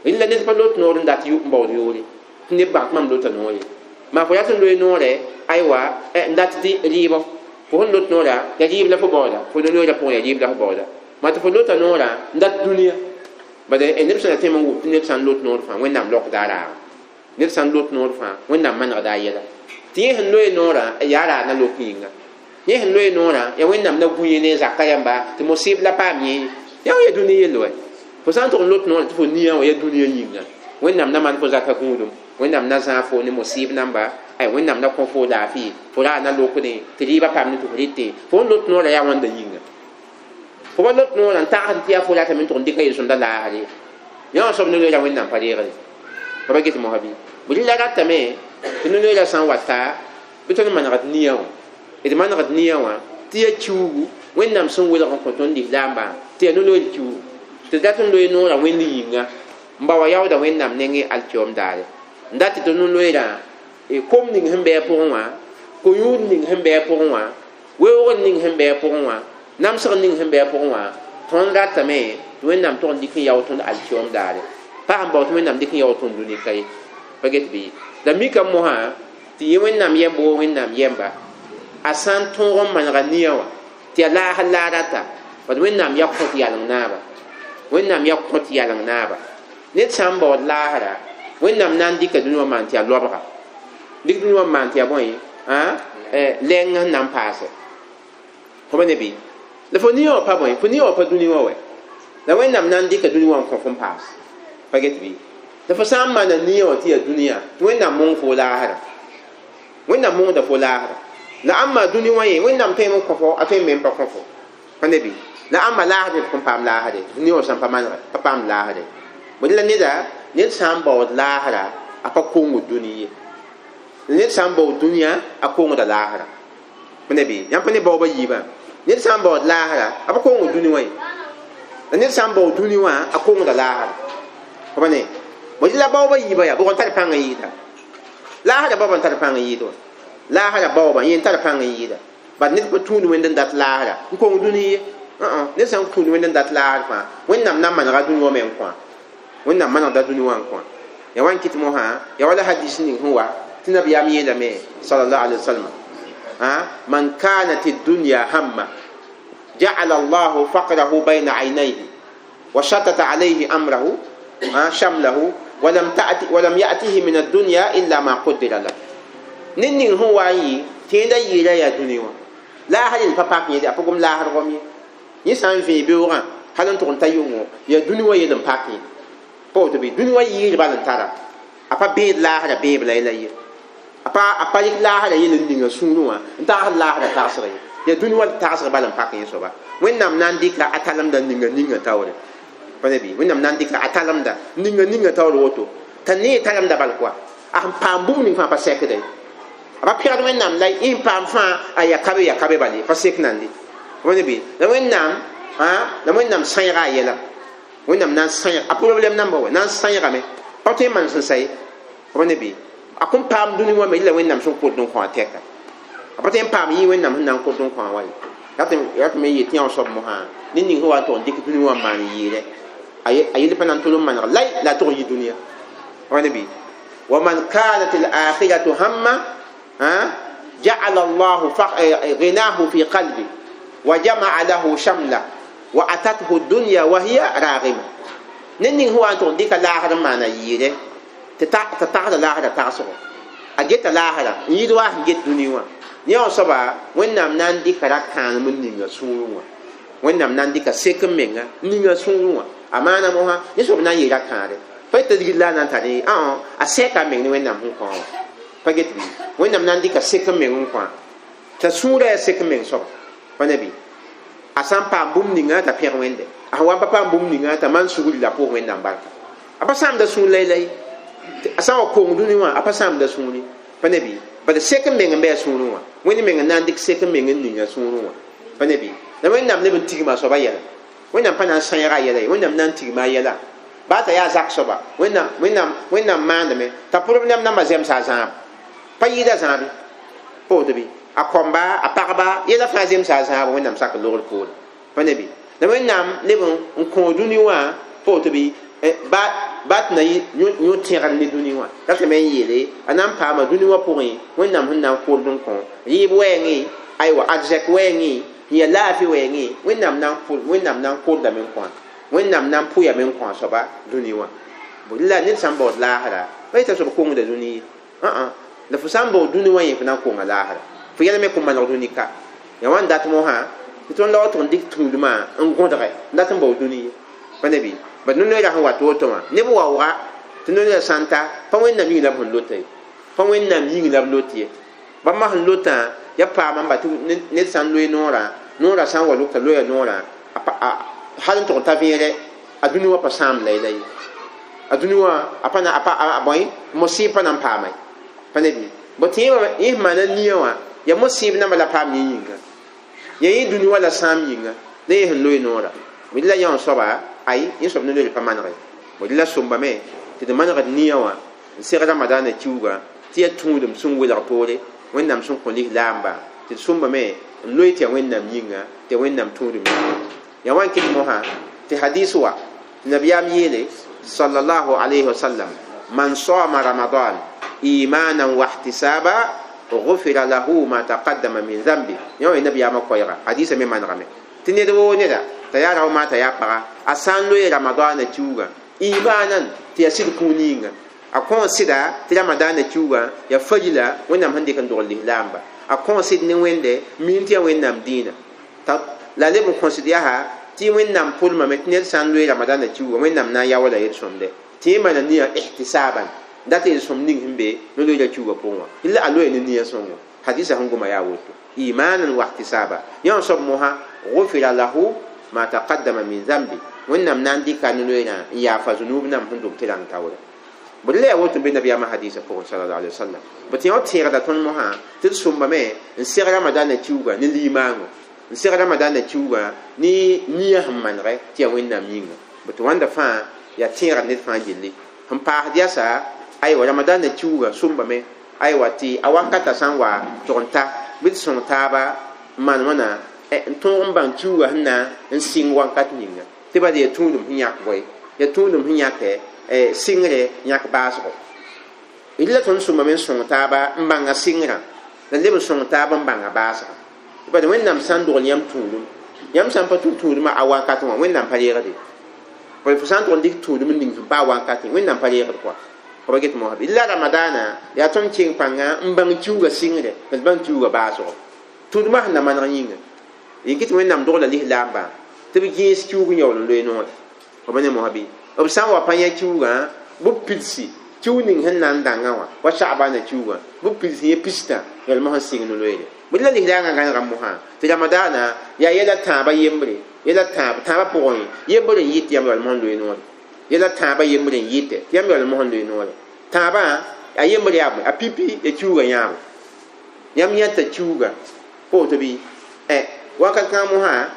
rɩla ned pa lot noor n dat n baood yʋʋre tɩ neb bag tɩ mam lota noor ye maa fo rat n loe noorɛ aywa n dat tɩ rɩɩbɔ fo sẽn lot noorã yaa rɩɩb la fo baooda fo no-loeera pʋgẽ yaa rɩɩb la fo baooda maa tɩ fo lota noorã n dat dũniyã bad neb sẽn na tẽem n wʋm tɩ ned sã n lot noor fãa wẽnnaam lokda a raaga ned sã n lot noor fãa wẽnnaam manegda a yɛla tɩ yẽ sẽn loe noorã yaa raag na lok yĩnga yẽ sẽn loe noorã yaa wẽnnaam na gũ yẽ ne zaka yãmba tɩ mosɩb la paam yẽ yã wã yaa dũni yell wɛ fo sã n tʋg n lot noorã tɩ fo nia wã yaa dũniyã yĩnga wẽnnaam na maan fo zaka gũudum wẽnnaam na zãag fo ne mosɩb namba ay wẽnnaam na kõ fo laafɩ fo raag na lokdẽ tɩ rɩɩbã paam ne tɩ fo rɩte fo n lot noorã yaa wãnda yĩnga fo pa lot noorã n tagsd tɩ yaa fo ratame n tʋg n dɩka yel-sõmda laasre yã wã soab no-loeera wẽnnaam pa reegre pa pa get mosã bɩ bɩ la ratame tɩ no-loeera sã n wata bɩ tõnd manegd nia wã d manegd nia wã tɩ yaa kiuugu wẽnnaam sẽn welg n kõ tõnd lislaambã tɩ yaa no-loeer kiuugu tɩ dat n loe noorã wẽnd yĩnga n ba wa yaooda wẽnnaam nengẽ alkiom daare n dat tɩ no-loeerã kom ning sẽn bɩ a pʋgẽ wã ko-yũud ning sẽn bɩ a pʋgẽ wã weoogr ning sẽn bɩ a pʋgẽ wã namsg ning sẽn bɩ a pʋgẽ wã tõnd ratame tɩ wẽnnaam tʋg n dɩk n yao tõnd alkiom daare pa sẽn bao tɩ wẽnnaam dɩk n yao tõnd dũni ka ye pa get bɩ la mika mosã tɩ yẽ wẽnnaam yɛmb woo wẽnnaam yɛmba a sã n tõog n manega nia wã tɩ yaa laasr la a rata bad wẽnnaam yaa kõt yaleng naaba wẽnnaam yaa kõt yaleng naaba ned sã n baood laasra wẽnnaam na n dɩka dũni wã maan tɩ yaa loabga dɩk dũni wã n maan tɩ yaa bõe lɛng sẽn na n paase fo pa ne bɩ la fo nia wã pa bõe fo nia wã pa dũni wã wɛ la wẽnnaam na n dɩka dũni wã n kõ fo n paas pa get bɩ la fo sã n maana nia wã tɩ yaa dũniyã tɩ wẽnnaam mong fo laasra wẽnnaam mongda fo laasra la ãmba dũni wã ye wẽnnaam tõeme n kõ fo a tõe n me n pa kõ fo pa ne bɩ la ãmba laasd d kõn paam laasre tɩ nia wã sã n pa manegɛ pa paam laasre bõe la neda ned sã n baood laasra a pa kongd dũni ye ned sã n baood dũniyã a kongda laasra pa ne bɩ yãmb pa ne baooba yiibã ned sã n baood laasra a pa kongd dũni wã ye la ned sã n baood dũni wã a kongda laasra pa pa ne bõe la baooba yiibã yaa bʋg n tar pãng n yɩɩda laasra baoba n tar pãng n yɩɩd wã laasra baooba yẽ n tar pãng n yɩɩda Bat ned pa tũud wẽnd n dat laasra n kong dũni ye ned sã n tũud wẽnd n dat laasr fãa wẽnnaam na n manega dũni wã me n kõ wẽnnaam manegda dũni wã n kõ ya wa n kɩt mosã ya wala hadis ning sẽn wa tɩ nabiyaam yeelame sallallahu alaihi wasallam man kanat ad-dunya hamma ja'ala Allahu faqrahu bayna aynayhi wa shatata alayhi amrahu shamlahu wa lam ta'ti wa lam ya'tihi min ad-dunya illa ma qaddara lahu nin ning sẽn wa n yɩ tẽedã yɩɩra yaa dũni wã laasr yel pa pak yẽ a pʋgem laasr gom ye yẽ sã n vẽe beoogã hal n tʋg n ta yʋngo yaa dũni wã yel n pak yẽ pa woto bɩ dũni wã yɩɩr bal n tara a pa bẽed laasrã bẽeb la la ye a pa a pa rɩk laasrã yel n ninga sũurẽ wã n tagsd laasrã tagsg ye yaa dũni wã tagsg bal n pak yẽ soaba wẽnnaam na n dɩka a talemda ninga ninga taoore pa ne bɩ wẽnnaam na n dɩka a talemda ninga ninga taoor woto t'a nee talemda bal koa a sẽn paam bũmb ning fãa pa sɛkda ye a pa pẽgd wẽnnaam la y paam fãa a ya kabe ya kabe bale pa sek nande wẽnd bɩ la wẽnnaam la wẽnnaam sãeega a yɛla wẽnnaam na n sãeeg a problɛm namba wa na n sãeegame pa tõe n maan sẽn sa ye wẽnd bɩ a kõn paam dũni wã me la wẽnnaam sẽn kot n kõ a tɛka a pa tõe n paam yɩ wẽnnaam sẽn na n kot n kõ a wa ye rat me yet yã soab mosã ned ning sẽn wa n tʋg n dɩk dũni wã n maan yɩɩrɛ a yel pa na n tol n maneg lay la a tʋg n yɩ dũniyã wẽnd bɩ wa man kanat al-akhiratu hamma جعل الله غناه في قلبه وجمع له شمله وأتته الدنيا وهي راغمة نن هو أن تديك لاهر ما نيره تتعد لاهر تعصره أجت لاهر يدوا جت دنيا نيا صبا وين نام ناندي كرا كان من نيجا سونوا وين نام ناندي كسكم منا نيجا سونوا أما أنا موها نسوب نيجا كاره فتدري لا نتاني آه أسكم من وين نام هو pa get bɩ wẽnnaam na n dɩka sek n meng n kõ t'a sũurã yaa sek n meng soaba pa ne bɩ a sã n paam bũmb ninga t'a pẽg wẽnde a sẽn wa n pa paam bũmb ninga t'a maan sugri la a pʋʋs wẽnnaam barka a pa sãamda sũur laylay a sã n wa kong dũni wã a pa sãamda sũuri pa ne bɩ bala sek n meng n bɩ a sũurẽ wã wẽnd meng n na n dɩk sek n meng n ning a sũurẽ wã pa ne bɩ la wẽnnaam leb n tigma a soaba yɛla wẽnnaam pa na n sãeega a yɛla ye wẽnnaam na n tigma a yɛla baa t'a yaa zak soaba wẽnnaam wẽnnaam wẽnnaam maandame t'a problɛm nambã zemsa a zãab pa yɩɩda zãabe pa woto bɩ a kõmba a pagba yɛla fãa zemsa a zãab wẽnnaam sak logr poore pa ne bɩ la wẽnnaam leb n kõ dũni wã pa woto bɩ ba tɩ na yõ tẽgr ne dũni wã ratame n yeele a na n paama dũni wã pʋgẽ wẽnnaam sẽn na n kord n kõ rɩɩb wɛɛngẽ aywa arzɛk wɛɛngẽ n yaa laafɩ wɛɛngẽ wẽnnaam na n wẽnnaam na n kordame n kõ wẽnnaam na n pʋyame n kõ a soaba dũni wã la ned sã n baood laasra pa yeta soab kongda dũni ye la fo sã n baood dũni wã yẽ fo na n konga laasra fo yɛl me kõ maneg dũni ka ya wã n dat mosã tɩ tõnd la wa tʋg n dɩk tũudmã n gõdge n dat n baood dũni ye pa ne bɩ bad no-noeera sẽn wat woto wã neb waooga tɩ no-noeera sã n ta pa wẽnnaam yĩng la b sẽn lota ye pa wẽnnaam yĩng la b lot ye bãmba sẽn lotã ya paama n ba tɩ ned sã n loe noorã noorã sã n wa lʋgta loya noorã hal n tʋg n ta vẽere a dũni wã pa sãam layla ye a dũni wã a pa na a pa a bõe mosɩɩb pa na n paama ye pa ne bɩ bõ tẽebã yẽ sẽn maana nia wã ya mosɩɩb namba la paam yẽ yĩnga ya yẽ dũni wã la sãam yĩnga la yẽ sẽn loe noorã bõe la yã soaba ay yẽ soab no-noeer pa manege bõe la sõmbame tɩ d manegd nia wã n seg ramadaana kiuugã tɩ yaa tũudem sẽn welg poore wẽnnaam sẽn kõ lislaamba tɩ d sõmbame n loe tɩ yaa wẽnnaam yĩnga tɩ yaa wẽnnaam tũudem yĩnga ya wan kɩt mosã tɩ hadis wa tɩ nabiyaam yeele sallallahu alayhi wasallam man sama ramadan imanan wa ihtisaba غفر له ما تقدم من ذنبه yã wã nabiyaamã koɛɛga hadisa me manegame tɩ ned woo neda t'a yaa rao maa t'a yaa paga a sã n loe ramadaana kiuugã imanan tɩ yaa sɩd kũun yĩnga a kõ sɩda tɩ ramadaana kiuugã yaa farila wẽnnaam sẽn dɩk n dogl lislaamba a kõ sɩd ne wẽnde miin tɩ yaa wẽnnaam dĩinã la leb n kõsd yaa tɩ wẽnnaam pʋlmame tɩ ned sã n loe ramadaana kiuugã wẽnnaam na n yaoola yel-sõmde tɩ yẽ maana nia ihtisaban dat yel sõm ning sẽn be no-loeera kiuugã pʋgẽ wã la a loe ne nia sõngo hadisa sẽn goma yaa woto imanan wa ihtisaba yã soab mosã غفر له ما تقدم من ذنبه wẽnnaam na n dɩka no-loeerã n yaafa zunub nam sẽn dob tɩ rãng taoore bõe la yaa woto n be nabiyaamã hadisa pʋgẽ sallallahu alaihi wasallam bõ tɩ yã tẽegda tõnd mosã tɩ d sõmbame n seg ramadaana kiuugã ne limaango n seg ramadaana kiuugã ne nia sẽn manegɛ tɩ yaa wẽnnaam yĩnga bõ tɩ wãnda fãa yaa tẽegd ned fãa gilli sẽn paasd yasa aywa ramadaana kiuugã sõmbame aywa tɩ a wakata sã n wa tʋg n ta bɩ d sõng taaba n maan wãna n tõog n bãng kiuugã sẽn na n sɩng wakat ninga tɩ bad yaa tũudum sẽn yãk bõe yaa tũudum sẽn yãkɛ sɩngre yãk baasgo d la tõnd sõmame n sõng taaba n bãnga sɩngrã la leb n sõng taab n bãnga baasgã tɩ bad Wẽnnaam sã n dogl yãmb tũudum yãmb sã n pa tũ tũudmã a wakat wã Wẽnnaam pa reegde fo sã n tʋg n dɩk tũudum n ning sẽn pa a wakatẽ Wẽnnaam pa reegd kɔa b get mosã bɩ la ramadaana yaa tõnd keng pãnga n bãng kiuugã sɩngre la d bãng kiuugã baasgo tũudmã sẽn na maneg yĩnga yĩn tɩ Wẽnnaam dogla lislaambã tɩ b gẽes kiuug n yaool n loe noore b ne mosã bɩ b sã n wa pa yã kiuugã bɩ pidsi kiuug ning sẽn na n dãngã wã wa sagbaana kiuugã bɩ pidsi yẽ pistã yaool mosã sɩng ne loeere bɩ la lislaangã gãnega mosã tɩ ramadaana yaa yɛla tãabã yembre yɛla tãab tãabã pʋgẽ yembre n yɩt tɩ yãmb yaool mosã n loe noore yɛla tãabã yembre n yɩtɛ tɩ yãmb yaool mosã n loe noore tãabã a yembre yaa bõe a pipi ya kiuugã yãabo yãmb yãta kiuugã pa woto bɩ wakat kãng mosã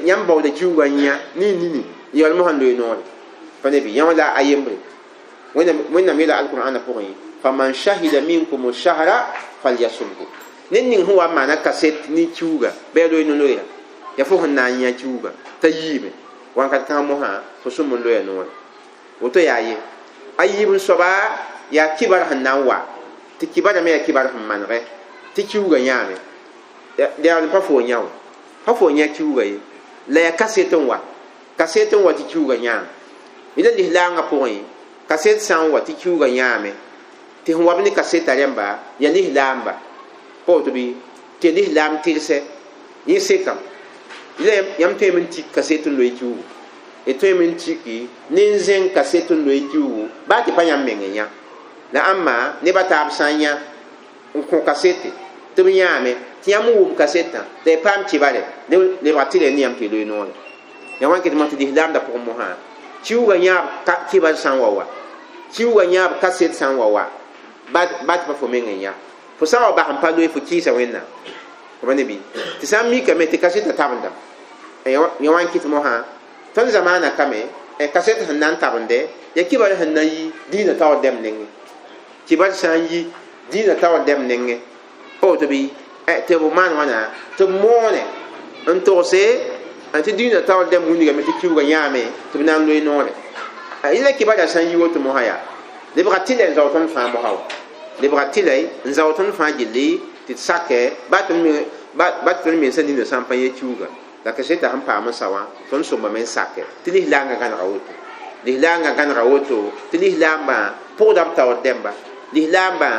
yãmb baooda kiuugã n yã ne nini yaool mosã n loe noore pa ne bɩ yã la a yembre Wẽnnaam yeela alqur'ana pʋgẽ faman shahida minkum shahra falyasumhu ned ning sẽn wa n maana kaset ne kiuugã bɩ a loe no-loeera yaa fo sẽn na n yã kiuugã t'a yiime wakat kãng mosã fo sũm n loya noore woto yaa ye a yiib n soaba yaa kibar sẽn na n wa tɩ kibara me yaa kibar sẽn manegɛ tɩ kiuugã yãame yaool pa fo yã wã pa fo yã kiuugã ye la yaa kaset n wa kaset n wa tɩ kiuugã yãame la lislaangã pʋgẽ kaset sã n wa tɩ kiuugã yãame tɩ sẽn wa b ne kaseta rẽmba yaa lislaamba pa woto bɩ tɩ yaa lislaam tɩrsɛ yẽ sekame yãmb tõeme n tik kaset n loe kiuugu d tõeme n tiki ne n zẽng kaset n loe kiuugu baa tɩ pa yãmb meng n yã la ãmba neb a taab sã n yã n kõ kasete tɩ b yãame tɩ yãmb n wʋm kasetã la y paam kibare lebg tɩ rẽ ne yãmb tɩ y loe noore ya wãn ket mosã tɩ lislaamda pʋgẽ mosã kiuugã yãab kibar sã n wa wa kiuugã yãab kaset sã n wa wa baa tɩ pa fo meng n yã fo sã n wa bas n pa loe fo kɩɩsa Wẽnnaam b ne bɩ tɩ sã n mikame tɩ kasetã tabendame ya wãn kɩt mosã tõnd zamaana kame kaset sẽn na n tabende yaa kibar sẽn na n yi dĩinã taoor dɛm nengẽ kibar sã n yi dĩinã taoor dɛm nengẽ pa woto bɩ tɩ b maan wãna tɩ b moone n togse tɩ dĩinã taoor dɛm wilgame tɩ kiuugã yãame tɩ b na n loe noore la kibara sã n yi woto mosã yaa lebga tɩlɛ n zao tõnd fãa mosã wa lebga tɩlɛ n zao tõnd fãa gilli tɩ d sakɛ baa tɩ tõnd mensã nina sã n pa yẽ kiuugã la kaseta sẽn paam n sa wã tõnd sõmbame n sakɛ tɩ lislaangã gãnega woto lislaangã gãnega woto tɩ lislaambã pʋgda b taoor dɛmba lislaambã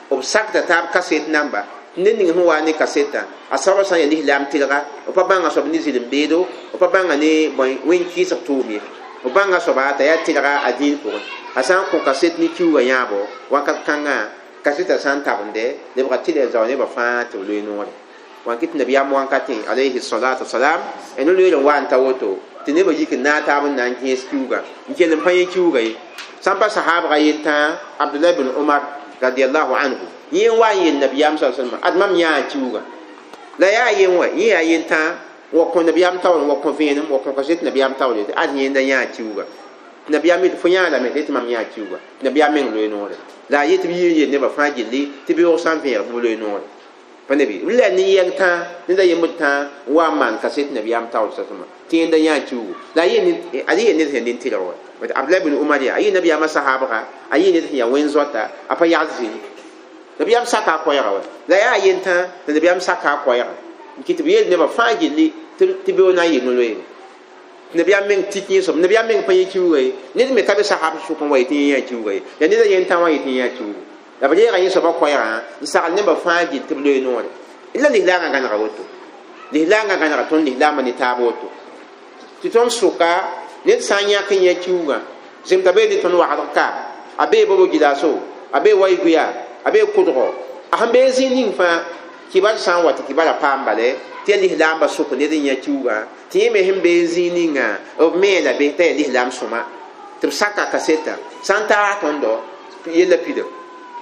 b sakda taab kaset namba ned ning sẽn wa ne kasetã a soabã sã n yaa lislaam tɩlga b pa bãnga soab ne zɩlem beedo b pa bãnga ne bõe wẽn kɩɩsg tʋʋm ye b bãnga soaba t'a yaa tɩlga a dĩin pʋgẽ a sã n kõ kaset ne kiuugã yãabo wakat kãngã kasetã sã n tabende lebga tɩlɛ n zao nebã fãa tɩ b loe noore wãn kɩ tɩ nabiyaam wãnkatẽ alayhi salatu wasalam no loeer n wa n ta woto tɩ nebã yik n naag taab n na n gẽes kiuugã n kell n pa yẽ kiuugã ye sã n pa sahaabga yentã Abdullah bin Umar radiallahu anhu yẽ n wa n yel nabiyaam sa salma ad mam yãa kiuugã la yaa yen wa yẽ yaa yentã wa kõ nabiyaam taoor wa kõ vẽenem wa kõ kaset nabiyaam taoor yetɩ ad yẽnda yãa kiuugã nabiyaam yetɩ fo yãa lame tɩ mam yãa kiuugã nabiyaam meng loe noore la a yetɩ b yɩ n yel nebã fãa gilli tɩ beoog sã n vẽeg bɩ b loe noore pa ne bɩ la ne yɛng tãa ned a yembd tãa n wa n maan kaset nabiyaam taoor sa-sãma tɩ yẽnda yãa kiuugu la a yɩ ned sẽn nin-tɩlg wa Abdullah bin Umar yaa a yɩ nabiyaamã sahaabga a yɩ ned sẽn yaa wẽn-zoata a pa yagd zĩni nabiyaam saka a koɛɛga wa la yaa yentã tɩ nabiyaam saka a koɛɛga n kɩ tɩ b yeel nebã fãa gilli tɩ beoog na n yɩ no-loeere nabiyaam meng tik yẽ soab nabiyaam meng pa yẽ kiuugã ye ned me ka be sahab sʋk n wa yetɩ yẽ yã kiuugã ye yaa ned a yentã wã yetɩ yẽ yã kiuugu la b reega yẽ soabã koɛɛgã n sagl nebã fãa gill tɩ b loe noore la lislaangã gãnega woto lislaangã gãnega tõnd lislaambã ne taab woto tɩ tõnd sʋka ned sã n yãk n yã kiuugã zemta bee ne tõnd wagdg ka a bee bobo gɩlaso a bee wayguya a bee kʋdgo a sẽn bee zĩ ning fãa kibar sã n wa tɩ kibara paam bale tɩ yaa lislaambã sʋk ned n yã kiuugã tɩ yẽ me sẽn bee zĩig ninga b me la be t'a yaa lislaam sõma tɩ b saka kaseta sã n taag tõndo yella pida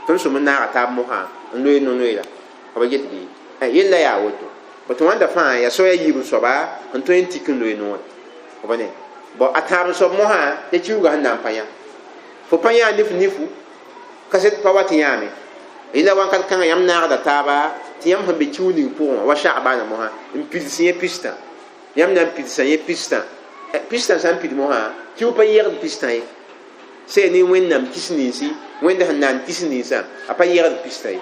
tõnd sõm n naaga taab mosã n loe no-noeera b get bɩ yella yaa woto tɩ wãnda fãa yaa soaya yiib n soaba n tõe n tik n loe noore b ne bon a tãab n soab mosã tɩ kiuugã sẽn na n pa yã fo pa yã nif nifu kaset pa wat yãame yella wãnkat kãngã yãmb naagda taaba tɩ yãmb sẽn be kiu ning pʋgẽ wã wa Sha'bana mosã n pids yẽ pistã yãmb na n pidsa yẽ pistã pistã sã n pid mosã kiu pa yegd pistã ye sɛ ne Wẽnnaam kis ninsi Wẽnd sẽn naan kis ninsã a pa yegd pistã ye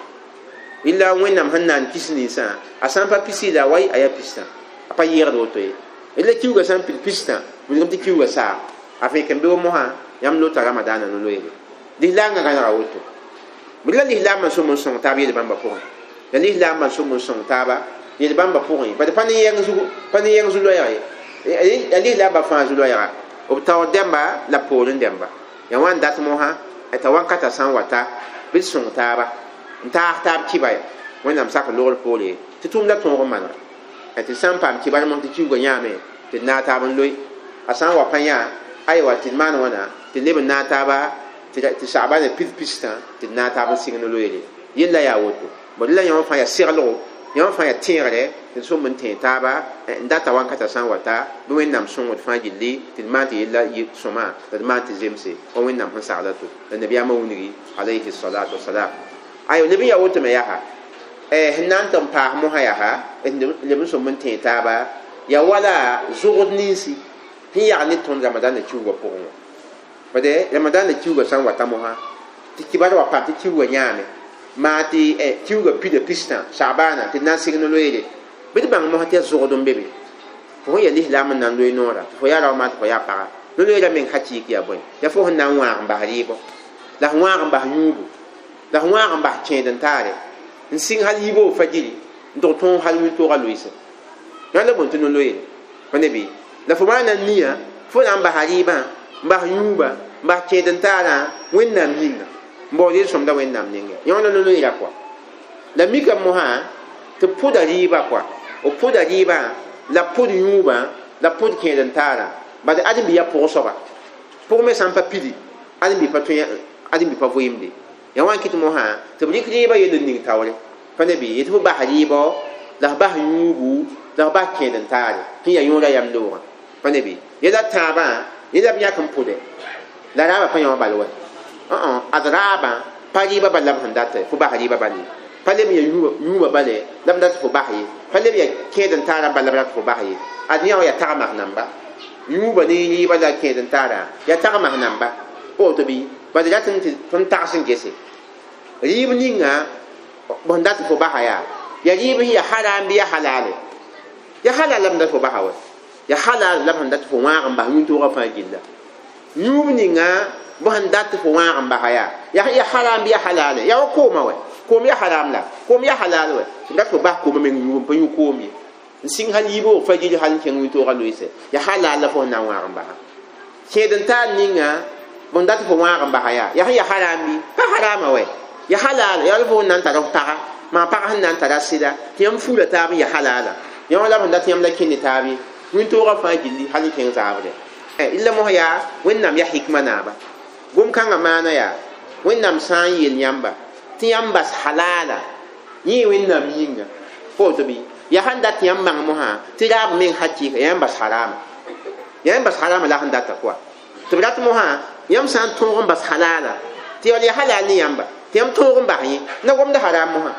illa Wẽnnaam sẽn naan kis ninsã a sã n pa pisi la wai a yaa pistã a pa yegd woto ye illa kiuga sã n pid pistã wilgm tɩ kiuga saag a fẽk n be wa mosã yãmb lota Ramadaana no-loeere lislaangã gãnega woto la lislaambã sõm n sõng taab yel bãmba pʋgẽ la lislaambã sõm n sõng taaba yel bãmba pʋgẽ bad pa ne yɛng zugu pa ne yɛng zu-loɛɛg ye la lislaambã fãa zu-loɛɛga b taoor dẽmba la poorẽ dẽmba ya wã n dat mosã t'a wankata sã n wata bɩ d sõng taaba n taas taab kiba ya Wẽnnaam sak logr poore tɩ tʋʋmda tõog n manega tɩ sã n paam kibar mos tɩ kiuga yãame tɩ d naag taab n loe a sã n wa pa yã aywa tɩ d maan wãna tɩ leb n naag taaba tɩ Sha'bana pid pistã tɩ d naag taab n sɩng no-loeere yella yaa woto bõe la yãmb fãa yaa seglgo yãmb fãa yaa tẽegre tɩ d sõm n tẽeg taaba n data wankata sã n wata bɩ Wẽnnaam sõngd fãa gilli tɩ d maan tɩ yella yɩ sõma la d maan tɩ zemse wa Wẽnnaam sẽn sagla to la nabiyaamã wĩngi alayhi salatu wasalam ayo leb n yaa woto me yaa sẽn na n tɩ n paas mosã yaa leb n sõm n tẽeg taaba yaa wala zogd ninsi sẽn yag ne tõnd Ramadaana kiuga pʋgẽ wã bade Ramadaana kiuga sã n wata mosã tɩ kibar wa paam tɩ kiuga yãame maa tɩ kiuga pida pistã Sha'bana tɩ d na n sɩng no-loeere bɩ d bãng mosã tɩ yaa zogd n be be fo sẽn yaa lislaam n na n loe noora tɩ fo yaa rao maa tɩ fo yaa paga no-loeerã meng hakɩɩk yaa bõe yaa fo sẽn na n wãag n bas rɩɩbɔ la f wãag n bas yũubu la f wãag n bas kẽed n taare n sɩng hal yiiboo fajiri n tʋg tõog hal wĩntoogã loeese yã la bõe tɩ no-loeere pa ne bɩ la fo maana n nia fo na n basa rɩɩbã n bas yũuba n bas kẽed n taarã Wẽnnaam yĩnga n baood yel-sõmda Wẽnnaam ninga yõ la no-loeera kɔa la mika mosã tɩ pʋda rɩɩba kɔa b pʋda rɩɩbã la pʋd yũubã la pʋd kẽed n taarã bad ãdem-bi yaa pʋg soaba pʋg me sã n pa pidi ãdem-bi pa tõe ãdem-bi pa vɩɩmde ya wã n kɩt mosã tɩ b rɩk rɩɩbã yell n ning taoore pa ne bɩ yetɩ fo bas rɩɩbɔ la f bas yũubu la f bas kẽed n taare tɩ yaa yõoda yam loogã pa ne bɩ yɛla tãabã yẽla b yãk n pʋdɛ la raabã pa yã wã bal wa ad raabã pa rɩɩbã bal la b sẽn datɛ fo bas rɩɩbã bal ye pa leb ya yũubã bale la b dat fo bas ye pa leb ya kẽed n taarã bal la b dat fo bas ye ad yã wã yaa tagmas namba yũubã ne rɩɩbã la kẽed n taarã yaa tagmas namba pa woto bɩ bad rat n tɩ tõnd tags n gese rɩɩb ninga b sẽn dat fo basa yaa yaa rɩɩb sẽn yaa haram bɩ yaa halale yaa halal la b dat fo basa wa yaa halal la b sẽn dat fo wãag n bas yũn-toogã fãa gilla yũub ninga b sẽn dat fo wãag n basa yaa yaa haram bɩ yaa halale yaa wa koomã wɛ koom yaa haram la koom yaa halal wɛ sẽn dat fo bas koomã meng yũub n pa yũ koom ye n sɩng hal yiibg fajiri hal n kẽng wĩntoogã loeese yaa halal la fo sẽn na n wãag n basa kẽed n taar ninga b sẽn dat fo wãag n basa yaa yaa sẽn yaa haram bɩ pa harama wɛ yaa halal yaa fo sẽn na n tara f paga maa pag sẽn na n tara sɩda tɩ yãmb fuula taab n yaa halala yã wã la b sẽn dat yãmb la kẽnd taab ye wĩntoogã fãa gilli hal n kẽng zaabre illa mos yaa Wẽnnaam yaa hikma naaba gom-kãngã maana yaa Wẽnnaam sã n yel yãmba tɩ yãmb bas halala yẽ Wẽnnaam yĩnga pa woto bɩ yaa sãn dat yãmb mãng mosã tɩ raab meng hakɩɩka yãmb bas harama yãmb bas harama la sẽn data kɔa tɩ b rat mosã yãmb sã n tõog n bas halala tɩ yaa halal ne yãmba tɩ yãmb tõog n bas yẽ na gomd haram mosã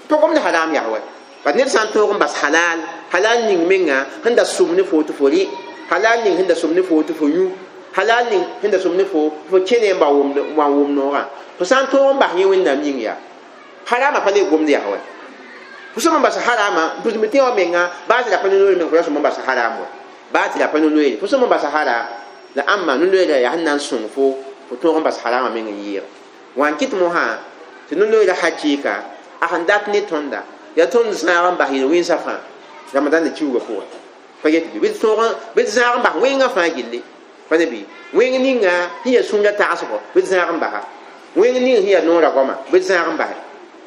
pa gomd haram yaa wa bad ned sã n tõog n bas halal halal ning menga sẽn da sʋm ne fo tɩ fo rɩ halal ning sẽn da sʋm ne fo tɩ fo yũ halal ning sẽn da sʋm ne fo fo kẽne n ba wʋm wa wʋm noogã fo sã n tõog n bas yẽ Wẽnnaam yĩng yaa harama pa le gomd yaa wa fo sõm n bas harama n pʋsme tẽ wã menga baa tɩ la pa no-loeere meng fo ra sõm n bas haram wa baa tɩ la pa no-loeere fo sõm n bas haram la ãmba no-loeerã yaa sẽn na n sõng fo fo tõog n bas harama meng n yɩɩg wã n kɩt mosã tɩ no-loeerã hakɩɩka a sẽn dat ne tõnda yaa tõnd zãag n bas yel-wẽnsã fãa Ramadan kiuga pʋgẽ pa get bɩ d tõog bɩ d zãag n bas wẽngã fãa gilli pa ne bɩ wẽng ninga sẽn yaa sũurã tagsgɔ bɩ d zãag n basa wẽng ning sẽn yaa noorã goama bɩ d zãag n base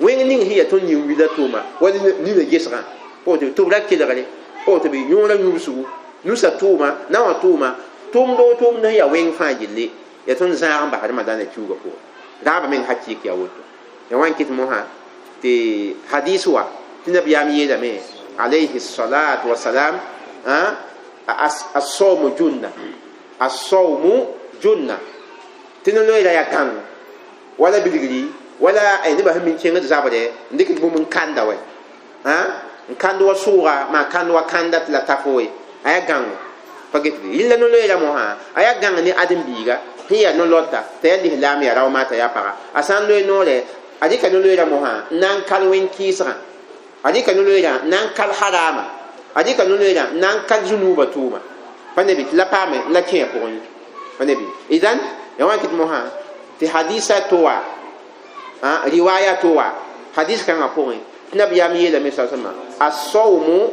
wẽng ning sẽn yaa tõnd yĩng wila tʋʋma wa nina gesgã pa woto tɩ b ra kelgre pa woto bɩ yõorã yũbsgu nusa tʋʋma naowã tʋʋma tʋʋmd o tʋʋmd sẽn yaa wẽng fãa gilli yaa tõnd zãag n bas Ramadaana kiuga pʋgẽ raabã meng hakɩɩk yaa woto ya wã n kɩt mosã tɩ hadis wa tɩ nabiyaam yeelame alayhi salatu wasalam as-sawmu junna as-sawmu junna tɩ no-loeera yaa kãng wala bilgri Wala ay neba sẽn mi n kẽngd zabrɛ n dɩk bũmb n kanda wɛ n kãnd wa sʋʋga maa kãnd wa kãnda tɩ la ta fo ye a yaa gãngo pa get bɩ yella no-loeera mosã a yaa gãng ne ãdem-biiga sẽn yaa no-lɔta t'a yaa lislaam yaa rao maa t'a yaa paga a sã n loe noorɛ a dɩka no-loeera mosã n na n kal wẽn-kɩɩsgã a dɩka no-loeerã n na n kal haraama a dɩka no-loeerã n na n kal zũnuubã tʋʋma pa ne bɩ tɩ la paame la kẽ a pʋgẽ ye pa ne bɩ idan ya wã kɩt mosã tɩ hadisa to wa riwaya to wa hadis kãngã pʋgẽ tɩ nabiyaam yeelame sa sõma as-sawmu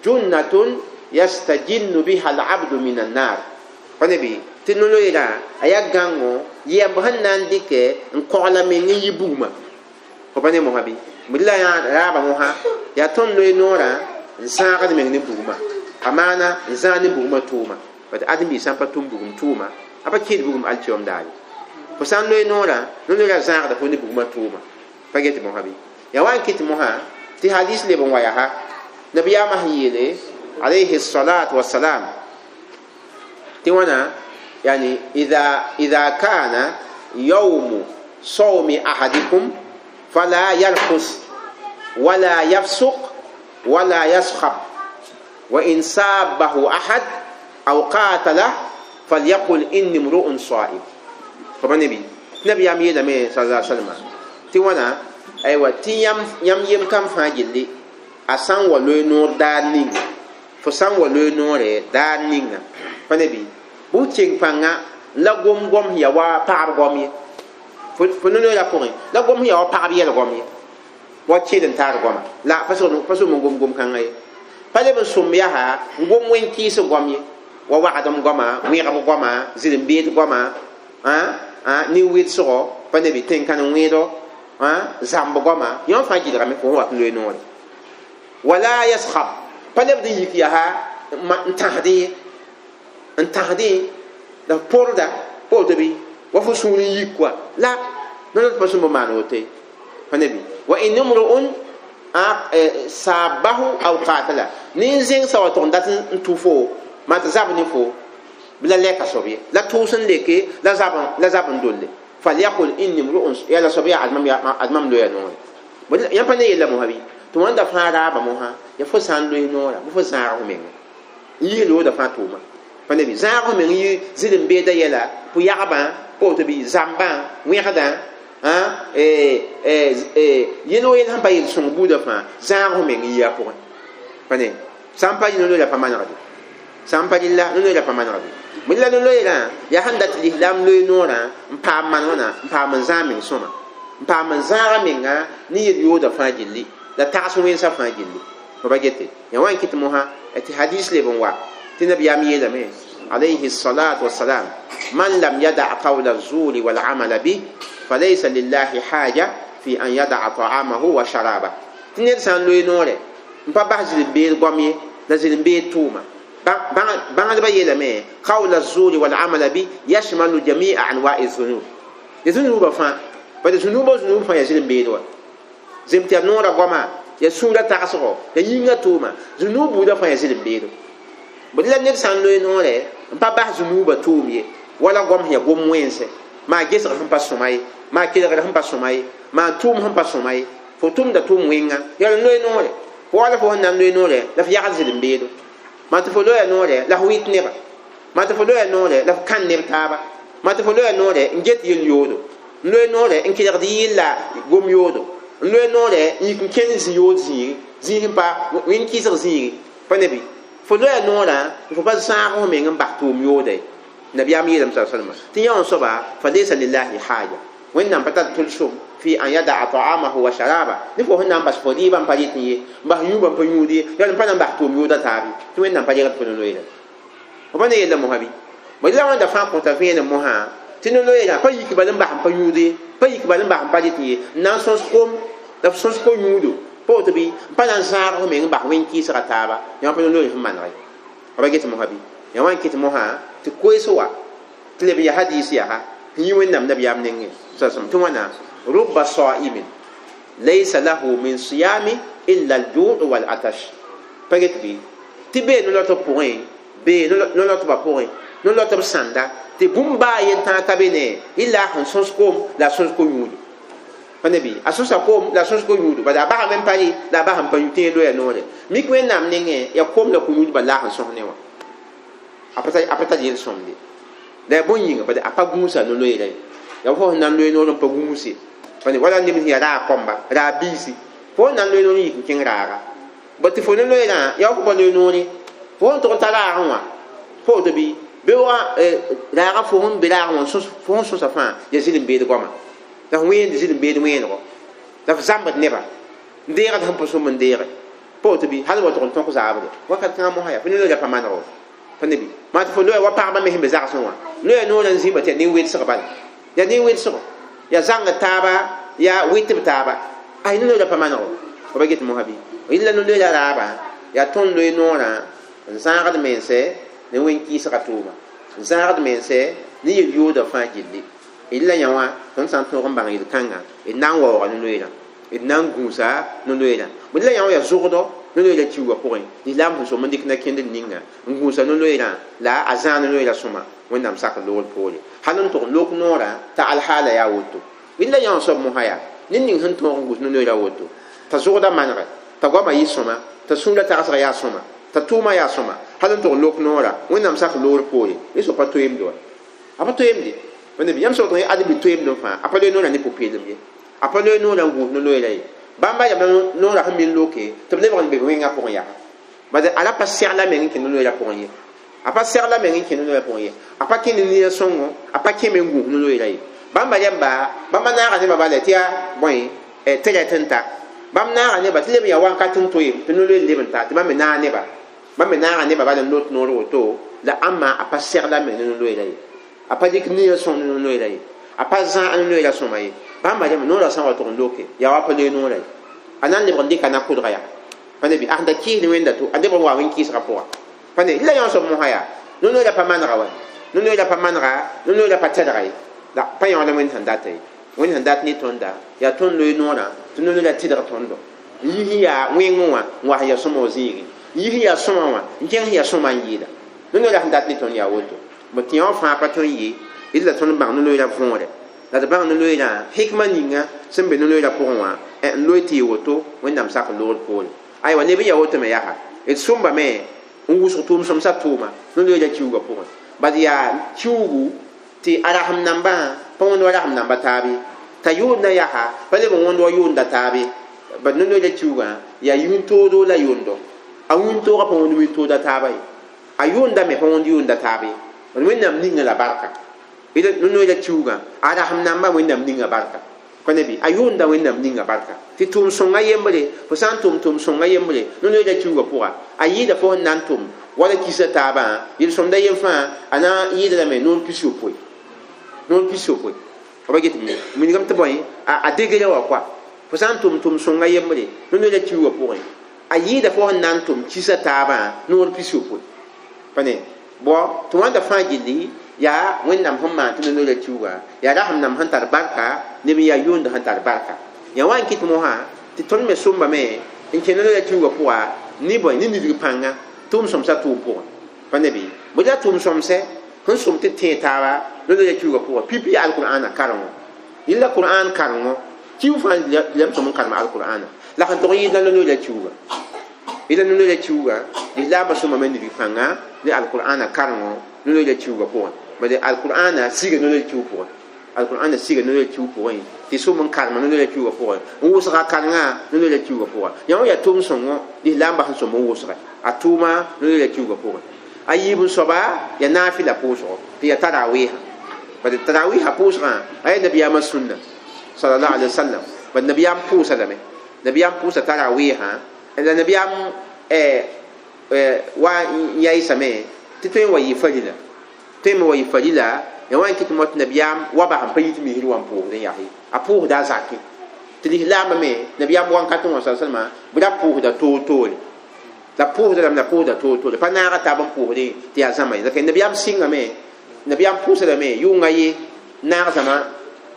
junnatun yastajinnu biha al-abdu min an-nar pa ne bɩ tɩ no-loeerã a yaa gãngo yɛmb sẽn na n dɩkɛ n kogla meng n yi bugmã fo pa ne mosã bɩ bd la yã raabã mosã yaa tõnd loe noorã n sãagd meng ne bugmã a maana n zãag ne bugmã tʋʋma bat ãdem-biig sã n pa tʋm bugum tʋʋma a pa kɩɩd bugum alkiom daare fo sã n loe noorã no-loeerã zãagda fo ne bugmã tʋʋma pa get mosã bɩ ya wa n kɩt mosã tɩ hadis leb n wa yaa nabiyaamã sẽn yeele alayhi salatu wassalam tɩ wãna yani idha idha kana yawmu sawmi ahadikum fala yarfus wala yafsuq wala yaskhab wa in sabahu ahad aw qatala falyaqul inni mru'un sa'im fo pa nebi nabiyaam yeelame sala salama tɩ wãna aywa tɩ yãmb yem kam fãa gilli a sã n wa loe noor daar ninga fo sã n wa loe noore daar ninga pa ne bɩ bʋ keng pãnga la gom gom sẽn ya wa pagb gom ye fo no-loeera pʋgẽ la gom sẽn ya wa pagb yɛl gom ye wa keel n taar goma la pa sʋm n gom gom-kãngã ye pa leb n sõm yaa n gom wẽn-kɩɩs gom ye wa wagdem goma wẽgb goma zĩr-n-beed goma nin-wɩlsgɔ pa ne bɩ tẽn-kãn wẽedo zãmb goma yõ fãa gɩdgame fo sẽn wat n loe noore wala yaskhab pa lebd n yik yaa n tãsdẽ ye n tãsdẽ la f pʋrda pa woto bɩ wa fo sũur n yik koa la no-loet pa sũmb n maan woto ye pa ne bɩ wa in imru'un sabahu aw qatala nin-zẽngsa wa tʋg n dat n tʋ fo maa tɩ zab ne fo la lɛka soab ye la tʋʋs n leke la zab la zab n dolle falyaqul inni mru'un ya la soab yaa admam loya noore yãmb pa ne yella mosã bɩ tɩ wãnda fãa raaba mosã ya fo sã n loe noora bɩ fo zãag f menga n yis looda fãa tʋʋma pa ne bɩ zãag f meng yɩ zĩr-n-beeda yɛla pʋ-yagbã pa woto bɩ zãmbã wẽgdã yel wa yel sẽn pa yel-sõng buudã fãa zãag f meng n yi a pʋgẽ pa ne sã n pa rɩ no-loeera pa manegde sã n pa rɩlla no-loeera pa manegde bõe la no-loeerã yaa sẽn dat lislaam loe noorã n paam maan wãna n paam n zãag meng sõma n paam n zãaga menga ne yel-yooda fãa gilli la tags wẽnsa fãa gilli fo pa gete ya wa n kɩt mosã tɩ hadis leb n wa tɩ nabiyaam yeelame alayhi salatu wassalam man lam yada qawla الزور والعمل به فليس لله حاجة في أن يدع طعامه وشرابه tɩ ned sã n loe noorɛ n pa bas zĩr-n-beed goam ye la zĩr-n-beed tʋʋma bãngdbã yeelame qawla الزور والعمل به يشمل جميع أنواع الذنوب ya zũnuubã fãa bala zũnuubã zũnuub fãa yaa zĩr-n-beed wa zem tɩ yaa noorã goama yaa sũurã tagsgɔ ya yĩngã tʋʋma zũnuub buudã fãa yaa zĩr-n-beedo bd la ned sã n loe noorɛ n pa bas zũnuubã tʋʋm ye wala goam sẽn yaa gom wẽnse maa gesg sẽn pa sõma ye maa kelgr sẽn pa sõma ye maa tʋʋm sẽn pa sõma ye fo tʋmda tʋʋm wẽnga yaa n loe noorɛ fo wala fo sẽn na n loe noorɛ la f yagd zĩr-n-beedo maa tɩ fo loya noorɛ la f wɩt neba maa tɩ fo loya noorɛ la f kãn neb taaba maa tɩ fo loya noorɛ n get yel-yoodo n loe noorɛ n kelgd yɩlla gom yoodo n loe noorɛ n yik n kẽnd zĩ-yood zĩigi zĩig sẽn pa wẽn-kɩsg zĩigi pa ne bɩ fo loya noorã fo pa zãag f meng n bas tʋʋm yooda ye nabiyaam yeelame sa salma tɩ yã wã soaba fa laysa lillahi haja wẽnnaam pa tar tʋlsem fi an yadaa ta'amahu wa sharaba ne fo sẽn na n bas fo rɩɩbã n pa rɩt n ye n bas yũubã n pa yũud ye yaa n pa na n bas tʋʋm yooda taab ye tɩ wẽnnaam pa regd fo no-loeera fo pa ne yella mosã bɩ bõe la wãnda fãa kõta vẽenem mosã tɩ no-loeerã pa yik bal n bas n pa yũud ye pa yik bal n bas n pa rɩt n ye n na n sõs kom la f sõs ko-yũudo pa woto bɩ n pa na n zãag f meng n bas wẽn-kɩɩsga taaba yã pa no-loeer sẽn maneg ye fa pa get mosã bɩ yã wa n kɩt mosã tɩ koees wa tɩ leb n yaa hadiis yaa n yi wẽnnaam nabiyaam nengẽ sasem tɩ wãna rubba sa'imin laysa lahu min siyami illa al-ju' wal atash pa get bɩ tɩ bee no-lɔtb pʋgẽ bee no-lɔtbã pʋgẽ no-lɔtb sãnda tɩ bũmb baa yen tãag ka be ne illa sẽn sõs kom la a sõs ko-yũudo Pa ne bɩ a sõsa koom la a sõs ko-yũudba bala a basame n pa rɩ la a basame pa yũ tɩ yẽ loya noore mik wẽnnaam nengẽ yaa koom la ko-yũudbã la a sẽn sõs ne wã a pa tar yel-sõmde la yaa bõn yĩnga bala a pa gũusa no-loeera ye yaa fo sẽn na n loe noor n pa gũuse pa ne wala neb sẽn yaa raag kõmba raag biisi fo sẽn na n loe noor n yik n kẽng raaga bõ tɩ fo ne loeerã yaa fo pa loe noore fo sẽn tog n ta raagẽ wã fo woto bɩ beoogã raagã fo sẽn be raagẽ wã fo sẽn sõsa fãa yaa zĩl n beed goama la f wẽend zĩl n beed wẽenego la f zãmbd neba n deegd sẽn pa sõm n deege pa woto bɩ hal wa tog n tõk zaabre wakat kãngã mosã yaa fo ne loeera pa manego pa ne bɩ maa tɩ fo loya wa pagba me sẽn be zagsẽ wã loya noorã n zĩmba tɩ yaa nin-wedsg bala yaa nin-wedsgo yaa zãngd taaba yaa wɩtb taaba ay no-loeera pa manego fa ba get mosã bɩ rɩla no-loeera raabã yaa tõnd loe noorã n zãagd mense ne wẽn-kɩɩsga tʋʋma n zãagd mense ne yel-yooda fãa gilli d la yã wã tõnd sã n tõog n bãng yel-kãnga d na n waooga no-loeerã d na n gũusa no-loeerã b la yã wã yaa zʋgdɔ no-loeerã kiuugã pʋgẽ lislaam sẽn som n dɩk na-kẽndr ninga n gũusa no-loeerã la a zãag no-loeerã sõma wẽnnaam sak loogr poore hal n tʋg n lok noorã t'a alhaala yaa woto d la yã wã soab mosã yaa ned ning sẽn tõog n gũus no-loeerã woto t'a zʋgda manegɛ t'a goamã yɩ sõma t'a sũurã tagsga yaa sõma t'a tʋʋmã yaa sõma hal n tʋg n lok noorã wẽnnaam sak loogr poore rẽ soab pa toeemde wa a pa toeemde pa ne bɩ yãmb sẽn woto ad bɩ toeemd fãa a pa loe noorã ne pʋ-peelem ye a pa loe noorã n gũus no-loeera ye bãmba yamla noorã sẽn min loke tɩ b lebg n be wẽngã pʋgẽ yaa bad a ra pa segla meng n kẽ no-loeera pʋgẽ ye a pa segla meng n kẽ no-loeera pʋgẽ ye a pa kẽ ne nia sõngo a pa kẽ me n gũus no-loeera ye bãmba yamba bãmba naaga nebã bala tɩ yaa bõe tɩrɛt n ta bãmb naaga neba tɩ leb n yaa wakat n toeem tɩ no-loeer leb n ta tɩ bãmb me naag neba bãmb me naaga neba bala n lot noor woto la ãmba a pa segla meng ne no-loeera ye a pa dɩk nia sõng ne no-loeera ye a pa zãag no-loeera sõma ye bãmba rẽmb noorã sã n wa tʋg n loke yaa wa pa loe noorã ye a na n lebg n dɩka na-kʋdga yaa pa ne bɩ a sẽn da kɩɩsd wẽnda to a lebg n wa wẽn-kɩɩsgã pʋga pa ne la yã soab mosã yaa no-loeera pa manega wa no-loeera pa manega no-loeera pa tɛdga ye la pa yãood wẽnd sẽn data ye wẽnd sẽn dat ne tõnda yaa tõnd loe noorã tɩ no-loeera tɩdg tõndo n yis n yaa wẽngẽ wã n wa sẽn yaa sõma wã zĩigẽ n yis n yaa sõma wã n kẽng sẽn yaa sõma n yɩɩda no-loeera sẽn dat ne tõnd yaa woto bõ tɩ yã wã fãa pa tõe n yɩ d la tõnd bãng no-loeera võore la d bãng no-loeerã hikma ninga sẽn be no-loeerã pʋgẽ wã n loe tɩ yɩ woto wẽnnaam sak loogr poore aywa neb n yaa woto me yaa d sõmbame n wʋsg tʋʋm-sõmsã tʋʋma no-loeerã kiuugã pʋgẽ bad yaa kiuugu tɩ a rasem nambã pa wõnd wa rasem namba taabe t'a yʋʋndã yaa pa leb n wõnd wa yʋʋnda taabe bad no-loeerã kiuugã yaa yũn-toodo la yʋʋndo a wĩntoogã pa wõnd wĩntooda taaba ye a yʋʋnda me pa wõnd yʋʋnda taabe ye wẽnnaam ninga la barka no-loeerã kiuugã a rasem nambã wẽnnaam ninga barka pa ne bɩ a yʋʋnda wẽnnaam ninga barka tɩ tʋʋm sõnga yembre fo sã n tʋm tʋʋm sõnga yembre no-loeerã kiuugã pʋga a yɩɩda fo sẽn na n tʋm wala kisa taabã yel-sõmda yem fãa a na n yɩɩda lame noor pis-yopoe noor pis-yopoe fa ba get wilgame tɩ bõe a degrã wã koa fo sã n tʋm tʋʋm sõnga yembre no-loeerã kiuugã pʋgẽ a yɩɩda fo sẽn na n tʋm kisa taabã noor pis-yopoe pa ne bõ tɩ wãnda fãa gilli yaa wẽnnaam sẽn maan tɩ no-loeerã kiuugã yaa rasem nam sẽn tar barka neb n yaa yʋʋnd sẽn tar barka yaa wa n kɩt mosã tɩ tõnd me sõmbame n kẽ no-loeerã kiuugã pʋga ne bõe ne nidg pãnga tʋʋm sõmsã tʋʋm pʋgẽ pa ne bɩ bõ la tʋʋm sõmsɛ sẽn sõm tɩ tẽe taaba no-loeerã kiuugã pʋgã pipi yaa alqur'ana karengo yella qur'an karengo kiu fãa lame sõm n karem alqur'ana la sẽn tog n yɩɩd la no-loeerã kiuugã yella no-loeerã kiuugã lislaambã sõmbame nidg pãnga ne alqur'ana karengo no-loeerã kiuugã pʋgẽ bad alqur'ana siga no-loeer kiuug pʋgẽ alqur'ana siga no-loeer kiuug pʋgẽ tɩ sõm n karema no-loeerã kiuugã pʋgẽ n wʋsga karenga no-loeerã kiuugã pʋgã yã wã yaa tʋʋm sõngo lislaambã sẽn sõm n wʋsge a tʋʋma no-loeerã kiuugã pʋgẽ a yiib n soaba yaa naafɩla pʋʋsgo tɩ yaa tarawɩɩsã bad tarawɩɩsã pʋʋsgã a yaa nabiyaamã sũnna sallallahu alaihi wasallam bad nabiyaam pʋʋsa lame nabiyaam pʋʋsa tarawɩɩsã la nabiyaam wa n yaɩsame tɩ tõe n wa yɩ farila tõe me wa yɩ farila ya wa n kɩt mot nabiyaam wa bas n pa yit misr wã n pʋʋsd n yaa a pʋʋsda a zakẽ tɩ lislaambã me nabiyaam wãnkat wã sa salma bɩ ra pʋʋsda toor-toore la pʋʋsda lame la pʋʋsda toor-toore pa naaga taab n pʋʋsdẽ tɩ yaa zãma ye la nabiyaam sɩngame nabiyaam pʋʋsa lame yʋnga ye naag zãma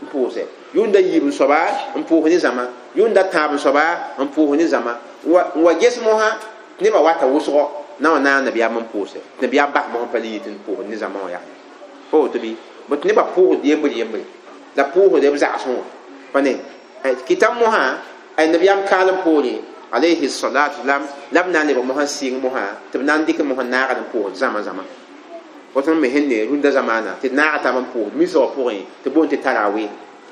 n pʋʋsɛ yʋnda yiib n soaba n pʋʋs ne zãma yʋnda tãab n soaba n pʋʋs ne zãma n wa ges mosã nebã wata wʋsgɔ na wã naag nabiyaam n pʋʋsɛ nabiyaam bas mosã pa le yit n pʋʋs ne zãma wã yaa pa woto bɩ bõ tɩ nebã pʋʋsd yembre yembre la pʋʋsd b zagsẽ wã pa ne Kitab moha ay nabiyam kalam pore alayhi salatu lam lam nan le moha sing moha tɩ b na n dɩk mosã naagd n pʋʋsd zãma zãma woto me sẽn ne rũndã zamaana tɩ naaga taab n pʋʋsd misgã pʋgẽ tɩ boond tɩ tarawe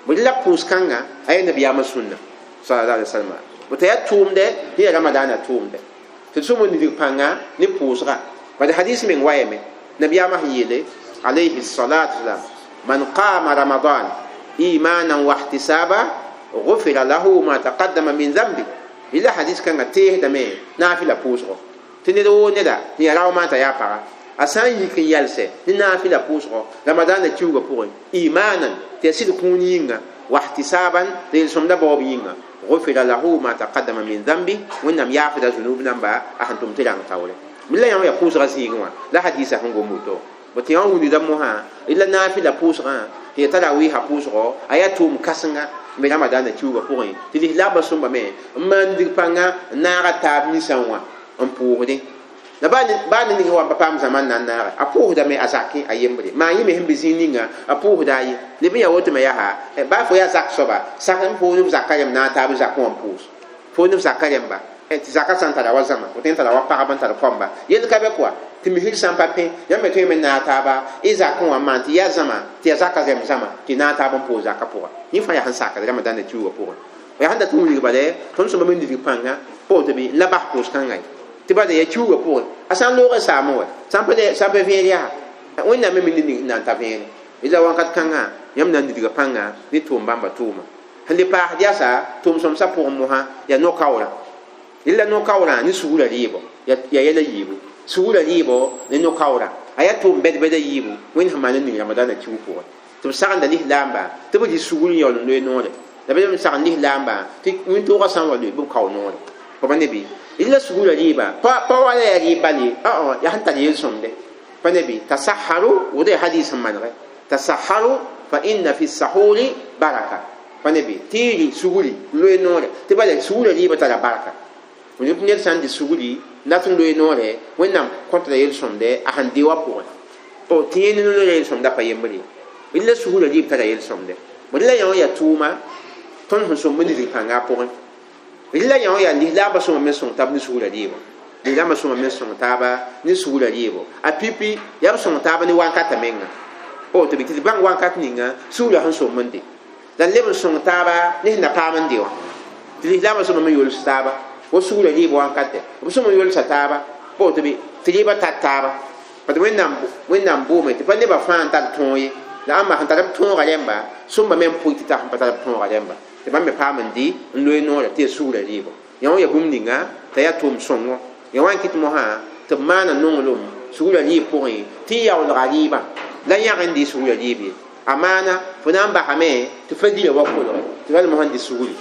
bõe la pʋʋs kãnga a yaa nabiyaamã sũnna sallallahu alaihi wasallam bõe yaa tʋʋmdɛ tɩ yaa ramadaana tʋʋmdɛ tɩ d sõm n nidg pãnga ne pʋʋsga bad hadis meng wayame nabiyaamã sẽn yeele alayhi salatu wasalam man qama ramadan imanan wa ihtisaba غفر له ما تقدم من ذنبه ila hadis kãngã teesdame naafɩla pʋʋsgo tɩ ned woo neda tɩ yaa rao t'a yaa paga a sã n yik n yalsɛ ne naafɩla pʋʋsgo ramadaanã kiuugã pʋgẽ imanan tɩ yaa sɩd kũun yĩnga wahtisaban tɩ yel-sõmda baoob yĩnga غفر له ما تقدم من ذنبه wẽnnaam yaafda zunub namba a sẽn tʋm tɩ rãng taoore la yã yaa pʋʋsgã zĩigẽ wã la hadisa sẽn gom woto bõ tɩ yã wũnida mosã la naafɩla pʋʋsgã tɩ ya tarawiisã pʋʋsgo a yaa tʋʋm kãsenga n be ramadaanã kiuugã pʋgẽ tɩ lislaambã sõmbame n maan dig pãnga n naaga taab ninsã wã n pʋʋsdẽ la baa ne ning wa pa paam zãma n na n naage a pʋʋsdame a zakẽ a yembre maa yẽ me sẽn be zĩig ninga a pʋʋsda a ye leb n yaa woto me yaa baa fo yaa zak soaba sak n pʋʋsd b zaka rẽmb na n taab zakẽ wã n pʋʋs fo ne b zaka rẽmba tɩ zaka sã n tara wa zãma fo tõe n tara wa pagb n tar kɔmba yell ka bɛ kɔa tɩ misr sã n pa pẽ yãmb me tõe me n naag taaba y zakẽ wã n maan tɩ yaa zãma tɩ yaa zaka rẽmb zãma tɩ naag taab n pʋʋs zakã pʋga yẽ fãa yaa sẽn sakd ramadaanã kiuugã pʋgẽ yaa sẽn dat n wilg bala tõnd sõma me nidg pãnga pa woto bɩ n la bas pʋʋs-kãngã ye tɩ bala yaa kiuugã pʋgẽ a sã n loog saamẽ wɛ sã n pa vẽed yaa wẽnnaam me mi ned ning sẽn na n ta vẽene la wãnkat kãngã yãmb na n nidga pãnga ne tʋʋm bãmba tʋʋma sẽn le paasd yaasa tʋʋm-sõmsã pʋgẽ mosã yaa no-kaoorã la no-kaoorã ne sugurã rɩɩbɔ yaa yɛla yiibu sugurã rɩɩbɔ ne no-kaoorã a yaa tʋʋm bɛd-bɛda yiibu wẽnd sẽn maan n ning ramadaanã kiug pʋgẽ tɩ b sagenda lislaamba tɩ b rɩ sugur n yaool n loe noore la b sagn lislaamba tɩ wĩntoogã sã n wa loe bɩ b kao noore pa ne bɩ la sugurã rɩɩba pa wa la yaa rɩɩb bal ye yaa sẽn tar yel-sõmde pa ne bɩ tasaharu woto yaa hadis sẽn manegɛ tasaharu fa inna fi sahuri baraka pa ne bɩ tɩ y rɩ sugri loe noore tɩ bala sugurã rɩɩbã tara barka ned sã n dɩ sugri dat n loe noore wẽnnaam kõtda yel-sõmde a sẽn dɩ wã pʋgẽ tɩ yẽ ne noorã yel-sõmda pa yembre ye la sugurã rɩɩb tara yel-sõmde bõe la yã wã yaa tʋʋma tõnd sẽn sõmb nidg pãnga a pʋgẽ la yã wã yaa lislaambã sõma me sõng taab ne sugurã rɩɩbã lislaambã sõma me sõng taaba ne sugurã rɩɩbɔ a pipi yaa b sõng taaba ne wankata menga pa woto bɩ tɩ d bãng wankat ninga sugurã sẽn sõmb n de la n leb n sõng taaba ne sẽn na paam n de wã tɩ lislaambã sõma me yols taaba wa sugurã rɩɩb wankatɛ b sõma yolsa taaba pa woto bɩ tɩ rɩɩbã tar taaba parce wẽnnaam wẽnnaam boome tɩ pa nebã fãa n tar tõog ye la ãmba sẽn tar b tõoga rẽmba sõmba me n pʋɩ tɩ ta sẽn pa tar b tõoga rẽmba tɩ bãmb me paam n dɩ n loe noorã tɩ yaa sugurã rɩɩbɔ yã wã yaa bũmb ninga t'a yaa tʋʋm sõngo yã wã n kɩt mosã tɩ b maana nonglem sugurã rɩɩb pʋgẽ tɩ y yaoolga rɩɩbã la yãg n dɩ sugurã rɩɩb ye a maana fo na n basame tɩ fa gila wa kolge tɩ bal mosã n dɩ sugri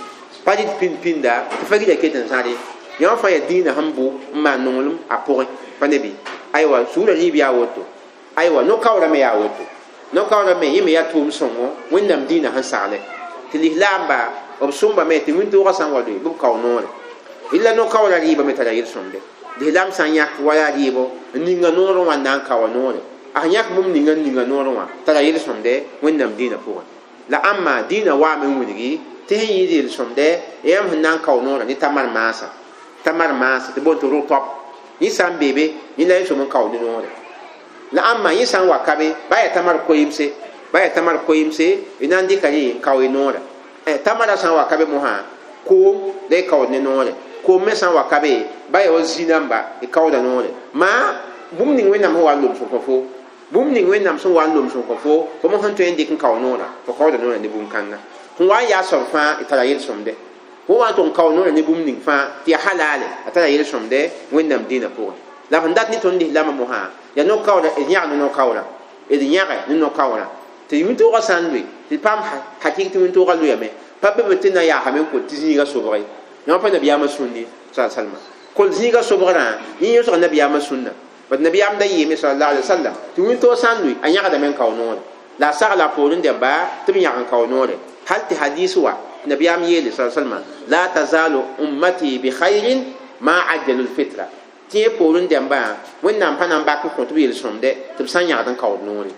pa dɩt pĩnd pĩnda tɩ fa gila ket n zãre yã wã fãa yaa dĩinã sẽn bʋ n maan nonglem a pʋgẽ pa ne bɩ aywa sugurã rɩɩb yaa woto aywa no-kaoorã me yaa woto no-kaoorã me yẽ me yaa tʋʋm sõngo wẽnnaam dĩinã sẽn sagle tɩ lislaamba b sõmbame tɩ wĩntoogã sã n wa loe bɩ b kao noore la no-kaoorã rɩɩbã me tara yel-sõmde lislaam sã n yãk wa yaa rɩɩbɔ n ninga noorẽ wã n na n kaoa noore a sẽn yãk bũmb ninga n ninga noorẽ wã tara yel-sõmde wẽnnaam dĩinã pʋgẽ la ãmba dĩinã waame n wilgi tɩ sẽn yɩɩd yel-sõmde yãmb sẽn na n kao noorã ne tamar maasã tamar maasã tɩ boond tɩ rʋtɔb yẽ sã n beebe yẽ la y sõm n kao ne noore la ãmba yẽ sã n wa ka be baa yaa tamar koeemse baa yaa tamar koeemse y na n dɩka rẽ n kao y noorã tamara sã n wa ka be mosã koom la y kaood ne noore koom me sã n wa ka be baa yaa wa zĩ-namba y kaooda noore maa bũmb ning wẽnnaam sẽn wa n loms n kõ fo bũmb ning wẽnnaam sẽn wa n loms n kõ fo fo mosã sẽn tõe n dɩk n kao noorã fo kaooda noorã ne bũmb-kãnga sẽn wa n yaa soab fãa y tara yel-sõmde fo wa n tʋg n kao noorã ne bũmb ning fãa tɩ yaa halale a tara yel-sõmde wẽnnaam dĩinã pʋgẽ la sẽn dat ne tõnd lislaambã mosã yaa no-kaoorã d yãg ne no-kaoorã d yãge ne no-kaoorã tɩ wĩntoogã sã n loe tɩ paam hakɩk tɩ wĩntoogã loyame pa be tɩ na yaasame n kol tɩ zĩiga sobge yã pa nabiyaamã sũndi sa salma kol zĩiga sobgrã yẽ yõsg nabiyaamã sũnna bat nabiyaam da yeeme sallallahu alaihi wasallam tɩ wĩntoog sã n loe a yãgdame n kao noore la a sagla a poorẽ dẽmba tɩ b yãg n kao noore hal tɩ hadis wa nabiyaam yeele sa salma la tazalu ummati bi khairin ma ajjalu lfitra tɩ yẽ poorẽ dẽmbã wẽnnaam pa na n bak n kõ tɩ b yel-sõmde tɩ b sã n yãgd n kaood noore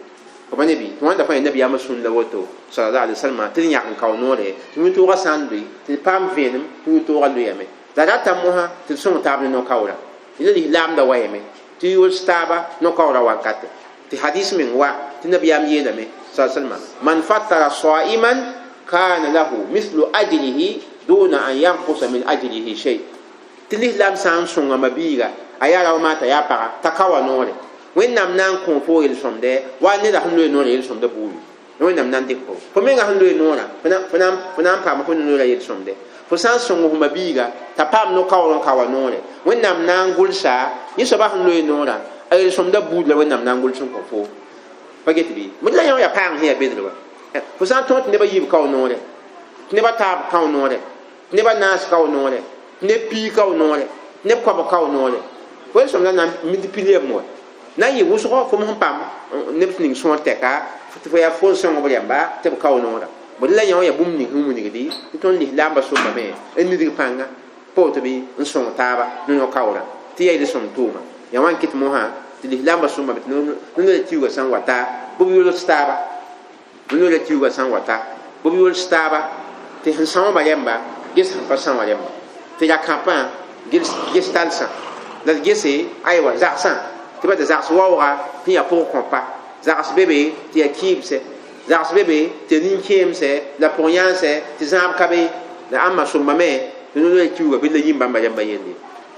Pa ne bɩ tɩ wãnda fãa nabiyaamã sũn la woto sallallahu alaihi wasallam tɩ d yãk n kao noore tɩ wĩntoogã sã n loe tɩ d paam vẽenem tɩ wĩntoogã loeeyame la rata mosã tɩ d sõng taab ne no-kaoora la lislaamda wayame tɩ yols taaba no-kaoora wankate tɩ hadis meng wa tɩ nabiyaam yeelame sallallahu alaihi wasallam man fattara sa'iman kana lahu mithlu ajrihi duna an yanqusa min ajrihi shay tɩ lislaam sã n sõnga mabiiga a yaa rao maata yaa paga t'a ka wa noore wẽnnaam na n kõ fo yel-sõmdɛ wa neda sẽn loe noorã yel-sõmdã buuri wẽnnaam na n dɩk fo fo menga sẽn loe noorã fo na n paam fo noorã yel-sõmdɛ fo sã n sõng f mabiiga t'a paam no-kaoor n ka wa noore wẽnnaam na n gʋlsa yẽ soaba sẽn loe noorã a yel-sõmdã buud la wẽnnaam na n gʋls n kõ fo pa get bɩ bõe la yã yaa paang sẽn yaa bedr wa fo sã n tõog tɩ nebã yiib kao noore tɩ nebã taab kao noore tɩ nebã naas kao noore tɩ neb pii kao noore tɩ neb koabg kao noore fo yel-sõmdã na n multiplier wa na n yɩ wʋsgo fo sẽn paam neb ning sõor tɛka tɩ fo yaa fo n sõng b rãmba tɩ b kao noora bõe la yã wã yaa bũmb ning sẽn wilgdi tɩ tõnd lislaambã sõmbame n nidg pãnga pa woto bɩ n sõng taaba ne no-kaoorã tɩ yaa yel-sõm tʋʋma yaa wã n kɩt mosã tɩ lislaambã sõmbame tɩ no-la tiuugã sã n wa ta bɩ b yols taaba no-la tiuugã sã n wa ta bɩ b yols taaba tɩ sẽn sãoobã rãmba ges sẽn pa são wã rãmba tɩ ra-kãpã ges talsã la d gese aywa zagsã tɩ ba tɩ zags waooga sẽn yaa pʋg kõpa zags be be tɩ yaa kɩɩbsɛ zags be be tɩ yaa nin-kẽemsɛ la pʋg-yãansɛ tɩ zãab ka be la ãmba sõmbame tɩ no-la kiuugã bɩ la yĩm bãmba rãmba yelle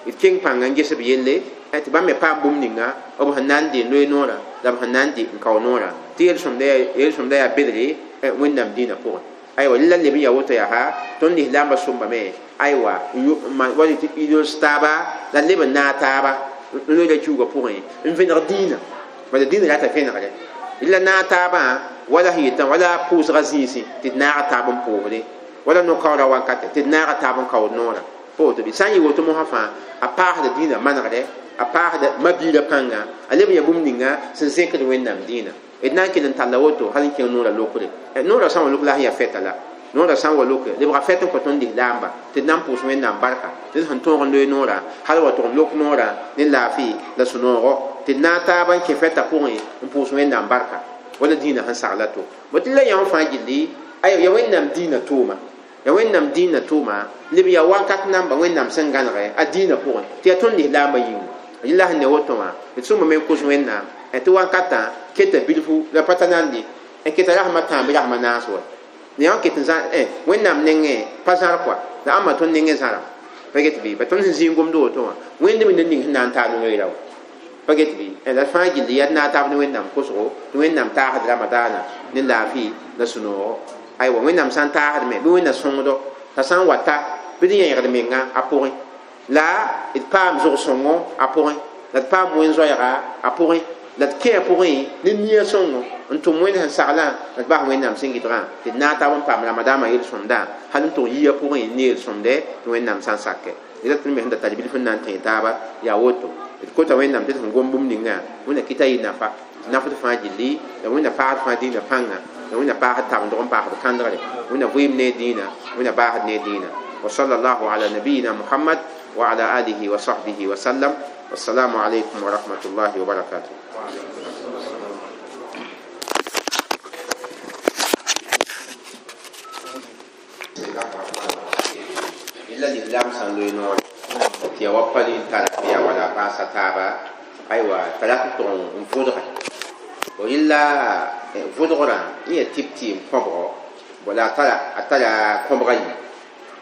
d keng pãnga n ges b yelle tɩ bãmb me paam bũmb ninga b sẽn na n dee loe noorã la b sẽn na n dɩ n kao noorã tɩ yel-sõmda yaa bedre wẽnnaam dĩinã pʋgẽ aywa la leb n yaa woto yaa tõnd lislaambã sõmbame aywa wa tɩ yols taaba la leb n naag taaba no-la kiuugã pʋgẽ n vẽneg dĩinã bala dĩinã rata vẽnegre la naag taabã wala sẽn yetã wala pʋʋsga zĩisẽ tɩ d naaga taab n pʋʋsde wala no-kaoorã wankate tɩ d naaga taab n kaood noorã pa woto bɩ sã n yɩ woto mosã fãa a paasda dĩinã manegdɛ a paasda mabiirã pãnga a leb n yaa bũmb ninga sẽn zẽkd wẽnnaam dĩinã d na n kell n talla woto hal n kẽng noorã lokre noorã sã n wa lok la sẽn yaa fɛta la noorã sã n wa loke lebga fɛt n kõ tõnd lislaamba tɩ d na n pʋʋs wẽnnaam barka tɩ d sẽn tõog n loe noorã hal wa tʋg n lok noorã ne laafɩ la sũ-noogo tɩ d naag taaba n kẽ fɛtã pʋgẽ n pʋʋs wẽnnaam barka wala dĩinã sẽn sagla to bõ tɩ la yã wã fãa gilli aya ya wẽnnaam dĩinã tʋʋma ya wẽnnaam dĩinã tʋʋma leb yaa wakat namba wẽnnaam sẽn gãnegɛ a dĩinã pʋgẽ tɩ yaa tõnd lislaambã yĩnga yẽla sẽn ne woto wã d sõmbame n kos wẽnnaam tɩ wankatã keta bilfu la pa ta nande n keta rasmã tãam bɩ rasmã naas wa yã ket n zã wẽnnaam nengẽ pa zãr kɔa la ãmba tõnd nengẽ zãra pa get bɩ pa tõnd sẽn zĩig gomd woto wã wẽnd me ned ning sẽn na n taab ne noeera wa pa get bɩ la fãa gilli yaa d naag taab ne wẽnnaam kosgo tɩ wẽnnaam taasd ramadaana ne laafɩ la sũ-noogo aywa wẽnnaam sã n taasd me bɩ wẽnna sõngdo t'a sã n wa ta bɩ d yẽegd menga a pʋgẽ la d paam zʋg-sõngo a pʋgẽ la d paam wẽn-zoɛɛga a pʋgẽ la d kẽ a pʋgẽ ne nia sõngo n tʋm wẽnd sẽn saglã la d bas wẽnnaam sẽn gɩdgã tɩ d naag taab n paam ramadaamã yel-sõmdã hal n tʋg yia pʋgẽ ne yel-sõmdɛ tɩ wẽnnaam sã n sakɛ d tɩ me sẽn da tar bilf n na n tẽ taaba yaa woto d kota wẽnnaam tɩ d sẽn gom bũmb ninga wẽnna kɩta yɩ nafa nafd fãa gilli la wẽnna paasd fãa dĩinã pãnga la wẽnna paasd tabendg n paasd kãndgre wẽnna vɩɩm ne dĩinã wẽnna baasd ne dĩinã wa sallallahu ala nabiyina muhammad wa ala alihi wa sahbihi wa sallam والسلام عليكم ورحمة الله وبركاته. إلا الإسلام سنلوي نور تي وப்பali tara ya wala pasa taba aywa tara ton mfudra wa illa fudra iya tipti mkobro wala tara atara kobra yi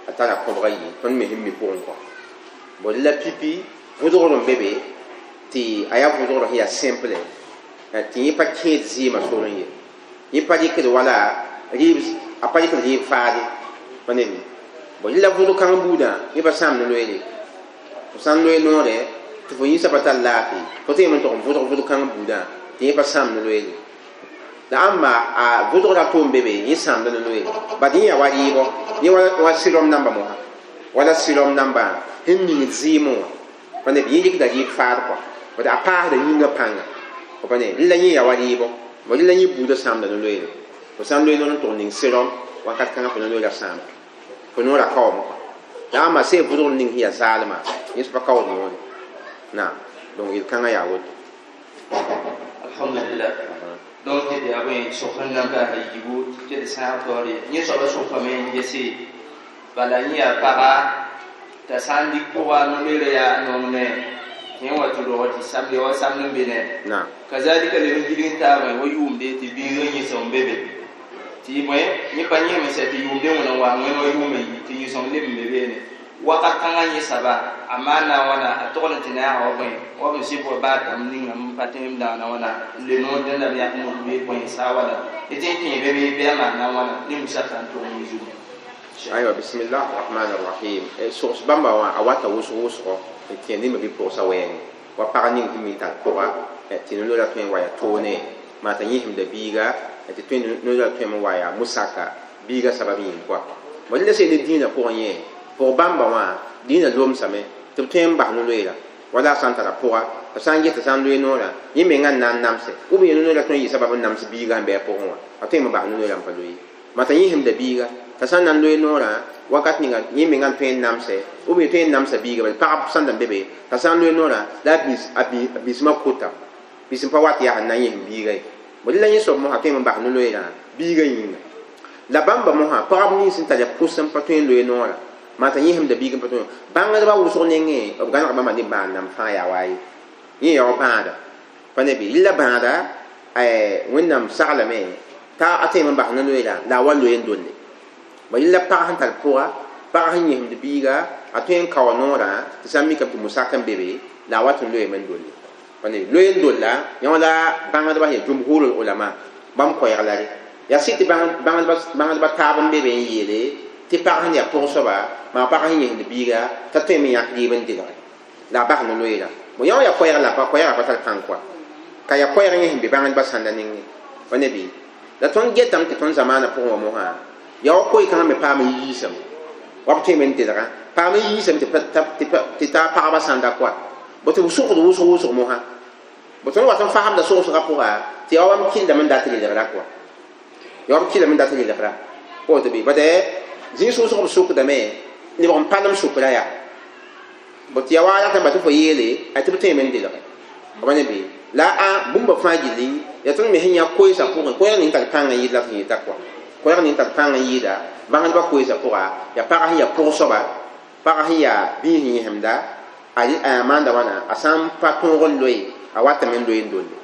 atara kobra yi ton me himmi pour ko wala pipi vʋdgr n be be tɩ a yaa vʋdgr sẽn yaa simple tɩ yẽ pa kẽed zɩɩmã sor n ye yẽ pa rɩkd wala rɩɩb a pa rɩkd rɩɩb faade pa ne bõ yẽla vʋdg kãng buudã yẽ pa sãam ne loeere fo sã n loe noore tɩ fo yĩnsã pa tar laafɩ fo tɩ yem n tog n vʋdg vʋdg kãng buudã tɩ yẽ pa sãam ne loeere la ãmba a vʋdgra toom be be yẽ sãamda ne loeere bad yẽ yaa wa rɩɩbɔ yẽ wa sɩrɔm namba mosã wala sɩrɔm nambã sẽn ningd zɩɩmẽ wã pa ne yẽ rɩkda rɩɩb faad kɔa bad a paasda yĩngã pãnga pa ne rɩla yẽ yaa wa rɩɩbɔ bõ rɩla yẽ buudã sãamda ne loeere fo sã n loe noor n tʋg ning sɩrɔm wakat kãngã fo na loeera sãama fo noorã kaoome kɔa la ãmba see vʋdgr ning sẽn yaa zaalmã yẽ pa kaood noore naam donc yel-kãngã yaa woto. Alhamdulillah. Donc tɩ yaa bõe sok n nan paasa yiibu tɩ d sãag taoore yẽ soaba sokame n gese bala yẽ yaa paga t'a sã n lik pʋga no-loeera yaa nonglẽ tɩ yẽ wa tɩ rog tɩ samde wa samd n be ne naam kazalika leb n gilg n taabã wa yʋʋmde tɩ biigã yẽsem n be be tɩ bõe yẽ pa yẽeme sɛ tɩ yʋʋmde wẽna n wa wẽn wa yʋʋma yi tɩ yẽsem leb n be beene wakat kãngã yẽ saba a maan na wãna a togd n tɩ naaga wa bõe wa b sɩb wa baa dãmb ninga n pa tẽem daana wãna n le noor dẽnda b yãk not bɩ bõe saa wala tɩ tɩ n kẽe be bɩ bɩ a maan na wãna ne musaka n tog yẽ zugu. Aywa, bismillah rahman rahim. Sogs bãmba wã a wata wʋsg wʋsgo tɩ yã nima bɩ pʋgsa wɛɛngẽ wa pag ning sẽn mi tar pʋga tɩ no-loeera tõe n wa yaa toone maa t'a yẽsemda biiga tɩ tõe no-loeera tõeme n wa yaa musaka biiga sabab yĩng kɔa bõ la sel ne dĩinã pʋgẽ yẽ pʋg bãmba wã dĩinã lomsame tɩ b tõe n bas no-loeera wala a sã n tara pʋga t'a sã n ges t'a sã n loe noorã yẽ menga n na n namse ou bien no-loeera tõe n yɩ sabab n nams biiga sẽn bɩ a pʋgẽ wã a tõe n bas no-loeera n pa loe maa t'a yẽsemda biiga t'a sã n na n loe noorã wakat ninga yẽ menga n tõe n namse ou bien tõe n namsa biiga bala pagb sãn da n be be t'a sã n loe noorã la a biismã kota biis n pa wat yaa sẽn na n yẽsem biiga ye bõe la yẽ soab mosã tõe n bas no-loeerã biiga yĩnga la bãmba mosã pagb nins n tar yaa pʋs n pa tõe n loe noorã maa t'a yẽsemda biig n pa tõe bãngdbã wʋsg nengẽ b gãneg bãmba ne bãad nam fãa yaa wa ye yẽ yaa wa bãada pa ne bɩ rɩla bãada Wẽnnaam saglame t'a a tõeme n bas no-loeerã la a wa loe n dolle ba rɩla pag sẽn tar pʋga pag sẽn yẽsemd biiga a tõe n kao noorã tɩ sã n mikame tɩ musak n be be la a wat n loeeme n dolle pa ne loe n dolla yã wã la bãngdbã sẽn yaa jumhurul ulama bãmb koɛɛg la re yaa sɩd tɩ bãngdbã taab n be be n yeele tɩ pag sẽn yaa pʋg soaba maa pag sẽn yẽsd biiga t'a tõeme n yãk rɩɩb n delge la a bas no-loeerã bõ yã wã yaa koɛɛg la pa koɛɛgã pa tar pãng kɔa ka yaa koɛɛg yẽ sẽn be bãngdbã sãnda nengẽ pa ne bɩ la tõnd getame tɩ tõnd zamaanã pʋgẽ wã mosã yaa wa koe-kãngã me paam n yiisame wa b tõeme n delgã paam n yiisame tɩ taa pagba sãnda kɔa bõ tɩ b sʋgd wʋsg wʋsg mosã bõ tõnd wat n fasemda sogsgã pʋga tɩ yaa wa b kɩllame n dat relgra kɔa yaa wa b kɩllame n dat relgra woto bɩ bad zĩig wʋsg b sʋkdame lebg n palem sʋkra yaa bõ tɩ yaa wa ratame ba tɩ fo yeele tɩ b tõeme n delge b ne bɩ la a bũmba fãa gilli yaa tõnd me sẽn yã koeesã pʋgẽ koɛɛg ning tar pãng n yɩɩd la tɩ yeta kɔa koɛɛg ning tar pãng n yɩɩda bãngdbã koeesã pʋga yaa pag sẽn yaa pʋg soaba pag sẽn yaa biis sẽn yẽsemda a maanda wãna a sã n pa tõog n loe a watame n loe n dolle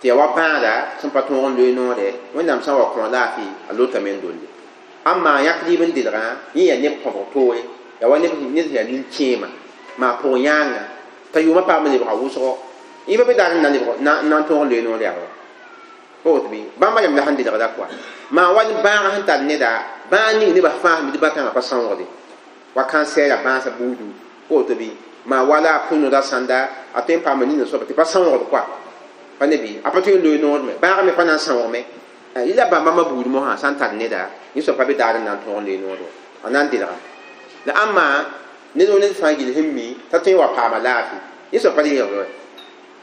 tɩ yaa wa bãada sẽn pa tõog n loe noore Wẽnnaam sã n wa kõ laafɩ a lotame n dolle ãmma yãk rɩɩb n delgã yẽ yaa neb kõbg toore yaa wa ned sẽn yaa nin-kẽema maa pʋg yãanga t'a yʋʋmã paam n lebga wʋsgo yẽ pa be daar n na lebg n na n tõog n loe noor yaa wa woto bɩ bãmba yam la sẽn delgda kɔa maa wa bãagã sẽn tar neda bãag ning nebã fãa sẽn tɩ bã-kãngã pa sãoogde wa kansɛɛra bãasã buudu woto bɩ maa wala a pʋ-noda sãnda a tõe n paama nina soaba tɩ pa sãoogd kɔa pa ne bɩ a pa tõe n loe noor me bãagã me pa na n sãoogme yɩla bãmba bãmba buud mosã sã n tar neda yẽ soab pa be daar n na n tõog n loe noor wa a na n delga la ãmma ned ned fãa gill sẽn mi t'a tõe n wa paama laafɩ yẽ soab pa reegd wa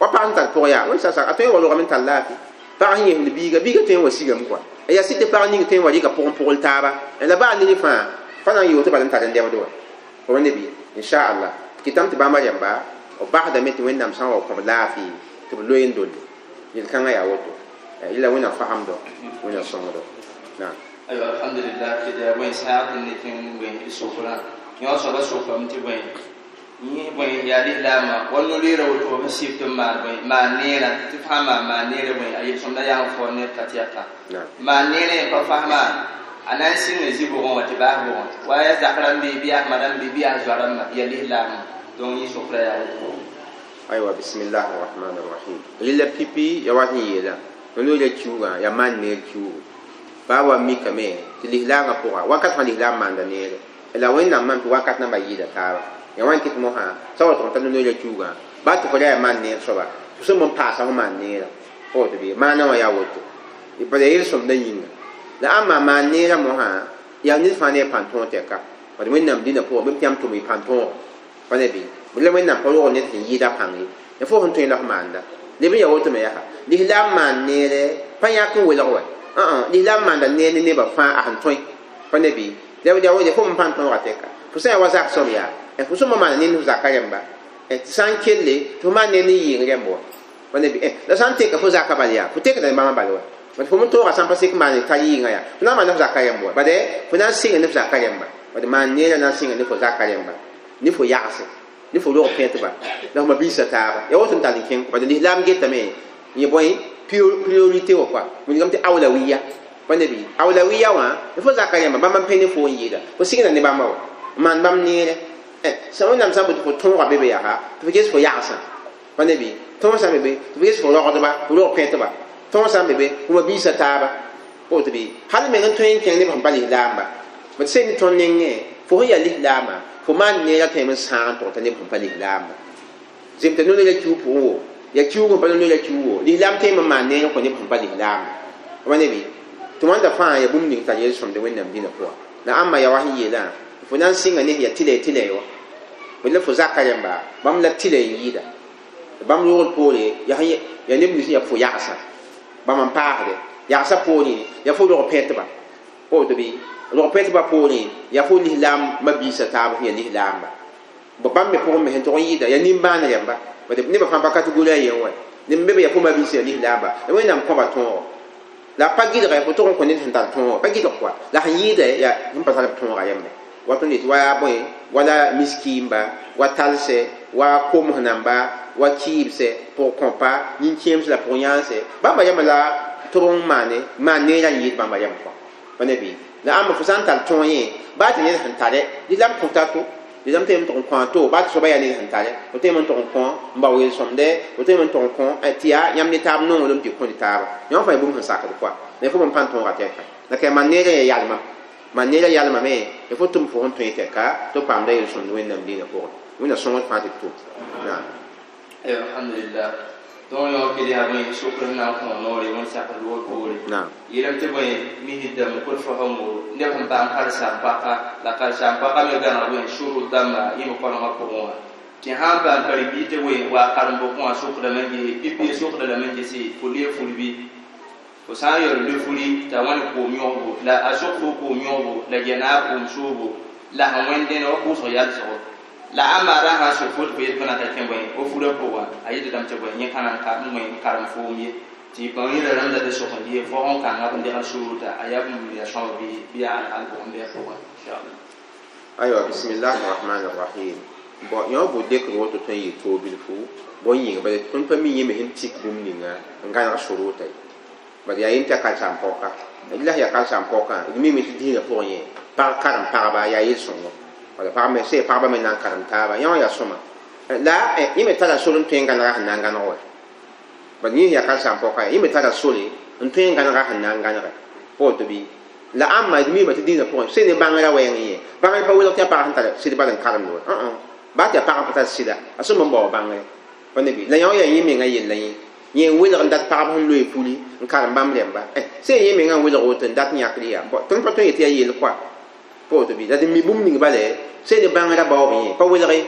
wa pag sẽn tar pʋg yaa wẽn sasa a tõe n wa rogame n tar laafɩ pag sẽn yẽsemd biiga biiga tõe n wa sigame kɔa yaa sɩd tɩ pag ning tõe n wa rɩka pʋgẽ pʋgl taaba la baa ned fãa pa na n yoog tɩ bala n tar n dɛbd wa fo ne bɩ inchallah kɩtame tɩ bãmba rẽmba b basdame tɩ Wẽnnaam sã n wa kõb laafɩ tɩ b loe n dolle yel-kãngã yaa woto yɩla Wẽnnaam fasemdo Wẽnnaam sõngdo naam. Aywa, alhamdulillah, tɩ yaa bõe sãag tɩ ne tɩ n bõe d sʋkrã yõ soaba sʋkame tɩ bõe yẽ bõe yaa lislaamã wa no-loeera woto b sɩb tɩ n maan bõe maan neerã tɩ fãa maan maan neerã bõe a yelsõmda yaa n fao ned ka tɩ yaa maan neerã yẽ pa fasma a na n sɩnga zĩ bʋgẽ wã tɩ baas bʋgẽ wa yaa zak rãmb bɩ yaa ma rãmb bɩ yaa zoa rãmba yaa lislaamã donc yẽ sʋkrã yaa woto. Aywa, bismillah rahman rahim. Rɩla pipi ya wat n yeela no-loeera kiuugã yaa maan neer kiuugu baa wa mikame tɩ lislaangã pʋga wakat fãa lislaam maanda neere la Wẽnnaam mam tɩ wakat namba yɩɩda taaba ya wãn kɩt mosã sã wa tʋg n ta no-loeera kiuugã baa tɩ fo ra yaa maan neer soaba fo sẽn n paasa fo maan neerã fo woto bɩ maana wã yaa woto bala yel-sõmda yĩnga la ãmba maan neerã mosã yaa ned fãa ne a pãn-tõog tɛka bad Wẽnnaam dĩnã pʋgẽ bɩ tɩ yãmb tʋm y pãn-tõogo pa ne bɩ la Wẽnnaam pa rog ned sẽn yɩɩda pãng ye ya fo sẽn tõe la f maanda leb n yaa woto me yaa lislaam maan neere pa yãk n welg wa lislaam maanda neer ne nebã fãa a sẽn tõe pa ne bɩ la fo n pãn-tõoga tɛka fo sã n yaa wa zak soab yaa fo sõma maana ned f zaka rẽmba tɩ sã n kelle tɩ fo maan neer ne yɩɩng rẽmb wa pa ne bɩ la sã n teka fo zaka bal yaa fo tekda ne bãmba bal wa bad fo n tooga sã n pa sek maan tar yɩɩngã yaa fo na n maan ne fo zaka rẽmb wa bad fo na n sɩnga ne fo zaka rẽmba bad maan neerã na n sɩnga ne fo zaka rẽmba ne fo yagse ne fo rog pẽtba la fo mabiisã taaba ya woto n tall n kẽng bad lislaam getame yẽ bõe priorité wã kɔa wilgame tɩ awlawiya pa ne bɩ awlawiya wã fo zaka rẽmba bãmb n pẽ ne fo n yɩɩda fo sɩngda ne bãmba wa n maan bãmb neere sã wẽnnaam sã n boto fo tõoga be be yaa tɩ fo ges fo yagsã pa ne bɩ tõog sã n be be tɩ fo ges fo rogdba fo rog pẽtba tõog sã n be be fo mabiisã taaba woto bɩ hal meng n tõe n kẽng neb sẽn pa lislaamba b sẽn ne tõnd nengẽ fo sẽn yaa lislaama fo maan neerã tõeme n sãag n tog t'a neb sẽn pa lislaamba zem t'a no-la kiu pʋgẽ wo ya kiuug sẽn pa no-la kiu wo lislaam tõeme n maan neer n kõ neb sẽn pa lislaamba pa ne bɩ tɩ wãnda fãa ya bũmb ning tar yel-sõmde wẽnnaam dĩnã pʋga la ãmba ya wa sẽn yeelã fo na n sɩnga ne ya tɩlɛ tɩlɛ wa la fo zaka rẽmba bãmb la tɩlɛ n yɩɩda bãmb roogd poore ya ya neb nins ya fo yagsã bãmb n paasde yagsã poorẽ ya fo rog pẽtba woto bɩ rog pẽtba poorẽ ya fo lislaam mabiisã taab sẽn ya lislaamba bãmb me pʋgẽ me sẽn tog n yɩɩda ya nimbãan rẽmba nebã fãa pa kategori a yen wa neb be be ya fo mabiisã ya lislaamba la wẽnnaam kõba tõogo la pa gɩdga fo tog n kõ ned sẽn tar tõogo pa gɩdg kɔa la sẽn yɩɩda ya sẽn pa tar b tõoga yembe wat n yetɩ wa yaa bõe wala miskiimba wa talsɛ wa koms namba wa kɩɩbsɛ pʋg kõpa nin-kẽems la pʋg yãanse bãmba yãmba la tɩ b n maane maan neerã n yɩɩd bãmba yãmb kɔ pa ne bɩ la ãmba fo sã n tar tõog yẽ baa tɩ ned sẽn tare lislaam kõta to lislaam tõeme n tʋg n kõ a to baa tɩ soaba yaa ned sẽn tare fo tõeme n tʋg n kõ n bao yel-sõmdɛ fo tõeme n tʋg n kõ tɩ yaa yãmb ne taab nonglem tɩ kõ ne taaba yãmb fãa bũmb sẽn sakd kɔa la fo b n pãn tõoga tɛka la ka maan neerã yaa yalma maan neerã yalmame y fo tʋm fo sẽn tõe tɛka tɩ b paamda yel-sõmd wẽnnaam dĩinã pʋgẽ wẽnna sõngd fãa tɩ d tʋm naam alhamdulillah tõog yõ kɩ yaa bõe sokr sẽn na n kõ noore wẽn sak loog poore naam yeelame tɩ bõe misdame kot fosẽngo neb sẽn paam karen-saam-paka la karen-saam-paka me gãneg bõe sʋrʋ dãmba yẽme koalgã pʋgẽ wã tɩ sã n paam karen-biis tɩ bõe wa karembo kõ wã sokdame n ges pipi sokda lame n gese fo lee fulbi fo sã n yaool le furi t'a wãn koom yõsbo la a sok fo koom yõsbo la gɛnaar koom soobo la sẽn wẽnd dẽne wa pʋʋsg yalsgo la ãmba ra sã n sok fo tɩ fo yet fo na ta kẽ bõe fo furã pʋgã a yetdame tɩ bõe yẽ ka na n ka n wẽ karem foom ye tɩ bãmb yẽla rãmb la tɩ sok n ges fo sẽn kãnga b degl suurta a yaa bũmb ya sõab bɩ bɩ yaa alhal pʋgẽ bɩ a pʋgẽ inchallah aywa bismillah arrahman arrahim bon yõ bʋ dekr woto tõe n yɩ toog bilfu bõn yĩnga bala tõnd pa mi yẽ me sẽn tik bũmb ninga n gãneg sʋrʋʋta ye bad yaa yẽ tɩ ya karen-saam-paoka la yaa karen-saam-paokã d mime tɩ dĩinã pʋgẽ yẽ pag karem pagba yaa yel-sõngo wala pag me sẽn pagba me na n karem taaba yã wã yaa sõma la yẽ me tara sore n tõe n gãnega sẽn na n gãneg wa bad yẽ yaa karen-saam-paoka yẽ me tara sore n tõe n gãnega sẽn na n gãnege pa woto bɩ la ãmba d mima tɩ dĩinã pʋgẽ sẽn ne bãngrã wɛɛng yẽ bãngr pa welg tɩ yaa pag sẽn tar sɩd bal n karemd wa baa tɩ yaa pag n pa tar sɩda a sõm n bao bãngre pa ne bɩ la yã wã yaa yẽ menga yella yẽ yẽ n welg n dat pagb sẽn loe puli n karem bãmb rẽmba sẽn yẽ menga n welg woto n dat yãkd yaa tõnd pa tõe n yetɩ yaa yell kɔa pa woto bɩ la d mi bũmb ning bala sẽn ne bãngrã baoob yẽ pa welge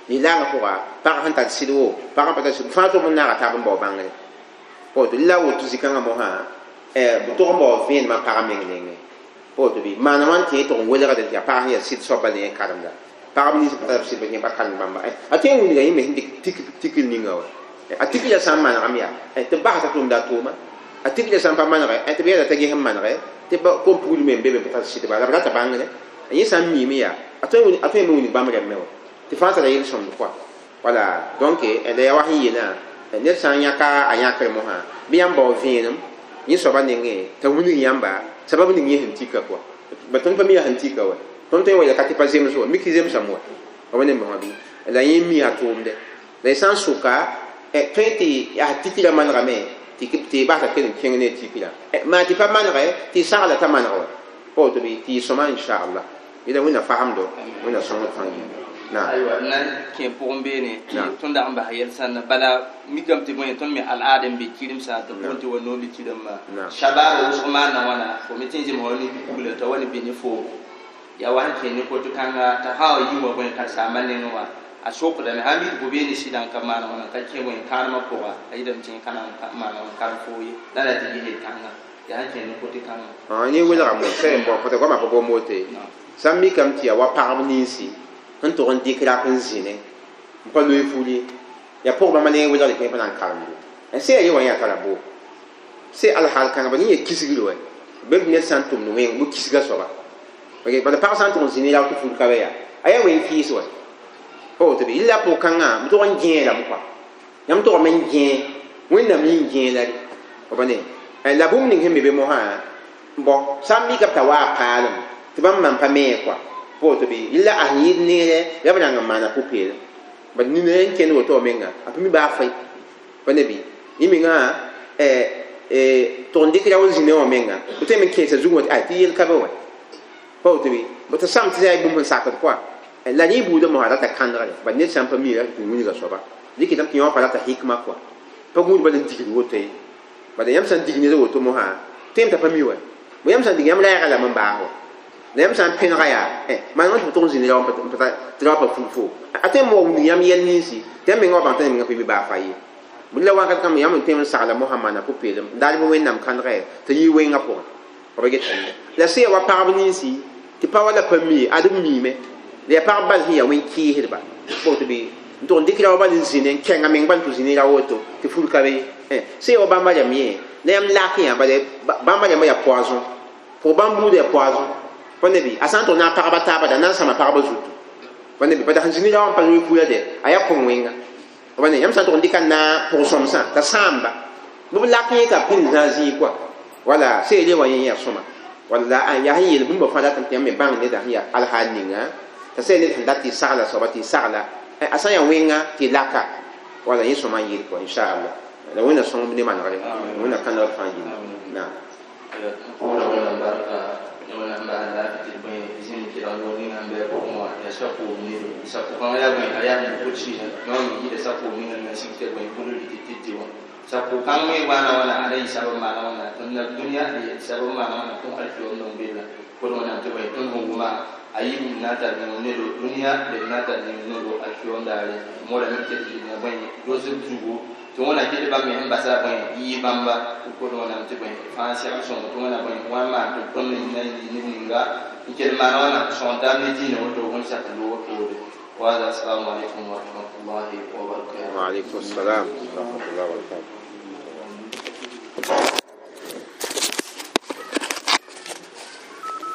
lislaangã pʋga pag sẽn tar sɩd wo pag n pa tar sɩd fãa tʋg n naaga taab n bao bãngre pa woto la woto zĩ-kãngã mosã b tʋg n bao vẽenemã pag meng nengẽ pa woto bɩ maana wã n tẽ tʋg n welgd tɩ yaa pag sẽn yaa sɩd soaba ne yẽ karemda pagb nins pa tar b sɩd yẽ pa karemd bãmba a tõe n wilga yẽ me sẽn dɩk tikl ninga wa a tikla sã n manegame yaa tɩ b basda tʋmda a tʋʋma a tikla sã n pa manege tɩ b yɛla t'a ges n manege tɩ kom pugl me n be be pa tar sɩdba la b rata bãngre yẽ sã n miime yaa a tõe me wilg bãmb rẽmbe wa tɩ fãa tara yel-sõmd kɔa wala donc la yaa wa sẽn yeelã ned sã n yãka a yãkr mosã bɩ yãmb bao vẽenem yẽ soaba nengẽ t'a wilg yãmba sabab ning yẽ sẽn tika kɔa ba tõnd pa mi yaa sẽn tika wa tõnd tõe n wa yɛl ka tɩ pa zems wa mik zemsame wa pa wa ne mosã bɩ la yẽ mi a tʋʋmdɛ la y sã n soka tõe tɩ yaa tikra manegame tɩ tɩ basa kell n kẽng ne tikra maa tɩ pa manege tɩ sagla t'a maneg wa pa woto bɩ tɩ y sõma inchallah yẽla wẽnna fasemdo wẽnna sõngd fãa yĩnga naam aywa n na n kẽ pʋgẽ beene tɩ tõnd dag n bas yɛl sãnda bala mikame tɩ bõe tõnd me al-aad n be kɩremsã tɩ boond tɩ wa noobi kɩremã shabaaba wʋsg maana wãna fo me tɩ n zems wa ne pugla t'a wa ne be ne foom yaa wa sẽn kẽ ne koto kãnga t'a sã wa yi wa bõe karen-saambã nengẽ wã a sokdame sã n mid fo beene sɩdã n ka maana wãna ka kẽ bõe kãanemã pʋga a yɩlame tɩ ka na n maana wãn karem foo ye la la tɩ ges kãnga yaa sẽn kẽ ne kote kãnga yẽ welgame sẽn bõ fo goamã pa gom wote sã n mikame tɩ yaa wa pagb ninsi n tʋg n dɩk rap n zĩne n pa loe fuli yaa pʋg bãmba ne welgd tɩ pa na n karemdo Se ye wa ya tara bo se al hal kãngã ba yẽ kisgr wɛ bɩ ned sã n tʋmd wẽng bɩ kisga soaba bala pag sã n tʋg n zĩ ne rao tɩ fur ka be yaa a yaa wẽn kɩɩs wɛ pa woto bɩ yella pʋg-kãngã b tog n gẽelame kɔa yãmb togame n gẽe wẽnnaam yĩn gẽe la re pa ne la bũmb ning sẽn be be mosã bõ sã n mika b t'a waa paalem tɩ bãmb man pa mee kɔa pa woto bɩ yella a sẽn yɩɩd neere la b rãng n maana pʋ-peelem bad nina n kẽnd woto wã menga a pa mi baa fãy pa ne bɩ yẽ mengã tʋg n dɩk rao n zĩ ne wã menga b tõe n kẽesa zugẽ wã tɩ yel ka be wã pa woto bɩ b tɩ sam tɩ yaa bũmb sẽn sakd kɔa la rẽ buudã mosã rata kãndgre bad ned sã n pa mi ra tɩ wilga soaba dɩk tɩ yõ pa rata hikma kɔa pa gũud bala n digd woto ye bala yãmb sã n dig ned woto mosã tõem t'a pa mi wɛ bõ yãmb sã n dig yãmb rɛɛga lame n baas wa la yãmb sã n pẽnega yaa maan tɩ b tʋg n zĩ ne rao tɩ rao pa fur fo a tõe n wa wing yãmb yɛl ninsi tɩ yãmb menga wa bãng t'a menga pa mi baa fa ye bʋ la wakat kãmb yãmb n tõe n sagla mosã maana pʋ-peelem n daal bɩ wẽnnaam kãndgɛ tɩ yɩ wẽngã pʋgẽ b get la sẽn ya wa pagb ninsi tɩ pa wala pa mi ad b miime la yaa pagb bal sẽn yaa wẽn-kɩɩsdba tɩ bɩ n tʋg n dɩk rao bal n zĩne n kẽnga meng bal tɩ zĩ ne ra woto tɩ fur ka be sẽn ya wa bãmba rãmb yẽ la yãmb lak yã bala bãmba rãmbã yaa poison pʋg bãmb buudã yaa poison pa ne bɩ a sã n tʋg na a pagba taaba da na n sãma pagba zutu pa ne bɩ bala sẽn zĩ ne rao n pa loe kura de a yaa kõm wẽnga pa ne yãmb sã n tʋg n dɩka na pʋg-sõmsã t'a sãamba bɩ b lak yẽ ka pĩnd zã zĩig kɔa wala seele wã yẽ yaa sõma wala yaa sẽn yeel bũmba fãa datame tɩ yãmb me bãng neda sẽn yaa alhaal ninga t'a sɛ ned sẽn dat tɩ sagla soaba tɩ sagla a sã n yaa wẽnga tɩ laka wala yẽ sõma n yeel kɔa inchallah la wẽnna sõngb ne manegre wẽnna kãndgr fãa yĩnga naam wẽnnaam barka wẽnnaam bas laafɩ tɩ bõe zĩm kelg noor ninga n bɩ a pʋgẽ wã yaa sakoob nedo sakʋ-kãngã yaa bõe a yaa sẽn pʋ-sɩɩsã yõ me yɩɩda sakoob ninga n sig tɩ bõe bũmb tɩ tɩ tɩ wã sakʋ-kãng me waana wãna ada yɩ sab n maana wãna tõnd la dũniyã sab n maana wãna tõnd alkiyom n bella pʋd wẽnnaam tɩ bõe tõnd sẽn wʋma a yib n na n tar yĩng nedo dũniyã d na n tar yĩng nedo alkiyom daare modame tɩ d yɩl bõe dosb zugu tɩ wẽna kell bãmb me sẽn basa bõe yɩ bãmba pʋd wẽnnaam tɩ bõe fãa segl sõngo tɩ wẽna bõe wa n maan tɩ tõnd na n yɩ neb ninga n kell maana wãna sõng taab ne dĩinã woto wẽn sak loogã poore وهذا السلام عليكم ورحمة الله وبركاته وعليكم السلام ورحمة الله وبركاته.